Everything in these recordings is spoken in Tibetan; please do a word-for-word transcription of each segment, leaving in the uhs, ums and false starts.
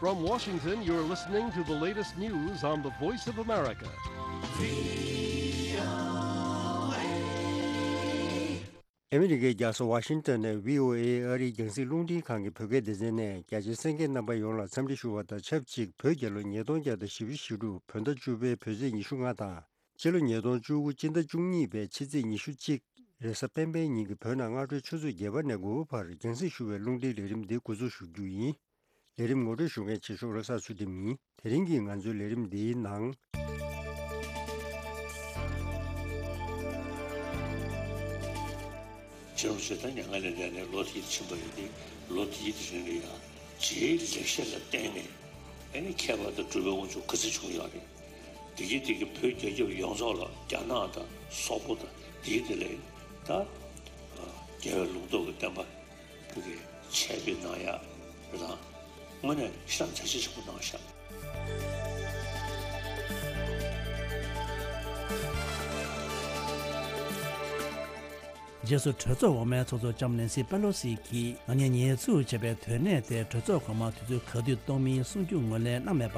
From Washington, you're listening to the latest news on the Voice of America. ཨ་མི་རི་ཀའི་རྒྱལ་ས་ཝ་ཤིང་ཏོན་ནས་བྷི་ཨོ་ཨེ་ཨ་རིའི་རྒྱང་སྲིང་རླུང་འཕྲིན་ཁང་གི་བོད་སྐད་སྡེ་ཚན་ནས། རྒྱ་ཆེའི་གསན་མཁན་རྣམ་པ་ཡོངས་ལ་འཚམས་འདྲི་ཞུ་བ་དང་ཆབས་ཅིག་བོད་རྒྱལ་ལོ་ཉིས་སྟོང་བརྒྱ་དང་བཞི་བཅུ་ཞེ་དྲུག་བོད་ཟླ་བཅུ་པའི་བོད་ཚེས་ཉི་ཤུ་ལྔ་དང་། སྤྱི་ལོ་ཉིས་སྟོང་བཅུ་དགུ་སྤྱི་ཟླ་བཅུ་གཉིས་པའི་ཕྱི་ཚེས་ཉི་ཤུ་གཅིག་རེས་གཟའ་སྤེན་པའི་ཉིན་གྱི་བོད་ནང་སྔ་དྲོའི་ཆུ་ཚོད་བརྒྱད་པ་ནས་དགུ་པ་བར་རྒྱང་སྲིང་ཞུ་བའི་རླུང་འཕྲིན་ལས་རིམ་འདི་འགོ་འཛུགས་ཞུ་རྒྱུ་ཡིན། ལས་རིམ་ངོ་སྤྲོད་ཞུ་མཁན་ཆོས་སྐྱབས་བློ་བཟང་ཚུལ་ཁྲིམས་ཡིན། དེ་རིང་གི་ང་ཚོའི་ལས་རིམ་འདིའི་ནང་། ཕྱི་ལོ་ཆིག་སྟོང་ཉིས་སྟོང་ལ་འདས་ནས་ལོ་དེའི་ཕྱིན་པ་ཡིན་ཏེ། ལོ་དེའི་རིང་ལ་ཡང་རྗེའི་ལེགས་བཤད་ལ་བརྟེན་ནས། ཨ་ནི་མཁས་པ་དང་གྲུབ་པའི་དབང་ཕྱུག་ག་ཚོད་བྱུང་ཡོད་རེད། དེ་གའི་དེ་གའི་བོད་རྒྱལ་ཁབ་ཡོངས་རྫོགས་ལ་རྒྱ་ནག་དང་སོག་པོ་དང་དེའི་དེ་ལས་ད་རྒྱལ་བའི་ལུང་རྟོགས་ཀྱི་བསྟན་པ་བོད་ཀྱི་ཆད་པའི་ནང་ཡག་རེད་དང་། དངོས་གནས་ཤིན་ཏུ་བྱ་བྱེད་ཆེན་པོ་གནང་ཤག་རྗེས་སུ་གྲོས་ཚོགས་འོག་མའི་ཚོགས་གཙོ་ལྕམ་ནེན་སི་པེ་ལོ་སི་གིས་ང་གཉིས་ཉེས་འཛུགས་བྱས་པའི་དོན་གནད་དེ་གྲོས་ཚོགས་གོང་མར་དུས་ཚོད་ག་དུས་གཏོང་མིན་གསུང་རྒྱུ་ངོས་ལེན་གནང་མེད་པ།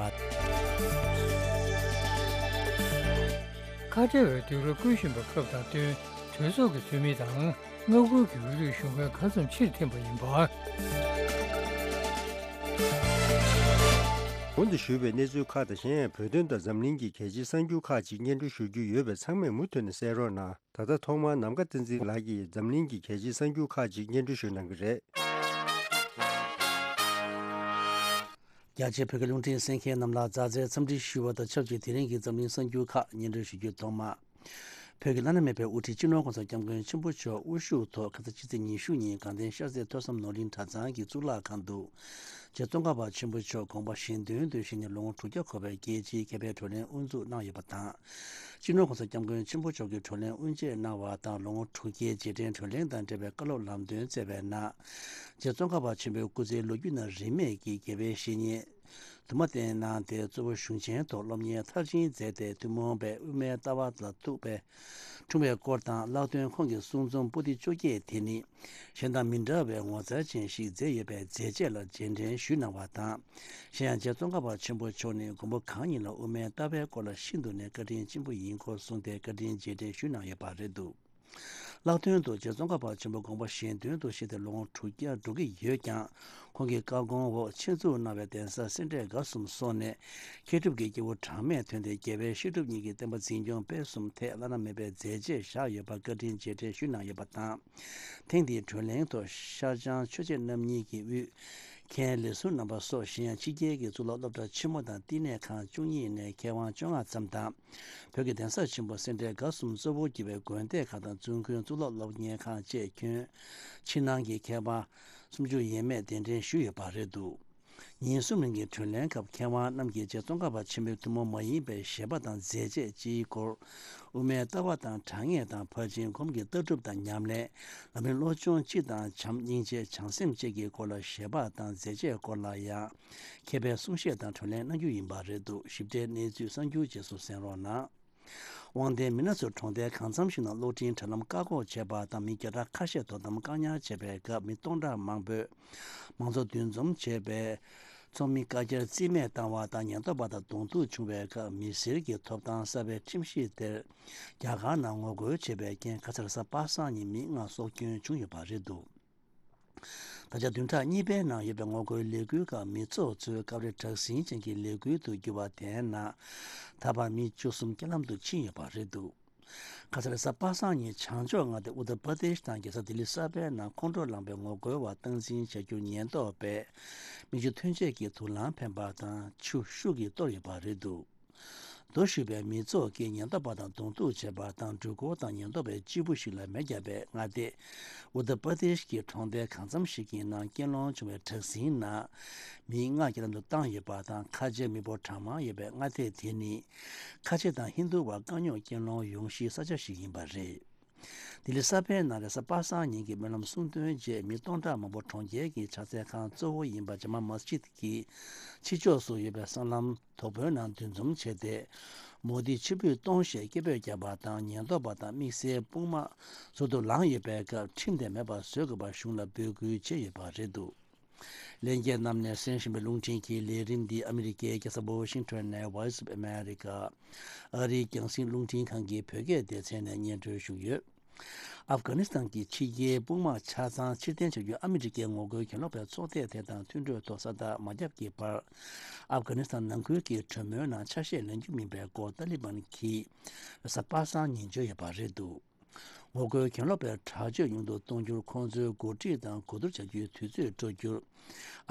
ཁ་བྲལ་བའི་སྡིགས་ར་བསྐུལ་བཞིན་པ་སྐབས་དང་བསྟུན་གྲོས་ཚོགས་ཀྱི་འཐུས་མི་དང་མངའ་ཁུལ་གྱི་དབུས་གཙང་གཞུང་གི་གང་འཚམ་ཕྱིར་འཐེན་པ་ཡིན་པ། གོང་དུ་ཞུས་པའི་གནས་ཚུལ་ཁག་དང་གཞན་ཡང་བོད་དོན་དང་འཛམ་གླིང་གི་གལ་ཆེའི་གསར་འགྱུར་ཁག་ཅིག་སྙན་སྒྲོན་ཞུ་རྒྱུ་ཡོད་པས་ཚང་མས་མུ་མཐུད་ནས་གསན་རོགས་གནང་། ད་ལྟ་ཐོག་མར་ནམ་མཁའ་བསྟན་འཛིན་ལགས་ཀྱིས་འཛམ་གླིང་གི་གལ་ཆེའི་གསར་འགྱུར་ཁག་ཅིག་སྙན་སྒྲོན་ཞུ་གནང་གི་རེད། རྒྱ་ཆེའི་བོད་ཀྱི་རླུང་འཕྲིན་གསན་མཁན་རྣམས་ལ་མཛའ་བརྩེའི་འཚམས་འདྲི་ཞུ་བ་དང་ཆབས་ཅིག་དེ་རིང་གི་འཛམ་གླིང་གསར་འགྱུར་ཁག་སྙན་སྒྲོན་ཞུ་རྒྱུ། ཐོག་མར། བོད་ཀྱི་བླ་ན་མེད་པའི་དབུ་ཁྲིད་སྤྱི་ནོར་༸གོང་ས་༸སྐྱབས་མགོན་ཆེན་པོ་མཆོག་དབུ་བཞུགས་ཐོག་ཁ་སང་ཕྱི་ཚེས་ཉི་ཤུ་ཉིན་དགའ་ལྡན་ཤར་རྩེ་ཐོས་བསམ་ནོར་གླིང་གྲྭ་ཚང་གི་གཙུག་ལག་ཁང་དུ། རྗེ་ཙོང་ཁ་པ་ཆེན་པོ་མཆོག་དགོངས་པ་གཞན་དོན་དུ་བཞེས་ནས་ལོ་ངོ་དྲུག་བརྒྱ་འཁོར་བའི་རྒྱལ་སྤྱིའི་མཁས་པའི་བགྲོ་གླེང་དབུ་འཛུགས་གནང་ཡོད་པ་དང་། སྤྱི་ནོར་༸གོང་ས་༸སྐྱབས་མགོན་ཆེན་པོ་མཆོག་གིས་བགྲོ་གླེང་དབུ་འབྱེད་གནང་བ་དང་། ལོ་ངོ་དྲུག་བརྒྱའི་རྗེས་དྲན་བགྲོ་གླེང་དང་འབྲེལ་བའི་བཀའ་སློབ་ལམ་སྟོན་སྩལ་བའི་ནང་། རྗེ་ཙོང་ཁ་པ་ཆེན་པོའི་སྐུ་ཚེའི་ལོ་རྒྱུས་ནང་རིས་མེད་ཀྱི་དགེ་བའི་བཤེས་གཉེན་དུ་མ་བསྟེན་གནང་སྟེ། གཙོ་བོ་གཞུང་ཆེན་ཐོག་སློབ་གཉེར་མཐར་ཕྱིན་མཛད་དེ། ཐུན་མོང་པའི་དབུ་མའི་ལྟ་བ་ལ་ཐུག་པའི་འཁྲུངས་པའི་སྐོར་དང་། ལྷག་དོན་ཁོང་གི་གསུང་རྩོམ་པོ་ཏི་བཅོ་བརྒྱད་དེ་ནི་གཞན་དང་མི་འདྲ་བའི་ངོ་མཚར་ཅན་ཞིག་མཛད་ཡོད་པའི་མཛད་རྗེས་ལ་རྗེས་དྲན་ཞུས་གནང་བ་དང་། གཞན་ཡང་རྗེ་ཙོང་ཁ་པ་ཆེན་པོ་མཆོག་ནི་མགོན་པོ་གང་ཉིད་ལ་དབུ་མའི་ལྟ་བའི་སྐོར་ལ་ཤིན་ཏུ་ནས་བཀའ་དྲིན་ཆེན་པོ་ཡིན་སྐོར་གསུངས་ཏེ། བཀའ་དྲིན་རྗེས་དྲན་ཞུས་གནང་ཡོད་པ་རེད་འདུག་ལྷག་དོན་དུ་རྗེ་ཙོང་ཁ་པ་ཆེན་པོ་དགོངས་པ་གཞན་དོན་དུ་གཤེགས་ཏེ་ལོ་ངོ་དྲུག་བརྒྱ་འགྲོ་གི་ཡོད་ཀྱང་། ཁོང་གི་བཀའ་དགོངས་འོག་ཆེད་འཛུགས་གནང་བའི་གདན་ས་སེ་འབྲས་དགའ་གསུམ་སོགས་ནས་མཁས་གྲུབ་ཀྱི་སྐྱེས་བུ་གྲངས་མེད་ཐོན་ཏེ། རྒྱལ་བའི་བཤད་སྒྲུབ་གཉིས་ཀྱི་བསྟན་པ་འཛིན་སྐྱོང་སྤེལ་གསུམ་ཐད་བླ་ན་མེད་པའི་མཛད་རྗེས་བཞག་ཡོད་པར་བཀའ་དྲིན་རྗེས་དྲན་ཞུས་གནང་ཡོད་པ་དང་། ཐེངས་འདིའི་བགྲོ་གླེང་ཐོག་ཤར་བྱང་ཆོས་རྗེ་རྣམ་གཉིས་ཀྱི་དབུས་མཁན་ལས་ཟུར་རྣམ་པ་སོགས་གཞན་ཡང་ཕྱི་རྒྱལ་གྱི་གཙུག་ལག་སློབ་གྲྭ་ཆེན་མོ་དང་བསྟི་གནས་ཁང་བཅུ་གཉིས་ནས་མཁས་དབང་བཅོ་ལྔ་ཙམ་དང་། བོད་ཀྱི་གདན་ས་ཆེན་པོ་སེ་འབྲས་དགའ་གསུམ་གཙོ་བོར་གྱུར་པའི་དགོན་སྡེ་ཁག་དང་བཙུན་དགོན་གཙུག་ལག་སློབ་གཉེར་ཁང་བཅས་ཁྱོན་ཕྱི་ནང་གི་མཁས་པ་སུམ་ཅུ་ཡས་མས་གདན་འདྲེན་ཞུས་ཡོད་པ་རེད་འདུག་ཉིན་གསུམ་རིང་གི་བགྲོ་གླེང་སྐབས་མཁས་དབང་རྣམས་ཀྱིས་རྗེ་ཙོང་ཁ་པ་ཆེན་པོའི་ཐུན་མོང་མ་ཡིན་པའི་བཞེད་པ་དང་མཛད་རྗེས་སྤྱིའི་སྐོར། དབུ་མའི་ལྟ་བ་དང་དྲང་ངེས་དང་ཕར་ཕྱིན་སྒོམ་གྱི་ལྟ་གྲུབ་དང་ཉམས་ལེན། ལམ་རིམ་བློ་སྦྱོང་སྤྱི་དང་བྱམས་སྙིང་རྗེ་བྱང་སེམས་བཅས་ཀྱི་སྐོར་ལ་བཞེད་པ་དང་མཛད་རྗེས་སྐོར་ལ་ཡང་མཁས་པའི་གསུང་བཤད་དང་བགྲོ་གླེང་གནང་རྒྱུ་ཡིན་པ་རེད་འདུག་ཞིབ་ཕྲའི་གནས་ཚུལ་གསར་འགྱུར་རྗེས་སུ་གསན་རོགས་གནང་། དབང་ལྡན་མི་སྣ་ཚོས་གྲོང་རྡལ་གང་འཚམ་ཞིག་ནང་གློག་འཕྲིན་དྲ་ལམ་བཀག་འགོག་བྱས་པ་དང་། མི་བརྒྱ་ཕྲག་ཁ་ཤས་དོ་དམ་བཀག་ཉར་བྱས་པའི་སྐབས། མི་སྟོང་ཕྲག་མང་པོས་མང་ཚོགས་འདུ་འཛོམས་བྱས་པའི་ཚོགས་མི་བཀའ་རྒྱར་རྩིས་མེད་བཏང་བ་དང་། ཉེན་རྟོག་པ་དང་གདོང་ཐུག་བྱུང་བའི་སྐབས། མི་སེར་གྱི་ཐོབ་ཐང་གསར་པའི་ཁྲིམས་གཞི་དེར་རྒྱ་གར་ནང་ངོ་རྒོལ་བྱས་པའི་རྐྱེན། ཁ་སང་རེས་གཟའ་པ་སངས་ཉིན་མི་ལྔ་སྲོག་སྐྱོན་བྱུང་ཡོད་པ་རེད་འདུག་ད་ཆ་བདུན་ཕྲག་གཉིས་པའི་ནང་ཡོད་པའི་ངོ་རྒོལ་ལས་འགུལ་ཁག་མི་ཚོགས་ཚོའི་སྐབས་རེ་དྲག་ཟིང་ཅན་གྱི་ལས་འགུལ་དུ་གྱུར་བ་དེའི་ནང་། ད་བར་མི་བཅུ་གསུམ་རྐྱེན་ལམ་དུ་ཕྱིན་ཡོད་པ་རེད་འདུག་ཁ་སང་རེས་གཟའ་པ་སངས་ཉིན་བྱང་ཕྱོགས་མངའ་སྡེ་ཨུ་ཏར་པར་དེཤ་དང་རྒྱལ་ས་ལྡི་ལི་གསར་པའི་ནང་ཁོང་ཁྲོ་ལངས་པའི་ངོ་རྒོལ་བ་སྟངས་འཛིན་བྱ་རྒྱུར་ཉེན་རྟོག་པས་མིག་ཆུ་ཐོན་ཆས་ཀྱིས་དུག་རླངས་འཕེན་པ་དང་ཆུ་ཤུགས་ཀྱིས་གཏོར་ཡོད་པ་རེད་འདུག་རྡོ་གཞུས་པའི་མི་ཚོགས་ཀྱིས་ཉེན་རྟོག་པ་དང་གདོང་ཐུག་བྱས་པ་དང་། འགྲུལ་འཁོར་དང་ཉེན་རྟོག་པའི་སྤྱིལ་བུ་ཞིག་ལ་མེ་བརྒྱབ་པས། མངའ་སྡེ་ཨུ་ཏར་པར་དེཤ་གི་གྲོང་རྡལ་གང་འཚམ་ཞིག་གི་ནང་རྐྱེན་སློང་བྱུང་བའི་དྲག་ཟིང་ནང་མི་ལྔ་རྐྱེན་ལམ་དུ་བཏང་ཡོད་པ་དང་། ཁ་ཆེའི་མི་འབོར་གྲངས་མང་ཡོད་པའི་མངའ་སྡེ་དེ་ནི་ཁ་ཆེ་དང་ཧིན་རྡུ་བ་དཀའ་རྙོག་རྐྱེན་སློང་ཡོང་གཞིའི་ས་ཆ་ཞིག་ཡིན་པ་རེད། ལྡི་ལི་གསར་པའི་ནང་རེས་གཟའ་པ་སངས་ཉིན་གྱི་སྨོན་ལམ་གསུང་འདོན་རྗེས། མི་སྟོང་ཕྲག་མང་པོ་གྲོང་ཁྱེར་གྱི་ཕྱག་འཚལ་ཁང་གཙོ་བོ་ཡིན་པ་ཇ་མ་མཱ་སི་ཇིད་ཀྱི་ཕྱི་ཕྱོགས་སུ་ཡོད་པའི་སྲང་ལམ་དོག་པོའི་ནང་འདུ་འཛོམས་བྱས་ཏེ། མོ་དི་ཕྱིར་འབུད་གཏོང་ཞེས་སྐད་འབོད་བརྒྱབ་པ་དང་། ཉེན་རྟོག་པ་དང་དམིགས་བསལ་དཔུང་དམག་ཟུར་དུ་ལངས་ཡོད་པའི་སྐབས། ཁྲིམས་དེ་མེད་པར་བཟོ་དགོས་པར་གཞུང་ལ་འབོད་སྐུལ་བྱས་ཡོད་པ་རེད་འདུག་ལྷན་རྒྱས་རྣམས་ནས་གསན་བཞིན་པའི་རླུང་འཕྲིན་གྱི་ལས་རིམ་འདི་ཨ་མི་རི་ཀའི་རྒྱལ་ས་ཝ་ཤིང་ཊོན་ནས་Voice of America ཨ་རིའི་རྒྱང་སྲིང་རླུང་འཕྲིན་ཁང་གི་བོད་སྐད་སྡེ་ཚན་ནས་སྙན་སྒྲོན་ཞུས་ཡོད། ཨབ་གྷ་ནི་སི་ཐན་གྱི་ཕྱི་རྒྱལ་དཔུང་དམག་ཆ་ཚང་ཕྱིར་འཐེན་བྱ་རྒྱུའི་ཨ་མི་རི་ཀའི་ངོ་རྒོལ་གྱེན་ལོག་པའི་ཚོགས་སྡེ་དེ་དང་མཐུན་གྲོས་ཐོག་ས་རྟགས་མ་བརྒྱབ་ཀྱི་བར། ཨབ་གྷ་ནི་སི་ཐན་ནང་ཁུལ་གྱི་གྲོས་མོལ་ནང་ཆ་ཤས་ལེན་རྒྱུ་མིན་པའི་སྐོར་ཏཱ་ལི་བན་གྱིས་རེས་གཟའ་པ་སངས་ཉིན་བརྗོད་ཡོད་པ་རེད་འདུག་ངོ་རྒོལ་གྱེན་ལོག་པའི་དྲག་སྤྱོད་ཉུང་དུ་གཏོང་རྒྱུར་ཁོང་ཚོའི་འགོ་ཁྲིད་དང་གོ་བསྡུར་བྱ་རྒྱུའི་དུས་ཚོད་སྤྲོད་རྒྱུར།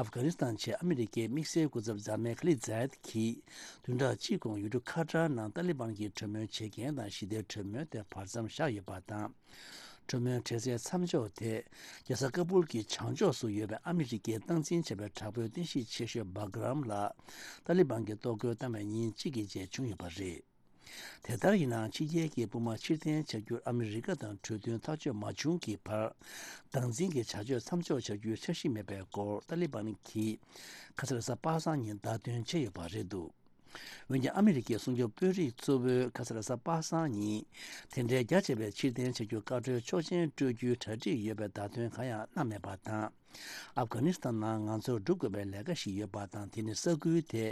ཨབ་གྷ་ནི་སི་ཐན་ཆེད་ཨ་མི་རི་ཀའི་དམིགས་བསལ་སྐུ་ཚབ་ཛཱ་མེ་ཁ་ལི་ཛཱ་ཡད་ཀྱིས་བདུན་ཕྲག་གཅིག་གོང་ཡུལ་གྲུ་ཁ་ཏར་ནང་ཏཱ་ལི་བན་གྱི་གྲོས་མོལ་བྱེད་མཁན་དང་ཞི་བདེའི་གྲོས་མོལ་དེ་བར་མཚམས་བཞག་ཡོད་པ་དང་། གྲོས་མོལ་གྲོས་ཚད་མཚམས་འཇོག་དེ་རྒྱལ་ས་ཀ་སྦུལ་གྱི་བྱང་ཕྱོགས་སུ་ཡོད་པའི་ཨ་མི་རི་ཀའི་སྟངས་འཛིན་བྱས་པའི་དྲག་པོའི་རྟེན་གཞི་ཆེ་ཤོས་སྦག་རམ་ལ་ཏཱ་ལི་བན་གྱིས་གཏོར་རྒོལ་བཏང་བའི་ཉིན་གཅིག་གི་རྗེས་བྱུང་ཡོད་པ་རེད། དེ་ལྟར་ཡིན་ནའང་ཕྱི་རྒྱལ་གྱི་དཔུང་དམག་ཕྱིར་འཐེན་བྱ་རྒྱུར་ཨ་མི་རི་ཀ་དང་གྲོས་མཐུན་ཐག་གཅོད་མ་བྱུང་གི་བར། སྟངས་འཛིན་གྱི་བྱ་སྤྱོད་མཚམས་འཇོག་བྱ་རྒྱུའི་འཆར་གཞི་མེད་པའི་སྐོར་ཏཱ་ལི་བན་གྱིས་ཁ་སང་རེས་གཟའ་པ་སངས་ཉིན་བརྡ་སྟོན་བྱས་ཡོད་པ་རེད་འདུག་འོན་ཀྱང་ཨ་མི་རི་ཀའི་སྲུང་སྐྱོབ་དཔོན་རིགས་གཙོ་བོས་ཁ་སང་རེས་གཟའ་པ་སངས་ཉིན་དེ་འདྲའི་རྒྱ་ཆེ་བའི་ཕྱིར་འཐེན་བྱ་རྒྱུར་བཀའ་འཁྲོལ་ཆོག་མཆན་སྤྲོད་རྒྱུའི་གྲ་སྒྲིག་ཡོད་པའི་བརྡ་སྟོན་གང་ཡང་གནང་མེད་པ་དང་། ཨབ་གྷ་ནི་སི་ཐན་ནང་ང་ཚོར་སྒྲུབ་དགོས་པའི་ལས་ཀ་ཞིག་ཡོད་པ་དང་། དེ་ནི་ས་ཁུལ་དེ་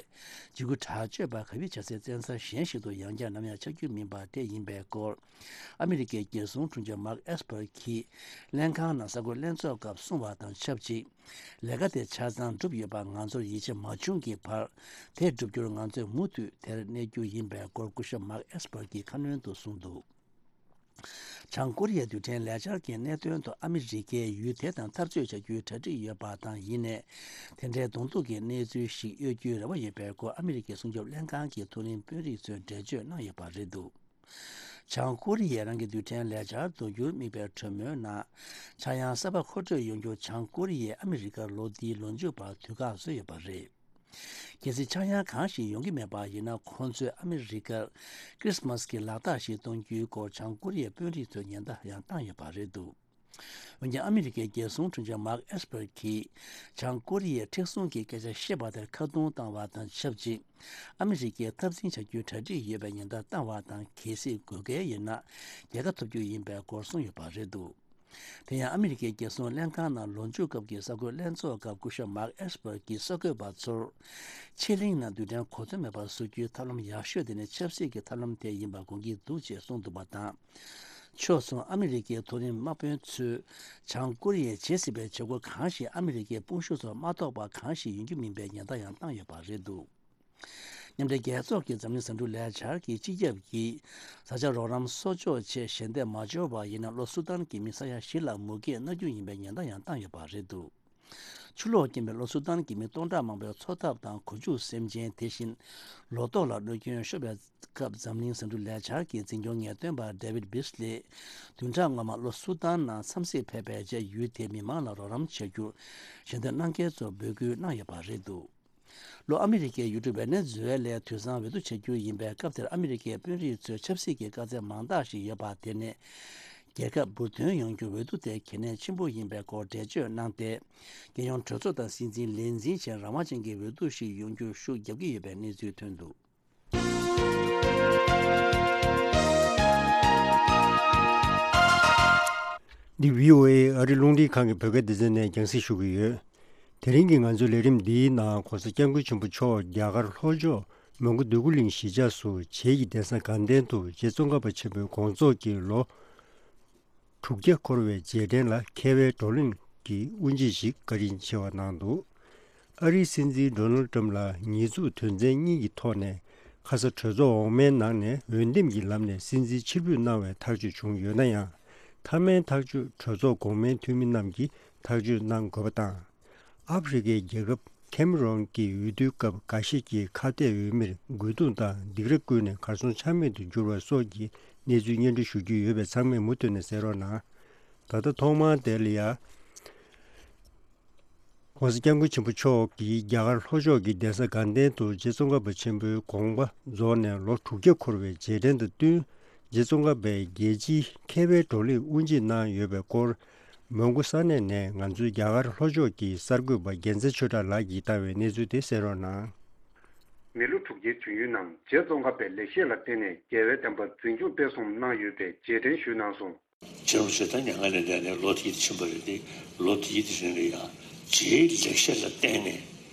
འཇིགས་སྐུལ་དྲག་སྤྱོད་པ་གབ་ཡིབ་བྱ་སའི་བཙན་ས་གཞན་ཞིག་ཏུ་ཡང་བསྐྱར་ནམ་ཡང་ཆགས་རྒྱུ་མིན་པ་དེ་ཡིན་པའི་སྐོར། ཨ་མི་རི་ཀའི་རྒྱལ་སྲུང་དྲུང་ཆེ་མཱག་ཨེས་པར་གྱིས་ལྷན་ཁང་ནང་གསར་འགོད་ལྷན་ཚོགས་སྐབས་གསུངས་པ་དང་ཆབས་ཅིག་ལས་ཀ་དེ་ཆ་ཚང་གྲུབ་ཡོད་པ་ང་ཚོར་ཡིད་ཆེས་མ་བྱུང་གི་བར། དེ་བསྒྲུབ་རྒྱུར་ང་ཚོས་མུ་མཐུད་དེར་གནས་རྒྱུ་ཡིན་པའི་སྐོར་སྐུ་ཞབས་མཱག་ཨེས་པར་གྱིས་ཁ་སྣོན་དུ་གསུངས་འདུག་བྱང་ཀོ་རི་ཡའི་རྡུལ་ཕྲན་ལས་འཆར་གྱི་གནད་དོན་ཐོག་ཨ་མི་རི་ཀས་ཡུལ་དེ་དང་འཐབ་རྩོད་བྱ་རྒྱུའི་གྲ་སྒྲིག་ཡོད་པ་དང་། ཡིན་ནའི་དེ་འདྲའི་གདོང་ཐུག་གི་གནས་ཚུལ་ཞིག་གཡོལ་རྒྱུའི་རེ་བ་ཡོད་པའི་སྐོར་ཨ་མི་རི་ཀའི་སྲུང་སྐྱོབ་ལྷན་ཁང་གི་མཐོ་རིམ་དཔོན་རིགས་ཚོས་འགྲེལ་བརྗོད་གནང་ཡོད་པ་རེད་འདུག་བྱང་ཀོ་རི་ཡས་རང་གི་རྡུལ་ཕྲན་ལས་འཆར་དོན་འཁྱོལ་དམིགས་པའི་གྲོས་མོལ་ནང་། ཆག་ཡང་གསར་པ་མཁོ་སྤྲོད་ཡོང་རྒྱུར་བྱང་ཀོ་རི་ཡས་ཨ་མི་རི་ཀར་ལོ་འདིའི་ལོ་མཇུག་བར་དུས་བཀག་བཟོས་ཡོད་པ་རེད། གལ་སྲིད་ཆག་ཡང་གང་ཞིག་ཡོང་གི་མེད་པ་ཡིན་ན། ཁོང་ཚོས་ཨ་མི་རི་ཀར་ཁྲི་སི་མཱས་ཀྱི་ལག་རྟགས་ཤིག་གཏོང་རྒྱུའི་སྐོར་བྱང་ཀོ་རི་ཡའི་དཔོན་རིགས་ཚོས་ཉེན་བརྡ་ཡང་བཏང་ཡོད་པ་རེད་འདུག་འོན་ཀྱང་ཨ་མི་རི་ཀའི་རྒྱལ་སྲུང་དྲུང་ཆེ་མཱག་ཨེས་པར་གྱིས་བྱང་ཀོ་རི་ཡའི་མཁྲེགས་བཟུང་གི་སྐད་ཆ་བཤད་པ་དེར་ཁ་རྡུང་བཏང་བ་དང་ཆབས་ཅིག་ཨ་མི་རི་ཀས་འཐབ་འཛིང་བྱ་རྒྱུའི་གྲ་སྒྲིག་ཡོད་པའི་ཉེན་བརྡ་བཏང་བ་དང་། གལ་སྲིད་དགོས་གལ་ཡོད་ན་རྒྱལ་ཁ་ཐོབ་རྒྱུ་ཡིན་པའི་སྐོར་གསུངས་ཡོད་པ་རེད་འདུག་དེ་ཡང་ཨ་མི་རི་ཀའི་རྒྱལ་སྲུང་ལྷན་ཁང་ནང་ལོ་མཇུག་སྐབས་ཀྱི་གསར་འགོད་ལྷན་ཚོགས་སྐབས་སྐུ་ཞབས་མཱག་ཨེས་པར་གྱིས་གསར་འགོད་པ་ཚོར། ཕྱེད་གླིང་ནང་རྡུལ་ཕྲན་གོ་མཚོན་མེད་པར་བཟོ་རྒྱུའི་ཐབས་ལམ་ཡག་ཤོས་དེ་ནི་ཆབ་སྲིད་ཀྱི་ཐབས་ལམ་དེ་ཡིན་པ་དགོངས་ཀྱི་འདུག་ཅེས་གསུངས་འདུག་པ་དང་། ཕྱོགས་མཚུངས་ཨ་མི་རི་ཀའི་མཐོ་རིམ་དམག་དཔོན་ཚོས་བྱང་ཀོ་རི་ཡས་བྱེད་སྲིད་པའི་བྱེད་སྒོ་གང་ཞིག་ཨ་མི་རི་ཀའི་དཔུང་ཤུགས་ཚོར་མ་གཏོགས་པ་གང་ཞིག་ཡོང་རྒྱུ་མིན་པའི་ཉེན་བརྡ་ཡང་བཏང་ཡོད་པ་རེད་འདུག་མཉམ་འབྲེལ་རྒྱལ་ཚོགས་ཀྱི་འཛམ་གླིང་ཟ་འབྲུ་ལས་འཆར་གྱི་སྤྱི་ཁྱབ་ཀྱིས་བཟའ་བཅའ་རོགས་རམ་གསོག་འཇོག་ཆེད་ཞལ་འདེབས་མ་འབྱོར་བ་ཡིན་ན། ལྷོ་སུ་དཱན་གྱི་མི་ས་ཡ་བཞི་ལ་མུ་གེས་མནར་རྒྱུ་ཡིན་པའི་ཉེན་བརྡ་ཡང་བཏང་ཡོད་པ་རེད་འདུག་ཆུ་ལོག་རྐྱེན་པས་ལྷོ་སུ་དཱན་གྱི་མི་སྟོང་ཕྲག་མང་པོའི་འཚོ་ཐབས་དང་། གོ་ཆུ་སེམས་ཅན། དེ་བཞིན་ལོ་ཏོག་ལ་གནོད་སྐྱོན་ཤོར་བའི་སྐབས། འཛམ་གླིང་ཟ་འབྲུ་ལས་འཆར་གྱི་འཛིན་སྐྱོང་ངེས་སྟོན་པ་ཌེ་ཝིད་བིས་ལིས་བདུན་ཕྲག་སྔོན་མ་ལྷོ་སུ་དཱན་ནང་འཚམས་གཟིགས་ཕེབས་པའི་རྗེས། ཡུལ་དེའི་མི་མང་ལ་རོགས་རམ་བྱ་རྒྱུར་ཞལ་འདེབས་གནང་མཁན་ཚོར་འབོད་སྐུལ་གནང་ཡོད་པ་རེད་འདུག་ལྷོ་ཨ་མི་རི་ཀའི་ཡུལ་གྲུ་ཝེ་ནེ་ཛུ་ཝེ་ལའི་དུད་ཚང་འོས་བསྡུ་བྱ་རྒྱུ་ཡིན་པའི་སྐབས་དེར། ཨ་མི་རི་ཀའི་དཔོན་རིགས་ཚོས་ཆབ་སྲིད་ཀྱི་དཀའ་ཚེགས་མང་དག་ཞིག་ཡོད་པ་དེ་ནི། རྒྱལ་ཁབ་འབུར་ཐོན་ཡོང་རྒྱུར་འོས་བསྡུ་དེ་གལ་གནད་ཆེན་པོ་ཡིན་པའི་སྐོར་འགྲེལ་བརྗོད་གནང་སྟེ། རྒྱལ་ཡོངས་གྲོས་ཚོགས་དང་སྲིད་འཛིན་ལས་འཛིན་བྱས་རང་དབང་ཅན་གྱི་འོས་བསྡུ་ཞིག་ཡོང་རྒྱུར་ཤུགས་རྒྱབ་ཀྱི་ཡོད་པའི་གནས་ཚུལ་ཐོན་འདུག་འདི་བྷི་ཨོ་ཨེ་ཨ་རི་རླུང་འཕྲིན་ཁང་གི་བོད་སྐད་སྡེ་ཚན་ནས་རྒྱང་སྲིང་ཞུ་གི་ཡོད། དེ་རིང་གི་ང་ཚོའི་ལས་རིམ་འདིའི་ནང་༸གོང་ས་༸སྐྱབས་མགོན་ཆེན་པོ་མཆོག་རྒྱ་གར་ལྷོ་ཕྱོགས་མོན་གྷོ་འདོད་རྒུ་གླིང་གཞིས་ཆགས་སུ་བྱེས་ཀྱི་གདན་ས་དགའ་ལྡན་དུ་རྗེ་ཙོང་ཁ་པ་ཆེན་པོའི་དགོངས་རྫོགས་ཀྱི་ལོ་དྲུག་བརྒྱ་འཁོར་བའི་རྗེས་དྲན་ལ་མཁས་པའི་བགྲོ་གླེང་གི་དབུ་འབྱེད་ཞིག་བཀའ་དྲིན་ཆེ་བ་གནང་འདུག་ཨ་རིའི་སྲིད་འཛིན་ཌོ་ནལ་ཊམ་ལ་ཉེས་འཛུགས་དོན་ཚན་གཉིས་ཀྱི་ཐོག་ནས་ཁ་ས་གྲོས་ཚོགས་འོག་མའི་ནང་ནས་འོས་འདེམས་ཀྱི་ལམ་ནས་སྲིད་འཛིན་ཕྱིར་འབུད་གནང་བའི་ཐག་གཅོད་བྱུང་ཡོད་ན་ཡང་། མཐའ་མའི་ཐག་གཅོད་གྲོས་ཚོགས་གོང་མའི་འཐུས་མི་རྣམས་ཀྱིས་ཐག་གཅོད་གནང་དགོས་པ་དང་། ཨ་ཧྥེ་རི་ཁའི་རྒྱལ་ཁབ་ཁེ་མ་རོན་གྱི་འོས་བསྡུའི་སྐབས་འགའ་ཤས་ཀྱིས་ཁ་གཏད་འོས་མིར་རྒོལ་རྡུང་དང་སྡིགས་ར་བསྐུལ་ནས་གར་སོང་ཆ་མེད་དུ་གྱུར་བ་སོགས་ཀྱི་གནས་ཚུལ་སྙན་སྒྲོན་ཞུ་རྒྱུ་ཡོད་པས་ཚང་མས་མུ་མཐུད་ནས་གསན་རོགས་གནང་། ད་ལྟ་ཐོག་མར་དེ་ལ་ཡ།༸གོང་ས་༸སྐྱབས་མགོན་ཆེན་པོ་མཆོག་གིས་རྒྱ་གར་ལྷོ་ཕྱོགས་ཀྱི་གདན་ས་དགའ་ལྡན་དུ་རྗེ་ཙོང་ཁ་པ་ཆེན་པོའི་དགོངས་པ་རྫོགས་ནས་ལོ་དྲུག་བརྒྱ་འཁོར་བའི་རྗེས་དྲན་དང་བསྟུན། རྗེ་ཙོང་ཁ་པའི་རྒྱལ་སྤྱིའི་མཁས་པའི་བགྲོ་གླེང་དབུ་འབྱེད་གནང་ཡོད་པའི་སྐོར། མོན་གྷོ་ས་གནས་ནས་ང་ཚོའི་རྒྱ་གར་ལྷོ་ཕྱོགས་ཀྱི་གསར་འགོད་པ་རྒྱལ་མཚན་ཆོས་གྲགས་ལགས་ཀྱིས་བཏང་བའི་གནས་ཚུལ་དེ་གསན་རོགས་གནང་། མི་ལོ་དྲུག་བརྒྱའི་དུས་ཡུན་ནང་རྗེ་ཙོང་ཁ་པའི་ལེགས་བཤད་ལ་བརྟེན་ནས་རྒྱལ་བའི་བསྟན་པ་འཛིན་སྐྱོང་སྤེལ་གསུམ་གནང་ཡོད་པའི་རྗེས་དྲན་ཞུས་གནང་སོང་། རྗེ་རིན་པོ་ཆེ་ད་མྱ་ངན་ལས་འདས་ནས་ལོ་དེའི་ཕྱིན་པ་རེད་དེ། ལོ་དེའི་རིང་ལ་ཡང་ རྗེའི་ལེགས་བཤད་ལ་བརྟེན་ནས་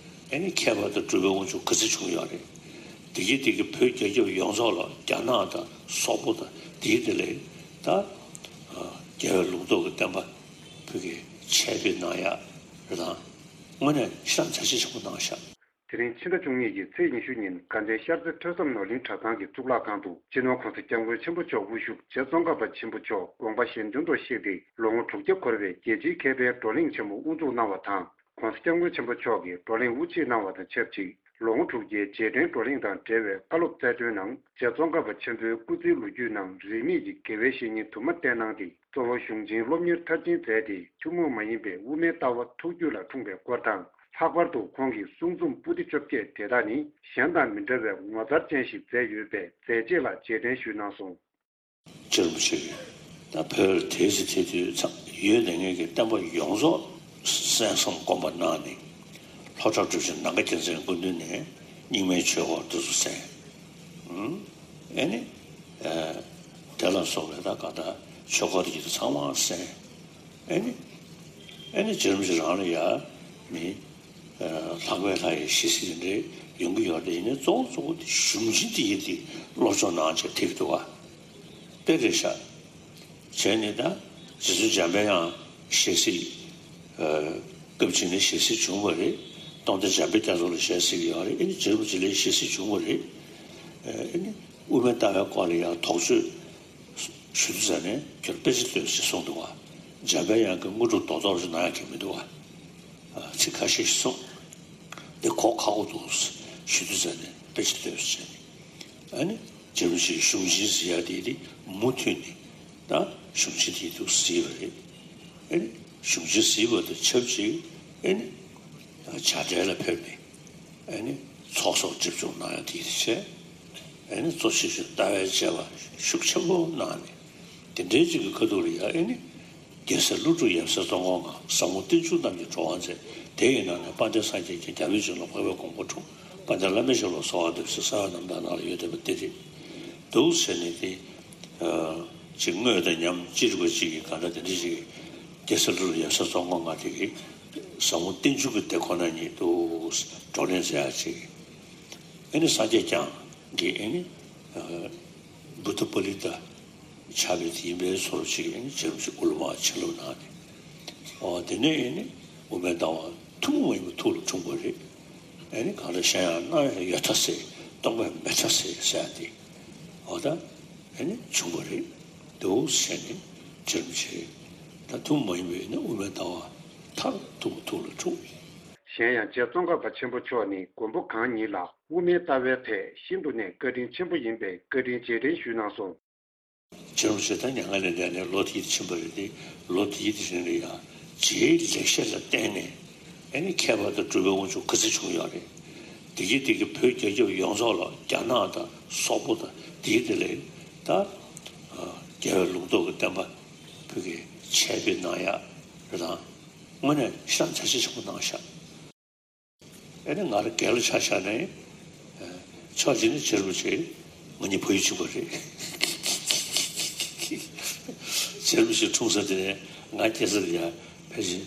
ཨ་ནི་ཁྱད་པར་དུ་གྲུབ་པའི་དབང་ཕྱུག་ག་ཚོད་བྱུང་ཡོད་རེད། དེ་གི་དེ་གི་བོད་རྒྱལ་ཁབ་ཡོངས་རྫོགས་ལ་རྒྱ་ནག་དང་སོག་པོ་དང་དེའི་དེ་ལས་ད་རྒྱལ་བའི་ལུང་རྟོགས་ཀྱི་བསྟན་པ་བོད་ཀྱི་ཆེད་དུ་གནང་ཡག་རེད་དང་། དངོས་གནས་ཤིན་ཏུ་བྱ་བྱེད་ཆེན་པོ་གནང་ཤག་དེ་རིང་ཕྱི་ཟླ་བཅུ་གཉིས་ཀྱི་ཚེས་ཉི་ཤུ་ཉིན་དགའ་ལྡན་ཤར་རྩེ་ཐོས་བསམ་ནོར་གླིང་གྲྭ་ཚང་གི་གཙུག་ལག་ཁང་དུ་སྤྱི་ནོར་༸གོང་ས་༸སྐྱབས་མགོན་ཆེན་པོ་མཆོག་དབུ་བཞུགས་རྗེ་ཙོང་ཁ་པ་ཆེན་པོ་མཆོག་དགོངས་པ་གཞན་དོན་དུ་གཤེགས་ཏེ་ལོ་ངོ་དྲུག་བརྒྱ་འཁོར་བའི་རྒྱལ་སྤྱིའི་མཁས་པའི་བགྲོ་གླེང་ཆེན་མོ་དབུ་འཛུགས་གནང་བ་དང་། ༸གོང་ས་༸སྐྱབས་མགོན་ཆེན་པོ་མཆོག་གིས་བགྲོ་གླེང་དབུ་འབྱེད་གནང་བ་དང་ཆབས་ཅིག་ལོ་ངོ་དྲུག་བརྒྱའི་རྗེས་དྲན་བགྲོ་གླེང་དང་འབྲེལ་བའི་བཀའ་སློབ་སྩལ་དོན་ནང་། རྗེ་ཙོང་ཁ་པ་ཆེན་པོའི་སྐུ་ཚེའི་ལོ་རྒྱུས་ནང་རིས་མེད་ཀྱི་དགེ་བའི་བཤེས་གཉེན་དུ་མ་བསྟེན་གནང་སྟེ། གཙོ་བོ་གཞུང་ཆེན་སློབ་གཉེར་མཐར་ཕྱིན་མཛད་དེ། ཐུན་མོང་མ་ཡིན་པའི་དབུ་མའི་ལྟ་བ་ཐུགས་རྒྱུད་ལ་འཁྲུངས་པའི་སྐོར་དང་། ལྷག་པར་དུ་ཁོང་གི་གསུང་རྩོམ་པོ་ཏི་བཅོ་བརྒྱད་དེ་དག་ནི་གཞན་དང་མི་འདྲ་བའི་ངོ་མཚར་ཅན་ཞིག་མཛད་ཡོད་པས་མཛད་རྗེས་ལ་རྗེས་དྲན་ཞུས་གནང་སོང་། རྗེ་རིན་པོ་ཆེ་གིས་ད་བོད་ལ་དེའི་ཚེ་དེ་དུས་ཙམ་ཡོད་ནས་ངེད་ཀྱི་བསྟན་པ་ཡོངས་རྫོགས་གསན་བསམ་སྒོམ་པ་གནང་ནས། ལྷོ་བྲག་གྲུབ་ཆེན་ནམ་མཁའ་རྒྱལ་མཚན་སྐུ་མདུན་ནས་རྙིང་མའི་ཆོས་སྐོར་འདི་ཚོ་གསན། ཨ་ནི། དེ་ལ་སོགས་པའི་ད་གང་ལྟར་ཆོས་སྐོར་དེ་ཚོ་ཚང་མ་གསན། ཨ་ནི། ཨ་ནི་རྗེ་རིན་པོ་ཆེ་རང་ལ་ཡ་མི། ལྷག་པའི་ལྷ་ཡི་ཞལ་གཟིགས་དེ་འདྲའི་ཡོང་གི་ཡོད་རེད། ཡིན་ནའི་གཙོ་བོ་གཙོ་བོ་དེ་གཞུང་ཆེན་དེ་ཡིན་དེ་སློབ་སྦྱོང་གནང་བྱས་ཐེག་འདུག་བ། དཔེ་རེད་ཤག་བྱས་ནས་ད་རྗེ་བཙུན་འཇམ་པའི་དབྱངས་ཞལ་གཟིགས། སྐབས་གཅིག་ནས་ཞལ་གཟིགས་བྱུང་བ་རེད། སྟོང་སྡེ་འཇམ་དཔལ་རྒྱ་མཚོ་ལ་ཞལ་གཟིགས་ཡོད་རེད། ཨ་ནི་རྗེ་རིན་པོ་ཆེ་ལ་ཞལ་གཟིགས་བྱུང་བ་རེད། ཨ་ནི་དབུ་མའི་ལྟ་བའི་སྐོར་ལ་ཡང་དོགས་གཅོད་ཞུ་དུས་ཙམ་ནས་ཁྱོད་དཔེ་ཆ་ལྟོས་ཞེས་གསུངས་འདུག་བ། འཇམ་པའི་དབྱངས་ཀྱིས་དངོས་གྲུབ་རྡོག་རྡོག་ཞིག་གནང་ཡག་གི་མི་འདུག་བ། ཚིག་ཁ་ཤས་ཤིག་གསུངས། འདི་གོ་ཁག་པོ་འདུག་ཞུ་དུས་ཙམ་ནས་དཔེ་ཆ་ལྟོས་ཞེས་བྱས་ནས། ཨ་ནི་རྗེ་རིན་པོ་ཆེའི་གཞུང་ཆེན་ཟེར་ཡག་དེ་དེ་མུ་མཐུད་ནས་ད་གཞུང་ཆེན་དེ་འདུག་གཟིགས་པ་རེད། ཨ་ནི་གཞུང་ཆེན་གཟིགས་པ་དང་ཆབས་ཅིག་ཨ་ནི་བྱ་བྲལ་ལ་ཕེབས་ནས། ཨ་ནི་ཚོགས་གསོག་སྒྲིབ་སྦྱོང་གནང་ཡག་དེ་དེ་བྱས། ཨ་ནི་གཙོ་ཆེ་ཤོས་ལྟ་བའི་དཔྱད་པ་ཤུགས་ཆེན་པོ་གནང་ནས། དེ་འདྲའི་ཅིག་གི་ཁ་ཐུག་ལ་ཡ་ཨ་ནི། རྒྱལ་སྲས་ཀླུ་སྒྲུབ་ཡབ་སྲས་ཙོང་ཁ་པ་ལྔ། ཟབ་མོ་བསྟན་བཅོས་རྣམས་ཀྱི་གྲོགས་པོ་མཛད། དེ་ཡི་ནང་ནས་དཔལ་ལྡན་སངས་རྒྱས་ཀྱིས་རྒྱལ་བའི་བྱིན་རླབས་འཕགས་པའི་གོ་འཕང་འཁྲུངས། དཔལ་ལྡན་བླ་མའི་ཞབས་ལ་གསོལ་བ་འདེབས་ཟེར་ས་ཡ་རྣམ་ཐར་ནང་ལ་ཡོད་བསྡད་པ་དེ་རེད། འདུག་ཟེར་ནས་དེ། ཅིག་དངོས་དང་ཉམས་ཅི་རིགས་པ་ཅིག་གིས་གང་འདྲ་དེ་འདྲ་ཅིག་རྒྱལ་སྲས་ཀླུ་སྒྲུབ་ཡབ་སྲས་ཙོང་ཁ་པ་ལྔ་དེ་གིས་ཟབ་མོ་བསྟན་བཅོས་ཀྱི་དེ་ཁོ་ན་ཉིད་དུ་བགྲོ་གླེང་མཛད་ཡག་ཅིག་ཨ་ནི་སངས་རྒྱས་བསྐྱངས་ཀྱི་ཨ་ནི། བུདྡྷ་པཱ་ལི་ཏ་ཆགས་པའི་དེ་ཡིན་པའི་བཟོ་འདྲ་ཅིག་ཨ་ནི་རྗེ་རིན་པོ་ཆེ་དབུ་མ་བྱིན་རླབས་གནང་ནས། འོ་དེ་ནས་ཨ་ནི་དབུ་མའི་ལྟ་བ་ཐུན་མོང་མ་ཡིན་པ་ཐུགས་ལ་འཁྲུངས་པ་རེད། ཨ་ནི་གང་ལྟར་བཤད་ཡག་སྣང་ཡག་ཡོད་མཐའ་གསལ། སྟོང་པ་མེད་མཐའ་གསལ་ཟེར་ཡག་དེ། འོ་ད་ཨ་ནི་བྱུང་བ་རེད། འདུག་ཟེར་ནས་རྗེ་རིན་པོ་ཆེ་ད་ཐུན་མོང་མ་ཡིན་པའི་ཨ་ནི་དབུ་མའི་ལྟ་བ་མཐར་ཐུག་པ་ཐུགས་ལ་འཁྲུངས། གཞན་ཡང་རྗེ་ཙོང་ཁ་པ་ཆེན་པོ་མཆོག་ནི་མགོན་པོ་གང་ཉིད་ལ་དབུ་མའི་ལྟ་བའི་ཐད་ཤིན་ཏུ་ནས་བཀའ་དྲིན་ཆེན་པོ་ཡིན་པས་བཀའ་དྲིན་རྗེས་དྲན་ཞུས་གནང་སོང་། རྗེ་རིན་པོ་ཆེ་ད་མྱ་ངན་ལས་འདས་ནས་ལོ་དེ་ཕྱིན་པ་རེད་དེ། ལོ་དེའི་དེ་རིང་ལ་ཡང་རྗེའི་ལེགས་བཤད་ལ་བརྟེན་ནས་ཨ་ནི་ཁྱད་པར་དུ་གྲུབ་པའི་དབང་ཕྱུག་ག་ཚོད་བྱུང་ཡོད་རེད། དེ་གི་དེ་གི་བོད་རྒྱལ་ཁབ་ཡོངས་རྫོགས་ལ་རྒྱ་ནག་དང་སོག་པོ་དང་དེའི་དེ་ལས་ད་རྒྱལ་བའི་ལུང་རྟོགས་ཀྱི་བསྟན་པ་བོད་ཀྱི་ཆེད་དུ་གནང་ཡག་རེད་དང་། དངོས་གནས་ཤིན་ཏུ་བྱ་བྱེད་ཆེན་པོ་གནང་ཤག་ཨ་ནི་ང་རང་རྒན་ལ་ཆ་བཞག་ནས། ཕྱོགས་གཅིག་ནས་རྗེ་རིན་པོ་ཆེ་ང་གཉིས་བོད་ཡིག་གཅིག་པ་རེད། རྗེ་རིན་པོ་ཆེ་འཁྲུངས་ས་དེ་ནས་ང་སྐྱེས་ས་དེ་ཡང་ཕལ་ཆེར་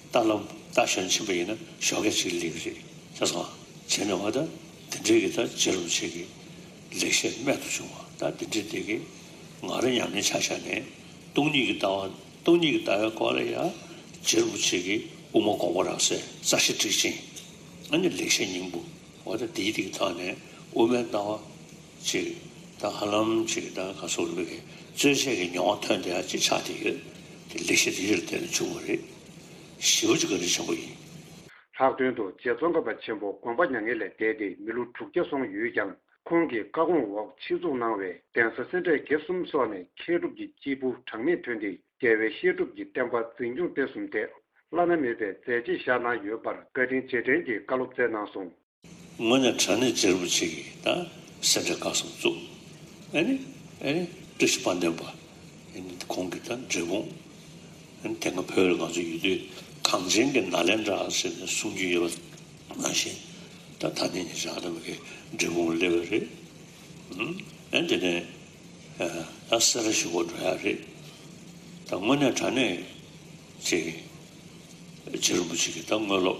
རྟ་ལམ་རྟ་ཞོན་ཕྱིན་པ་ཡིན་ན་ཞོགས་ཀས་གཅིག་སླེབས་རེད། ཤེས་སོང་། བྱས་ནས་འོ་ད་དེ་འདྲའི་གི་ད་རྗེ་རིན་པོ་ཆེ་གི་ལེགས་བཤད་རྨད་དུ་བྱུང་བ་ད་དེ་འདྲའི་དེ་གི་ང་རང་ཉམས་ལེན་ཆ་བཞག་ནས་སྟོང་ཉིད་ཀྱི་ལྟ་བ་སྟོང་ཉིད་ཀྱི་ལྟ་བའི་སྐོར་ལ་ཡང་རྗེ་རིན་པོ་ཆེ་གི་དབུ་མ་དགོངས་པ་རབ་གསལ་རྩ་ཤེ་ཊཱིཀ་ཆེན། ཨ་ནི་ལེགས་བཤད་སྙིང་པོ། འོ་ད་དེའི་དེ་གི་ཐོག་ནས་དབུ་མའི་ལྟ་བ་ཅིག་ད་ཧ་ལམ་ཅིག་ད་ག་སོགས་ལུགས་ཀྱི་རྩོད་བཤད་ཀྱི་མྱོང་བ་ཐོན་བསྡད་ཡག་ཅིག་ཆགས་བསྡད་ཡོད། དེ་ལེགས་བཤད་དེ་ཡིད་ལ་བརྟན་ནས་བྱུང་བ་རེད། ཞེ་པོ་ཅིག་བཀའ་དྲིན་ཆེན་པོ་ཡིན། ལྷག་དོན་དུ་རྗེ་ཙོང་ཁ་པ་ཆེན་པོ་དགོངས་པ་མྱ་ངན་ལས་འདས་ཏེ་མི་ལོ་དྲུག་བརྒྱ་སོང་ཡོད་ཀྱང་། ཁོང་གི་བཀའ་དགོངས་འོག་ཆེད་འཛུགས་གནང་བའི་གདན་ས་སེ་འབྲས་དགེ་གསུམ་སོགས་ནས་མཁས་གྲུབ་ཀྱི་སྐྱེས་བུ་གྲངས་མེད་ཐོན་ཏེ་རྒྱལ་བའི་བཤད་སྒྲུབ་ཀྱི་བསྟན་པ་འཛིན་སྐྱོང་སྤེལ་གསུམ་ཐད་བླ་ན་མེད་པའི་མཛད་རྗེས་བཞག་གནང་ཡོད་པར་བཀའ་དྲིན་རྗེས་དྲན་གྱི་བཀའ་སློབ་སྩལ་གནང་སོང་། དངོས་གནས་དྲང་གནས་རྗེ་རིན་པོ་ཆེ་གིས་ད་སེ་འབྲས་དགེ་གསུམ་བཙུགས། ཨ་ནི་ཨ་ནི་བཀྲ་ཤིས་དཔལ་ལྡན་པ་ཨ་ནི་ཁོང་གི་ད་འབྲས་སྤུངས། ཨ་ནི་དེ་སྔ་བོད་ལ་ང་ཚོ་ཡོད་དུས་གངས་ཅན་གྱི་ནཱ་ལེནྡྲ་ཟེར་ནས་གསུང་རྒྱུ་ཡོད་པ་ནང་བཞིན། ད་ད་ནི་ཉེ་ཆར་ད་མ་གི་འབྲས་སྤུངས་སླེབས་པ་རེད། ཨ་ནི་དེ་ནས་ད་སེ་ར་བཞི་པོ་འགྲོ་ཡག་རེད། ད་དངོས་གནས་དྲང་གནས་ཅིག་རྗེ་རིན་པོ་ཆེ་གི་ད་དངོས་སློབ་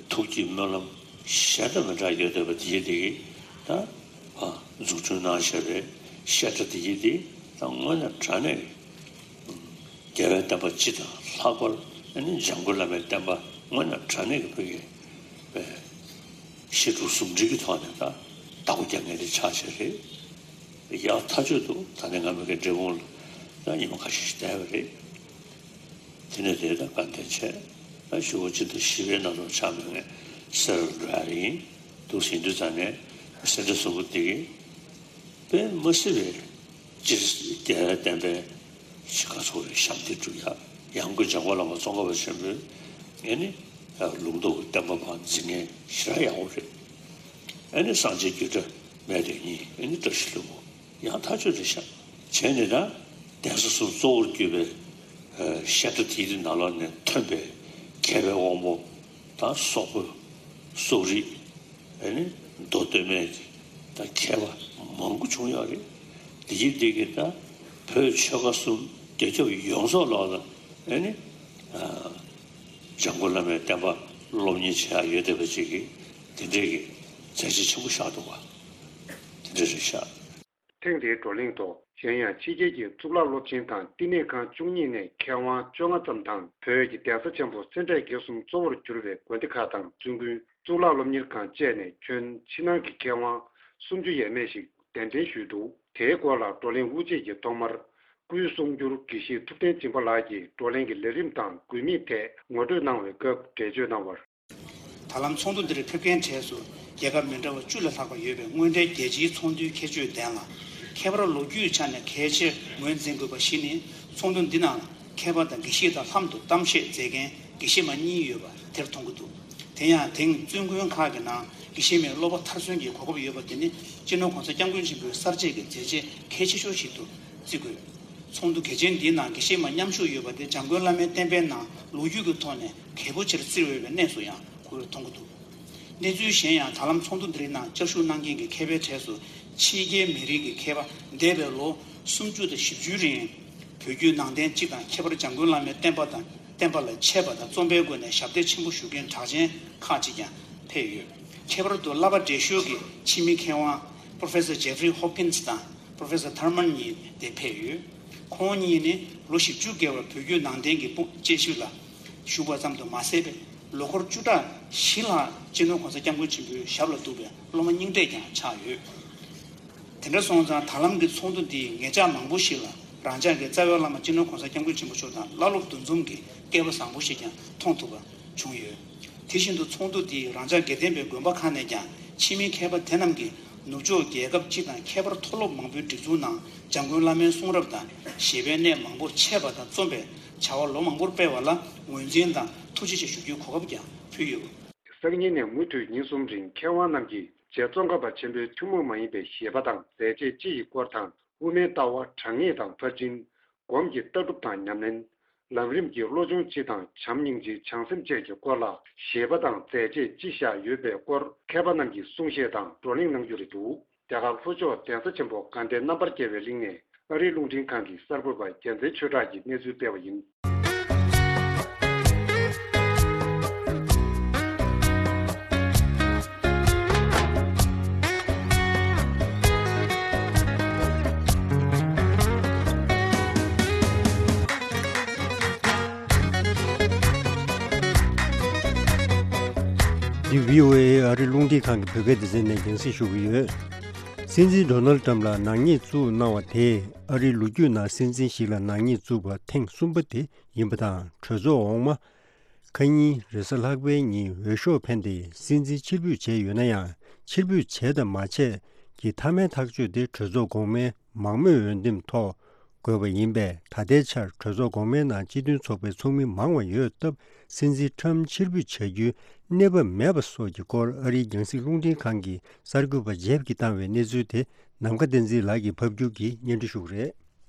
ཐུགས་ཀྱི་སྨོན་ལམ་གཞན་དང་མི་འདྲ་ཡོད་བསྡད་པ་དེ་ཡིན་དེ་གི་ད་ཨ་འཛུགས་སྐྲུན་གནང་བཞག་པའི་བཤད་གྲྭ་དེ་ཡིན་དེ་ད་དངོས་གནས་དྲང་གནས་རྒྱལ་བའི་བསྟན་པ་སྤྱི་དང་ལྷག་པར་ཨ་ནི་འཇམ་མགོན་བླ་མའི་བསྟན་པ་དངོས་གནས་དྲང་གནས་ཀྱི་བོད་ཀྱི་བཤད་སྒྲུབ་ཟུང་འབྲེལ་གྱི་ཐོག་ནས་ད་བདག་པོ་རྒྱག་མཁན་དེ་ཆགས་བྱས་རེད། ཡག་ཐག་ཆོད་འདུག་ད་ནི་ང་མི་གའི་འབྲས་སྤུངས་ལ་ད་ཉི་མ་ཁ་ཤས་ཤིག་བསྡད་པ་རེད། དེ་ནས་དེ་ད་དགའ་ལྡན་ཆེ། ད་ཞུ་བ་སྤྱི་ཟླ་བཞི་པའི་ནང་ལོགས་ཆགས་མེད་ངས་སེ་ར་འགྲོ་ཡ་ཡིན། འདུག་ཟིན་དུས་ཙང་ནས་སེ་འབྲས་གསུམ་པོ་དེ་གི་དཔེ་མ་སྲིད་པའི་སྤྱིར་རྒྱལ་བའི་བསྟན་པའི་ཤི་ཁ་ཚོ་རེ་ཞབས་འདེགས་སྒྲུབ་ཡ་ཡང་སྒོས་འཇམ་མགོན་བླ་མ་ཙོང་ཁ་པ་ཆེན་པོའི་ཨེ་ནི་ལུང་རྟོགས་ཀྱི་བསྟན་པ་བ་འཛིན་མཁན་ཞེ་དྲག་ཡག་པོ་རེད། ཨེ་ནི་སངས་རྒྱས་རྒྱུད་གྲྭ་མེད་དོན་གཉིས་ཨེ་ནི་བཀྲ་ཤིས་ལྷུན་པོ་ཡང་ཐག་ཆོད་རེད་ཤག་བྱས་ནས་ད་གདན་ས་གསུམ་གཙོ་བོར་གྱུར་པའི་ཨ་བཤད་གྲྭ་དེའི་ནང་ལོགས་ནས་ཐོན་པའི་མཁས་པའི་དབང་པོ་དང་སོག་པོ་སོག་རིགས་ཨེ་ནི་མདོ་སྟོད་སྨད་ཀྱི་ད་མཁས་པ་མང་པོ་བྱུང་ཡོད་རེད། དེ་ཡིན་དེ་གི་ད་བོད་ཆོལ་ཁ་གསུམ་རྒྱ་ཁྱབ་ཡོངས་རྫོགས་ལོགས་ལ་ཨེ་ནི་ཨ་འཇམ་མགོན་བླ་མའི་བསྟན་པ་སློབ་གཉེར་བྱེད་ཡག་ཡོད་བསྡད་པ་ཅིག་གི་དེ་འདྲའི་གི་མཛད་རྗེས་ཆེན་པོ་བཞག་འདུག་པ། དེ་འདྲ་རེད་ཤག་ཐེངས་འདིའི་བགྲོ་གླེང་ཐོག་གཞན་ཡང་ཕྱི་རྒྱལ་གྱི་གཙུག་ལག་སློབ་ཆེན་དང་བསྟི་གནས་ཁང་བཅུ་གཉིས་ནས་མཁས་དབང་བཅོ་ལྔ་ཙམ་དང་བོད་ཀྱི་གདན་ས་ཆེན་པོ་སེ་འབྲས་དགེ་གསུམ་གཙོ་བོར་གྱུར་པའི་དགོན་སྡེ་ཁག་དང་བཙུན་དགོན་གཙུག་ལག་སློབ་གཉེར་ཁང་བཅས་ནས་ཁྱོན་ཕྱི་ནང་གི་མཁས་དབང་སུམ་ཅུ་ཡས་མས་ཤིག་གདན་འདྲེན་ཞུས་འདུག་དེའི་སྐོར་ལ་བགྲོ་གླེང་དབུ་འབྱེད་ཀྱི་ཐོག་མར་སྐུའི་གསུང་སྒྱུར་དགེ་བཤེས་ཐུབ་བསྟན་སྦྱིན་པ་ལགས་ཀྱིས་བགྲོ་གླེང་གི་ལས་རིམ་དང་དགོས་དམིགས་ཐད་ངོ་སྤྲོད་གནང་བའི་སྐབས་འགྲེལ་བརྗོད་གནང་བར། ད་ལམ་ཚོགས་འདུ་འདིར་ཕེབས་མཁན་གྲས་སུ་རྒྱལ་ཁབ་མི་འདྲ་བ་བཅུ་ལས་ལྷག་པ་ཡོད་པའི་དངོས་འབྲེལ་རྒྱལ་སྤྱིའི་ཚོགས་འདུའི་ཁྱད་ཆོས་ལྡན་ལ། ཁྱད་པར་ལོ་རྒྱུས་ཆ་ནས་གལ་ཆེར་ངོས་འཛིན་དགོས་པ་བཞི་ནི། ཚོགས་འདུ་འདི་ནང་མཁས་པ་དང་དགེ་བཤེས་དང་ལྷན་དུ་གཏམ་བཤད་མཛད་མཁན་དགེ་བཤེས་མ་གཉིས་ཡོད་པ་དེར་མཐོང་གི་འདུག་དེ་ཡང་དེང་བཙུན་དགོན་ཁག་གི་ནང་དགེ་བཤེས་མའི་སློབ་པ་མཐར་སོན་གྱི་གོ་སྐབས་ཡོད་པ་དེ་ནི་སྤྱི་ནོར་༸གོང་ས་༸སྐྱབས་མགོན་ཆེན་པོའི་གསར་བརྗེ་གི་མཛད་རྗེས་གལ་ཆེ་ཤོས་ཤིག་ཏུ་བརྩི་དགོས། ཚོགས་འདུ་གལ་ཆེན་འདིའི་ནང་དགེ་བཤེས་མ་མཉམ་ཞུགས་ཡོད་པ་དེ་འཇམ་མགོན་བླ་མའི་བསྟན་པའི་ནང་ལོ་རྒྱུས་ཀྱི་ཐོག་ནས་གལ་པོ་ཆེར་བརྩི་འོས་པའི་གནས་སུ་ཡང་གོ་བས་མཐོང་གི་འདུག་གནས་ཚུལ་གཞན་ཡང་། ད་ལམ་ཚོགས་འདུ་འདིའི་ནང་བཅར་ཞུགས་གནང་མཁན་གྱི་མཁས་པའི་གྲས་སུ་ཕྱི་རྒྱལ་མི་རིགས་ཀྱི་མཁས་པ་འདས་པའི་ལོ་སུམ་ཅུ་དང་བཞི་བཅུའི་རིང་བོད་བརྒྱུད་ནང་བསྟན་སྤྱི་དང་ཁྱད་པར་འཇམ་མགོན་བླ་མའི་བསྟན་པ་དང་བསྟན་པ་ལ་འཆད་པ་དང་རྩོམ་པའི་སྒོ་ནས་ཞབས་འདེགས་ཆེན་པོ་ཞུ་མཁན་གྲགས་ཅན་ཁག་ཅིག་ཀྱང་ཕེབས་ཡོད། ཁྱད་པར་དུ་བསླབ་པ་འགྲེལ་ཞུགས་ཀྱི་ཕྱི་མི་མཁས་དབང་Professor Jeffrey Hopkins དང་Professor Thurman གཉིས་དེ་ཕེབས་ཡོད། ཁོང་གཉིས་ནི་ལོ་བཞི་བཅུ་བརྒལ་བར་བོད་བརྒྱུད་ནང་བསྟན་གྱི་དཔུང་དཔྱད་ཞིབ་ལ་ཞུགས་པ་ཙམ་དུ་མ་ཟད་པའི་ལོ་འཁོར་བཅུ་ཕྲག་བཞི་ལྷག་སྤྱི་ནོར་༸གོང་ས་༸སྐྱབས་མགོན་ཆེན་པོའི་ཞབས་ལ་གཏུགས་པའི་སློབ་མ་རྙིང་གྲས་ཀྱང་ཆགས་ཡོད། དེ་འདྲ་སོང་ཙང་ད་ལམ་གྱི་ཚོགས་འདུ་འདིས་ངེད་ཅག་མང་པོ་ཞིག་ལ་རང་ཅག་གི་རྩ་བའི་བླ་མ་སྤྱི་ནོར་༸གོང་ས་༸སྐྱབས་མགོན་ཆེན་པོ་མཆོག་དང་བླ་སློབ་འདུ་འཛོམས་ཀྱི་སྐལ་བ་བཟང་པོ་ཞིག་ཀྱང་མཐོང་ཐུབ་པ་བྱུང་ཡོད། དེ་བཞིན་དུ་ཚོགས་འདུ་འདིས་རང་ཅག་དགེ་ལྡན་པའི་དགོན་པ་ཁག་ནས་ཀྱང་ཕྱི་མི་མཁས་པ་དེ་རྣམས་ཀྱིས་ནུབ་ཕྱོགས་རྒྱལ་ཁབ་སྤྱི་དང་ཁྱད་པར་མཐོ་སློབ་མང་པོའི་སྒྲིག་འཛུགས་ནང་འཇམ་མགོན་བླ་མའི་གསུང་རབ་དང་བཞེད་པའི་གནས་མང་པོ་འཆད་པ་དང་རྩོམ་པའི་བྱ་བ་ལོ་མང་པོར་སྤེལ་བ་ལ་ངོས་འཛིན་དང་ཐུགས་རྗེ་ཆེ་ཞུ་རྒྱུའི་གོ་སྐབས་ཀྱང་ཕུལ་ཡོད། སང་ཉིན་ནས་མུ་མཐུད་ཉིན་གསུམ་རིང་མཁས་དབང་རྣམས་ཀྱིས་རྗེ་ཙོང་ཁ་པ་ཆེན་པོའི་ཐུན་མོང་མ་ཡིན་པའི་བཞེད་པ་དང་མཛད་རྗེས་སྤྱི་ཡི་སྐོར་དང་། དབུ་མའི་ལྟ་བ་དྲང་ངེས་དང་ཕར་ཕྱིན། སྒོམ་གྱི་ལྟ་གྲུབ་དང་ཉམས་ལེན། ལམ་རིམ་གྱི་བློ་སྦྱོང་སྤྱི་དང་བྱམས་སྙིང་རྗེ་བྱང་སེམས་བཅས་ཀྱི་སྐོར་ལ་བཞེད་པ་དང་མཛད་རྗེས་ཅི་བཞག་ཡོད་པའི་སྐོར་མཁས་པ་རྣམས་ཀྱིས་གསུང་བཤད་དང་བགྲོ་གླེང་གནང་རྒྱུ་རེད་འདུག་རྒྱ་གར་ལྷོ་ཕྱོགས་གདན་ས་ཆེན་པོ་དགའ་ལྡན་རྣམ་པར་རྒྱལ་བའི་གླིང་ནས་ཨ་རིའི་རླུང་འཕྲིན་ཁང་གི་གསར་འགོད་པ་རྒྱལ་མཚན་ཆོས་གྲགས་ཀྱིས་གནས་ཚུལ་སྤེལ་བ་ཡིན། འདི་བྷི་ཨོ་ཨེ་ཨ་རིའི་རླུང་འཕྲིན་ཁང་གི་བོད་སྐད་སྡེ་ཚན་ནས་རྒྱང་སྲིང་ཞུ་གི་ཡོད། སྲིད་འཛིན་ཌོ་ནལ་ཊམ་ལ་ནག་ཉེས་བཙུགས་གནང་བ་དེས་ཨ་རིའི་ལོ་རྒྱུས་ནང་སྲིད་འཛིན་ཞིག་ལ་ནག་ཉེས་བཙུགས་པ་ཐེངས་གསུམ་པ་དེ་ཡིན་པ་དང་། གྲོས་ཚོགས་འོག་མ་ཁ་ཉིན་རེས་གཟའ་ལྷག་པའི་ཉིན་འོས་ཤོག་འཕེན་ཏེ་སྲིད་འཛིན་ཕྱིར་འབུད་བྱས་ཡོད་ན་ཡང་། ཕྱིར་འབུད་བྱས་དང་མ་བྱས་ཀྱི་མཐའ་མའི་ཐག་གཅོད་དེ་གྲོས་ཚོགས་གོང་མའི་མང་མོས་འོས་འདེམས་ཐོག་དགོས་པ་ཡིན་པས། ད་ལྟའི་ཆར་གྲོས་ཚོགས་གོང་མའི་ནང་སྤྱི་མཐུན་ཚོགས་པའི་ཚོགས་མི་མང་བ་ཡོད་སྟབས། སྲིད་འཛིན་ཊམ་ཕྱིར་འབུད་བྱ་རྒྱུའི་གནས་བབ་མེད་པ་སོགས་ཀྱི་སྐོར་ཨ་རིའི་རྒྱང་སྲིང་རླུང་འཕྲིན་ཁང་གི་གསར་འགོད་པ་ཇེབ་ཀྱིས་བཏང་བའི་གནས་ཚུལ་དེ་ནམ་མཁའ་བསྟན་འཛིན་ལགས་ཀྱིས་ཕབ་སྒྱུར་གྱིས་སྙན་སྒྲོན་ཞུ་གི་རེད།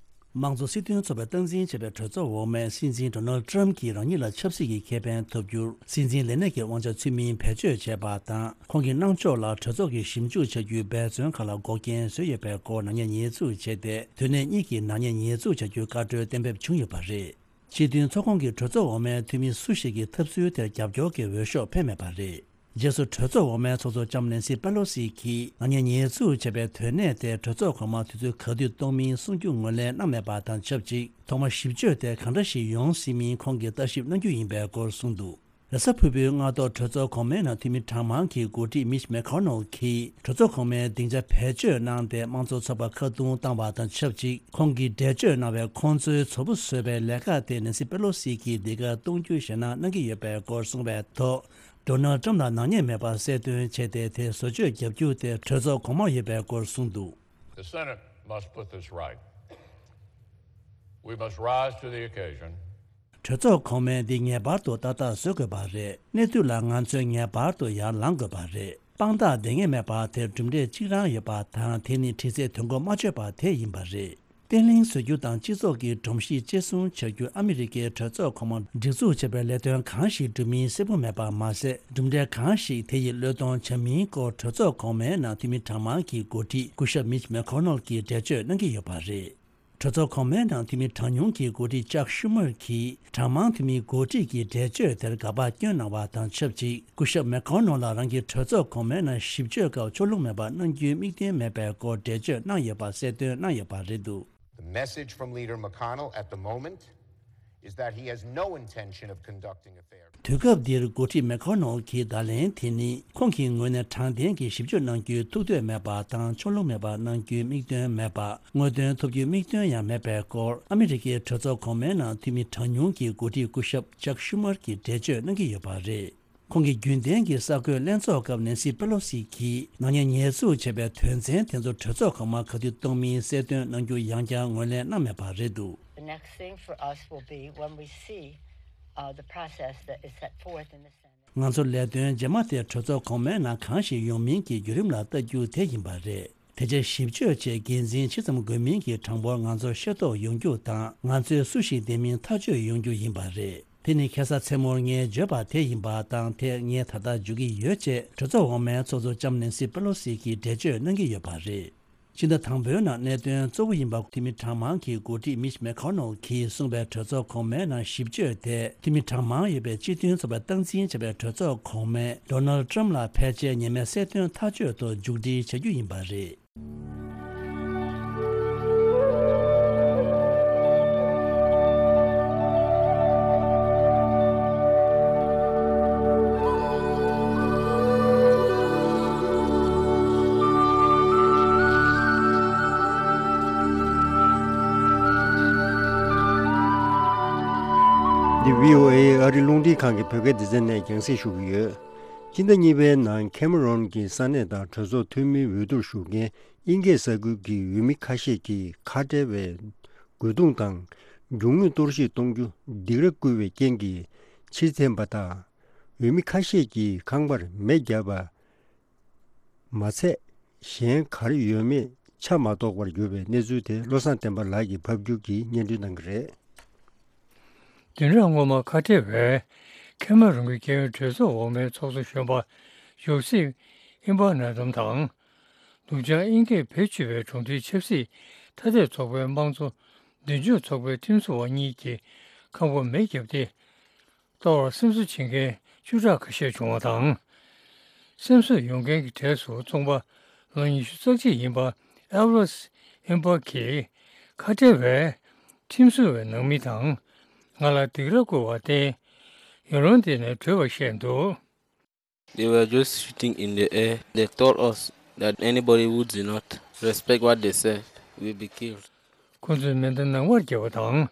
དམངས་གཙོ་སྲིད་དོན་ཚོགས་པས་སྟངས་འཛིན་བྱས་པའི་གྲོས་ཚོགས་འོག་མས་སྲིད་འཛིན་ཌོ་ནལ་ཊམ་གྱིས་རང་ཉིད་ལ་ཆབ་སྲིད་ཀྱི་ཁེ་ཕན་ཐོབ་རྒྱུར་སྲིད་འཛིན་ལས་གནས་ཀྱི་དབང་ཆ་ཚུལ་མིན་བེད་སྤྱོད་བྱས་པ་དང་། ཁོང་གི་གནང་ཕྱོགས་ལ་གྲོས་ཚོགས་ཀྱིས་ཞིབ་འཇུག་བྱ་རྒྱུའི་འབད་བརྩོན་ཁག་ལ་འགོག་རྐྱེན་བཟོས་ཡོད་པའི་སྐོར་ནག་ཉེས་ཉེས་འཛུགས་བྱས་ཏེ། དུས་ནས་གཉིས་ཀྱིས་ནག་ཉེས་ཉེས་འཛུགས་བྱ་རྒྱུའི་བཀའ་འཁྲོལ་གཏན་འབེབས་བྱུང་ཡོད་པ་རེད། སྤྱི་མཐུན་ཚོགས་ཁོངས་ཀྱི་གྲོས་ཚོགས་འོག་མའི་འཐུས་མི་སུ་ཞིག་གིས་ཐབས་ཚུལ་དེར་རྒྱབ་སྐྱོར་གྱི་འོས་ཤོག་འཕེན་མེད་པ་རེད། རྗེས་སུ་གྲོས་ཚོགས་འོག་མའི་ཚོགས་གཙོ་ལྕམ་ནེན་སི་པེ་ལོ་སི་གིས་ནག་ཉེས་ཉེས་འཛུགས་བྱས་པའི་དོན་གནད་དེ་གྲོས་ཚོགས་གོང་མར་དུས་ཚོད་ག་དུས་གཏོང་མིན་གསུང་རྒྱུ་ངོས་ལེན་གནང་མེད་པ་དང་ཆབས་ཅིག་ཐོག་མར་ཞིབ་དཔྱོད་དེ་གང་འདྲ་ཞིག་ཡོང་སྲིད་མིན་ཁོང་གིས་ལྟ་ཞིབ་གནང་རྒྱུ་ཡིན་པའི་སྐོར་གསུངས་འདུག་རེས་གཟའ་ཕུར་བུའི་སྔ་དྲོ་གྲོས་ཚོགས་གོང་མའི་ནང་འཐུས་མི་གྲངས་མང་གི་འགོ་ཁྲིད་མིཆ་མེ་ཁོ་ནལ་གྱིས་གྲོས་ཚོགས་གོང་མའི་སྡིངས་ཆ་བེད་སྤྱོད་གནང་སྟེ་དམངས་གཙོ་ཚོགས་པ་ཁ་རྡུང་བཏང་བ་དང་ཆབས་ཅིག་ཁོང་གིས་འགྲེལ་བརྗོད་གནང་བའི་ཁོང་ཚོའི་ཚོ་བུ་བཟོས་པའི་ལས་ཀ་དེ་ནེན་སི་པེ་ལོ་སི་གིས་འདི་གར་གཏོང་རྒྱུ་ཞེད་སྣང་གནང་གི་ཡོད་པའི་སྐོར་གསུངས་པའི་ཐོག་ཌོ་ནལ་ཊམ་ལ་ནག་ཉེས་མེད་པར་གསལ་སྟོན་བྱས་ཏེ་དེ་བཟོ་བཅོས་བརྒྱབ་རྒྱུ་དེ་གྲོས་ཚོགས་གོང་མ་ཡོད་པའི་སྐོར་གསུངས་འདུག The Senate must put this right. We must rise to the occasion. གྲོས་ཚོགས་གོང་མས་འདི་ངེས་པར་དུ་ཏག་ཏག་བཟོ་དགོས་པ་རེད། གནས་དུས་ལ་ང་ཚོས་ངེས་པར་དུ་ཡར་ལངས་དགོས་པ་རེད། དཔང་རྟགས་ལྡང་ངེས་མེད་པ་དེར་གྲུབ་འབྲས་གཅིག་རང་ཡོད་པ་དང་དེ་ནི་གྲི་རྩེས་དོན་གོ་མ་ཆོད་པ་དེ་ཡིན་པ་རེད། བརྟན་ལྷིང་བཟོ་རྒྱུ་དང་སྤྱི་ཚོགས་ཀྱི་སྒྲོམ་གཞི་གཅེས་སྲུང་བྱ་རྒྱུ་ཨ་མི་རི་ཀའི་གྲོས་ཚོགས་གོང་མ་སྒྲིག་འཛུགས་བྱས་པའི་ལས་དོན་གང་ཞིག་འགྲུབ་མིན་གསལ་པོ་མེད་པ་མ་ཟད་གྲུབ་འབྲས་གང་ཞིག་དེ་ཡིས་བློས་གཏོང་བྱ་མིན་སྐོར་གྲོས་ཚོགས་གོང་མའི་ནང་འཐུས་མི་གྲངས་མང་གི་འགོ་ཁྲིད་སྐུ་ཞབས་མིཆ་མེ་ཁོ་ནལ་གྱིས་འགྲེལ་བརྗོད་གནང་གི་ཡོད་པ་རེད། གྲོས་ཚོགས་གོང་མའི་ནང་འཐུས་མི་གྲངས་ཉུང་གི་འགོ་ཁྲིད་ཅག་ཤུ་མར་གྱིས་གྲངས་མང་འཐུས་མིའི་འགོ་ཁྲིད་ཀྱི་འགྲེལ་བརྗོད་དེར་དགག་པ་བསྐྱོན་གནང་བ་དང་ཆབས་ཅིག་སྐུ་ཞབས་མེ་ཁོ་ནལ་ལ་རང་གི་གྲོས་ཚོགས་གོང་མའི་ནང་ཞིབ་དཔྱོད་སྐབས་ཕྱོགས་ལྷུང་མེད་པར་གནང་རྒྱུའི་དམིགས་དོན་མེད་པའི་སྐོར་འགྲེལ་བརྗོད་གནང་ཡོད་པ་གསལ་སྟོན་གནང་ཡོད་པ་རེད་འདུག The message from Leader McConnell at the moment is that he has no intention of conducting a fair དུས་སྐབས་འདིར་འགོ་ཁྲིད་མེ་ཁོ་ནལ་གྱི་བརྡ་ལན་དེ་ནི་ཁོང་གི་ངོས་ནས་དྲང་བདེན་གྱི་ཞིབ་དཔྱོད་གནང་རྒྱུའི་ཐུགས་འདོད་མེད་པ་དང་ཕྱོགས་ལྷུང་མེད་པར་གནང་རྒྱུའི་དམིགས་དོན་མེད་པ། དངོས་དོན་ཐོབ་རྒྱུའི་དམིགས་དོན་ཡང་མེད་པའི་སྐོར་ཨ་མི་རི་ཀའི་གྲོས་ཚོགས་གོང་མའི་ནང་འཐུས་མི་གྲངས་ཉུང་གི་འགོ་ཁྲིད་སྐུ་ཞབས་ཅག་ཤུ་མར་གྱིས་འགྲེལ་བརྗོད་གནང་གི་ཡོད་པ་རེད། ཁོང་གིས་རྒྱུན་ལྡན་གྱི་གསར་འགོད་ལྷན་ཚོགས་སྐབས་ནེན་སི་པེ་ལོ་སི་གིས་ནག་ཉེས་ཉེས་འཛུགས་བྱས་པའི་དོན་ཚན་དེ་ཚོ་གྲོས་ཚོགས་གོང་མར་ག་དུས་གཏོང་མིན་གསལ་སྟོན་གནང་རྒྱུ་ཡང་བསྐྱར་ངོས་ལེན་གནང་མེད་པ་རེད་འདུག The next thing for us will be when we see, uh, the process that is set forth in the Senate. ང་ཚོ་ལས་དོན་རྗེས་མ་དེ་གྲོས་ཚོགས་གོང་མའི་ནང་གང་ཞིག་ཡོང་མིན་གྱི་བརྒྱུད་རིམ་ལ་ལྟ་རྒྱུ་དེ་ཡིན་པ་རེད། དེ་རྗེས་ཞིབ་དཔྱོད་བྱས་འགན་འཛིན་ཇི་ཙམ་དགོས་མིན་གྱི་གྲངས་འབོར་ང་ཚོར་ཤེས་རྟོགས་ཡོང་རྒྱུ་དང་ང་ཚོས་སུ་ཞིག་འདེམས་མིན་ཐག་གཅོད་ཡོང་རྒྱུ་ཡིན་པ་རེད། དེ་ནི་ཁ་སང་མཚན་མོར་ངས་བརྗོད་པ་དེ་ཡིན་པ་དང་དེ་ངས་ད་ལྟ་བརྗོད་ཀྱི་ཡོད་ཅེས་གྲོས་ཚོགས་འོག་མའི་ཚོགས་གཙོ་ལྕམ་ནེན་སི་པེ་ལོ་སི་གིས་འགྲེལ་བརྗོད་གནང་གི་ཡོད་པ་རེད། ཕྱི་ཟླ་དང་པོའི་ནང་གནད་དོན་གཙོ་བོ་ཡིན་པ་འཐུས་མི་གྲངས་མང་གི་འགོ་ཁྲིད་མིཆ་མེ་ཁོ་ནལ་གྱིས་གསུངས་པའི་གྲོས་ཚོགས་གོང་མའི་ནང་ཞིབ་དཔྱོད་དེ་འཐུས་མི་གྲངས་མང་ཡོད་པའི་སྤྱི་མཐུན་ཚོགས་པས་སྟངས་འཛིན་བྱས་པའི་གྲོས་ཚོགས་གོང་མས་ཌོ་ནལ་ཊམ་ལ་ཕལ་ཆེར་ཉེས་མེད་གསལ་སྟོན་ཐག་གཅོད་ཐོག་མཇུག་སྒྲིལ་བྱ་རྒྱུ་ཡིན་པ་རེད། འདི་བྷི་ཨོ་ཨེ་ཨ་རི་རླུང་འཕྲིན་ཁང་གི་བོད་སྐད་སྡེ་ཚན་ནས་རྒྱང་སྲིང་ཞུ་གི་ཡོད། སྤྱི་ཟླ་གཉིས་པའི་ནང་ཁེ་མ་རོན་གྱི་ས་གནས་དང་གྲོས་ཚོགས་འཐུས་མིའི་འོས་བསྡུར་ཞུགས་མཁན་དབྱིན་སྐད་ས་ཁུལ་གྱི་འོས་མི་ཁ་ཤས་ཀྱིས་ཁ་བྲལ་བའི་རྒོལ་རྡུང་དང་རྒྱུ་དངོས་གཏོར་བཤིག་གཏོང་རྒྱུ་སྡིགས་ར་བསྐུལ་བའི་རྐྱེན་གྱིས་ཕྱིར་འཐེན་པ་དང་། འོས་མི་ཁ་ཤས་ཀྱིས་ཁང་པར་མེ་བརྒྱབ་པ་མ་ཚད་གཞན་ག་རེ་ཡོད་མེད་ཆ་མ་རྟོགས་པར་གྱུར་བའི་གནས་ཚུལ་དེ་བློ་བཟང་བསྟན་པ་ལགས་ཀྱིས་ཕབ་སྒྱུར་གྱིས་སྙན་སྒྲོན་གནང་གི་རེད། བདུན་ཕྲག་སྔོན་མ་ཁ་བྲལ་བའི་ཁེ་མ་རོན་གྱི་རྒྱལ་ཡོངས་གྲོས་ཚོགས་འོག་མའི་ཚོགས་གཙོ་གཞོན་པ་ཡོ་སེབ་ཨིམ་པ་ན་དམ་དང་། ནུབ་བྱང་དབྱིན་སྐད་བེད་སྤྱོད་པའི་གྲོང་སྡེའི་ཆབ་སྲིད་ཐ་དད་ཚོགས་པའི་དམངས་གཙོ་མདུན་སྐྱོད་ཚོགས་པའི་ཁྲིམས་བཟོ་བ་གཉིས་ཀྱིས་ཁང་པ་མེ་བརྒྱབ་སྟེ། གཏོར་བར་སེམས་གསོ་བྱེད་མཁན་བཅུ་ཕྲག་ཁ་ཤས་བྱུང་བ་དང་། སེམས་གསོ་ཡོང་མཁན་གྱི་གྲས་སུ་ཚོང་པ་ལོ་ཉི་ཤུ་རྩ་གཅིག་ཡིན་པ་ཨེལ་ཝེས་ཨེམ་པ་གིས་ཁ་བྲལ་བའི་ཁྲིམས་བཟོ་བའི་ནང་མི་དང་ང་ལ་སྡིགས་ར་བསྐུལ་བར་བརྟེན་ཡུལ་ལུང་དེ་ནས་བྲོས་པ་བཤད་འདུག They were just shooting in the air. They told us that anybody who did not respect what they said will be killed. ཁོ་ཚོས་མེ་མདའ་ནང་པར་བརྒྱབ་པ་དང་།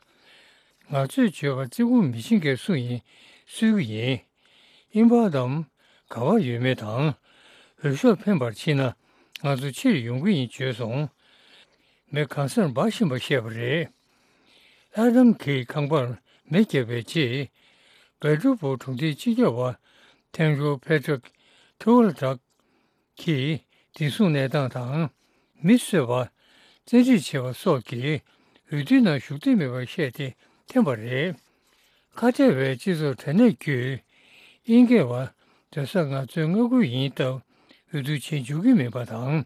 ང་ཚོས་བརྗོད་པར་བརྩི་བཀུར་མི་བྱེད་མཁན་སུ་ཡིན་གསོད་ཀྱི་ཡིན། ཨིན་པ་དམ་ག་བར་ཡོད་མེད་དང་། འོས་ཤོག་འཕེན་པར་ཕྱིན་ན་ང་ཚོ་ཕྱིར་ཡོང་གི་ཡིན་བརྗོད་སོང་། མེ་གང་སར་འབར་བཞིན་པ་བཤད་པ་རེད། ཨ་དམ་གྱིས་ཁང་པར་མེ་བརྒྱབ་པའི་རྗེས། སྦལ་ཏྲུ་པོ་གྲོང་སྡེའི་སྤྱི་ཁྱབ་པ་ཐེང་ཇོ་ཕེ་ཏྲག་ཐུ་ཝལ་ཏྲག་གིས་བདེ་སྲུང་གནས་སྟངས་དང་མི་གསོད་པ། བཙན་ཁྲིད་བྱས་པ་སོགས་ཀྱིས་འོས་བསྡུའི་ནང་ཞུགས་འདོད་མེད་པར་བཤད་དེ་འཐེན་པ་རེད། ཁ་བྲལ་བའི་སྤྱི་ཚོགས་དྲ་གནས་བརྒྱུད་དབྱིན་སྐད་པ་སྡོད་སར་ང་ཚོའི་མངའ་ཁུལ་ཡིན་སྟབས་འོས་བསྡུ་བྱེད་འཇུག་གི་མིན་པ་དང་།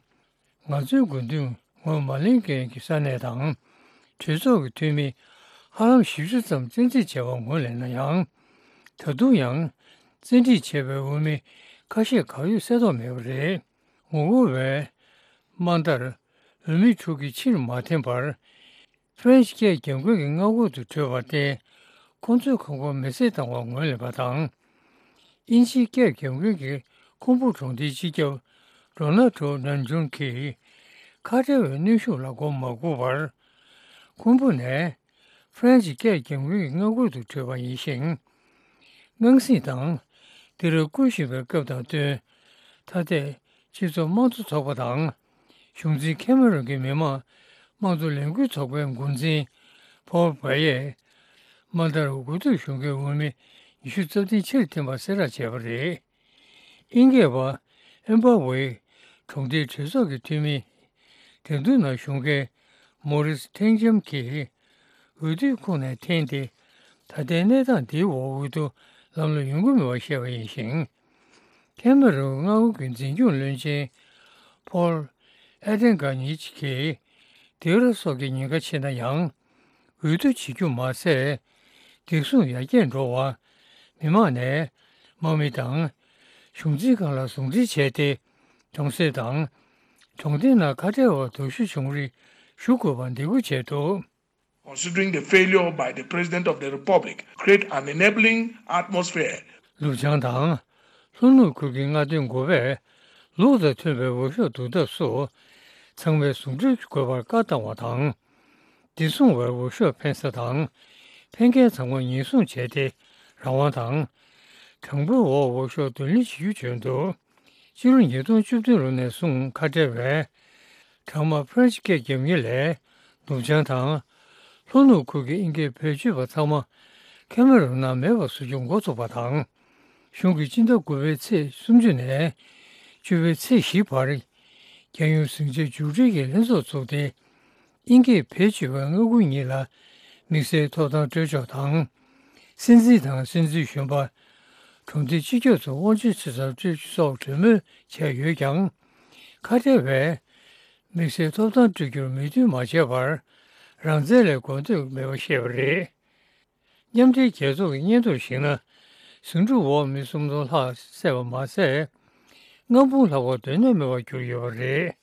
ང་ཚོའི་དགོས་འདུན་ངོས་མ་ལེན་མཁན་གྱི་ས་གནས་དང་། གྲོས་ཚོགས་ཀྱི་འཐུས་མི་ ཧ་ལམ་བཞི་བཅུ་ཙམ་བཙན་འཁྲིད་བྱས་པ་ངོས་ལེན་ན་ཡང་། ད་དུང་ཡང་བཙན་འཁྲིད་བྱས་པའི་འོས་མི་ཁ་ཤས་གང་ཡོད་གསལ་རྟོགས་མེད་པ་རེད། ངོ་རྒོལ་བས་དམའ་མཐར་འོས་མི་དྲུག་གིས་ཕྱིར་མ་འཐེན་པར། ཧྥ་རན་སི་སྐད་རྒྱབ་འགལ་གྱི་མངའ་ཁོངས་སུ་བྲོས་པར་བརྟེན། ཁོང་ཚོའི་ཁང་པ་མེ་བསྲེགས་བཏང་བར་ངོས་ལེན་པ་དང་། དབྱིན་ཇིའི་སྐད་རྒྱབ་འགལ་གྱི་ཁུམ་བུ་གྲོང་སྡེའི་སྤྱི་ཁྱབ་རོ་ན་ཏྲོ་ནན་ཇུན་གྱིས་ཁ་བྲལ་བའི་གནོན་ཤུགས་ལ་མགོ་མ་སྒུར་བར། ཁུམ་བུ་ནས་ཧྥ་རན་སི་སྐད་རྒྱབ་འགལ་གྱི་མངའ་ཁུལ་དུ་བྲོས་པ་ཡིན་ཞིང་། དངངས་སྲིད་དང་། དེ་རུ་སྐུལ་བཞིན་པའི་སྐབས་དང་བསྟུན། ཐ་དད་སྤྱི་ཚོགས་དམངས་གཙོ་ཚོགས་པ་དང་། གཞུང་འཛིན་ཁེ་མ་རོན་གྱི་མི་དམངས་དམངས་གཙོ་ལས་འགུལ་ཚོགས་པའི་འགོ་འཛིན་ཕོལ་བྷ་ཡས། དམའ་མཐར་འོས་བསྡུ་གཞུང་གི་འོས་མི་ཉི་ཤུ་རྩ་བདུན་ཕྱིར་འཐེན་པ་གསལ་བསྒྲགས་བྱས་པ་རེད། དབྱིན་སྐད་པ་ཨེམ་པ་ཝེ་གྲོང་སྡེའི་གྲོས་ཚོགས་ཀྱི་འཐུས་མི། འགྲན་བསྡུར་ནང་ཞུགས་མཁན་མོ་རིས་ཐེང་ཆམ་གྱིས། འོས་བསྡུའི་ཁོངས་ནས་འཐེན་ཏེ། ད་ལྟའི་གནས་སྟངས་འདིའི་འོག་འོས་བསྡུ་ལམ་ལྷོང་ཡོང་གི་མེད་པ་བཤད་པ་ཡིན་ཞིང་། ཁེ་མ་རོན་མངའ་ཁུལ་གྱི་འཛིན་སྐྱོང་བློན་ཆེན་ཕོལ་ཨེ་ཏན་གྷ་ཉིཆ་གིས། དེ་རུ་སོགས་ཀྱི་ཉེན་ཁ་ཆེ་ན་ཡང་། འོས་བསྡུ་བྱེད་རྒྱུ་མ་ཟད། བདེ་སྲུང་ཡར་རྒྱས་འགྲོ་བར། མི་མང་ནས་དམག་མི་དང་། གཞུང་འཛིན་ཁང་ལ་ཟུང་འབྲེལ་བྱས་ཏེ། གྲོང་གསེབ་དང་། གྲོང་སྡེའི་ནང་ཁ་བྲལ་བ་དོགས་གཞི་བྱུང་རིགས་ཞུ་དགོས་པར་འདེད་སྐུལ་བྱས་འདུག། Considering the failure by the President of the Republic create an enabling atmosphere. ལུའུ་ཅང་དང་། ལྷོ་ནུབ་ཁུལ་གྱི་མངའ་སྡེ་འགོ་པས་ལུགས་དང་མཐུན་པའི་འོས་ཤོག་བསྡུ་ཐབས་སུ། ཚང་མས་ཟུང་འབྲེལ་དགོས་པར་བཀའ་བཏང་བ་དང་། བདེ་སྲུང་བས་འོས་ཤོག་འཕེན་ས་དང་། འཕེན་མཁན་ཚང་མ་ཉེན་སྲུང་བྱས་ཏེ་རང་དབང་དང་། དྲང་པོའི་འོག་འོས་ཤོག་བསྡུ་ལེན་བྱེད་རྒྱུ་བརྗོད་འདུག། སྤྱི་ལོ་ཉིས་སྟོང་བཅུ་བདུན་ལོ་ནས་བཟུང་ཁ་བྲལ་བས། གྲང་དམག་ཕ་རན་སི་སྐད་རྒྱབ་མཁན་ལས་ནུབ་བྱང་དང་། ལྷོ་ནུབ་ཁུལ་གྱི་དབྱིན་སྐད་བེད་སྤྱོད་པ་ཚང་མ་ཁེ་མ་རོན་ནང་མེད་པ་བཟོ་རྒྱུ་འགོ་ཚུགས་པ་དང་། གཞུང་གིས་སྤྱི་ཟླ་དགུ་པའི་ཚེས་སུམ་ཅུ་ནས་བཅུ་པའི་ཚེས་བཞི་བར། རྒྱལ་ཡོངས་ཟིང་ཆ་མཇུག་སྒྲིལ་གྱི་ལྷན་ཚོགས་བཙུགས་ཏེ། དབྱིན་སྐད་བེད་སྤྱོད་པའི་མངའ་ཁུལ་གཉིས་ལ་དམིགས་བསལ་ཐོབ་ཐང་སྤྲོད་ཕྱོགས་དང་། སྲིད་འཛིན་དང་སྲིད་འཛིན་གཞོན་པ། གྲོང་སྡེའི་སྤྱི་ཁྱབ་ཚོར་དབང་ཆ་ཆེ་ཙམ་སྤྲོད་རྒྱུ་སོགས་གྲོས་མོལ་བྱས་ཡོད་ཀྱང་། ཁ་བྲལ་བས་དམིགས་བསལ་ཐོབ་ཐང་སྤྲོད་རྒྱུར་མོས་མཐུན་མ་བྱས་པར། རང་བཙན་ལས་གོ་ཐོས་མེད་པ་བཤད་པ་རེད། མཉམ་འབྲེལ་རྒྱལ་ཚོགས་ཀྱི་སྙན་ཐོར་གཞིགས་ན། ཟིང་འཁྲུག་འོག་མི་སུམ་སྟོང་ལྷག་བསད་པ་མ་ཟད། ལྔ་འབུམ་ལྷག་པ་སྡོད་གནས་མེད་པར་གྱུར་ཡོད་པ་རེད།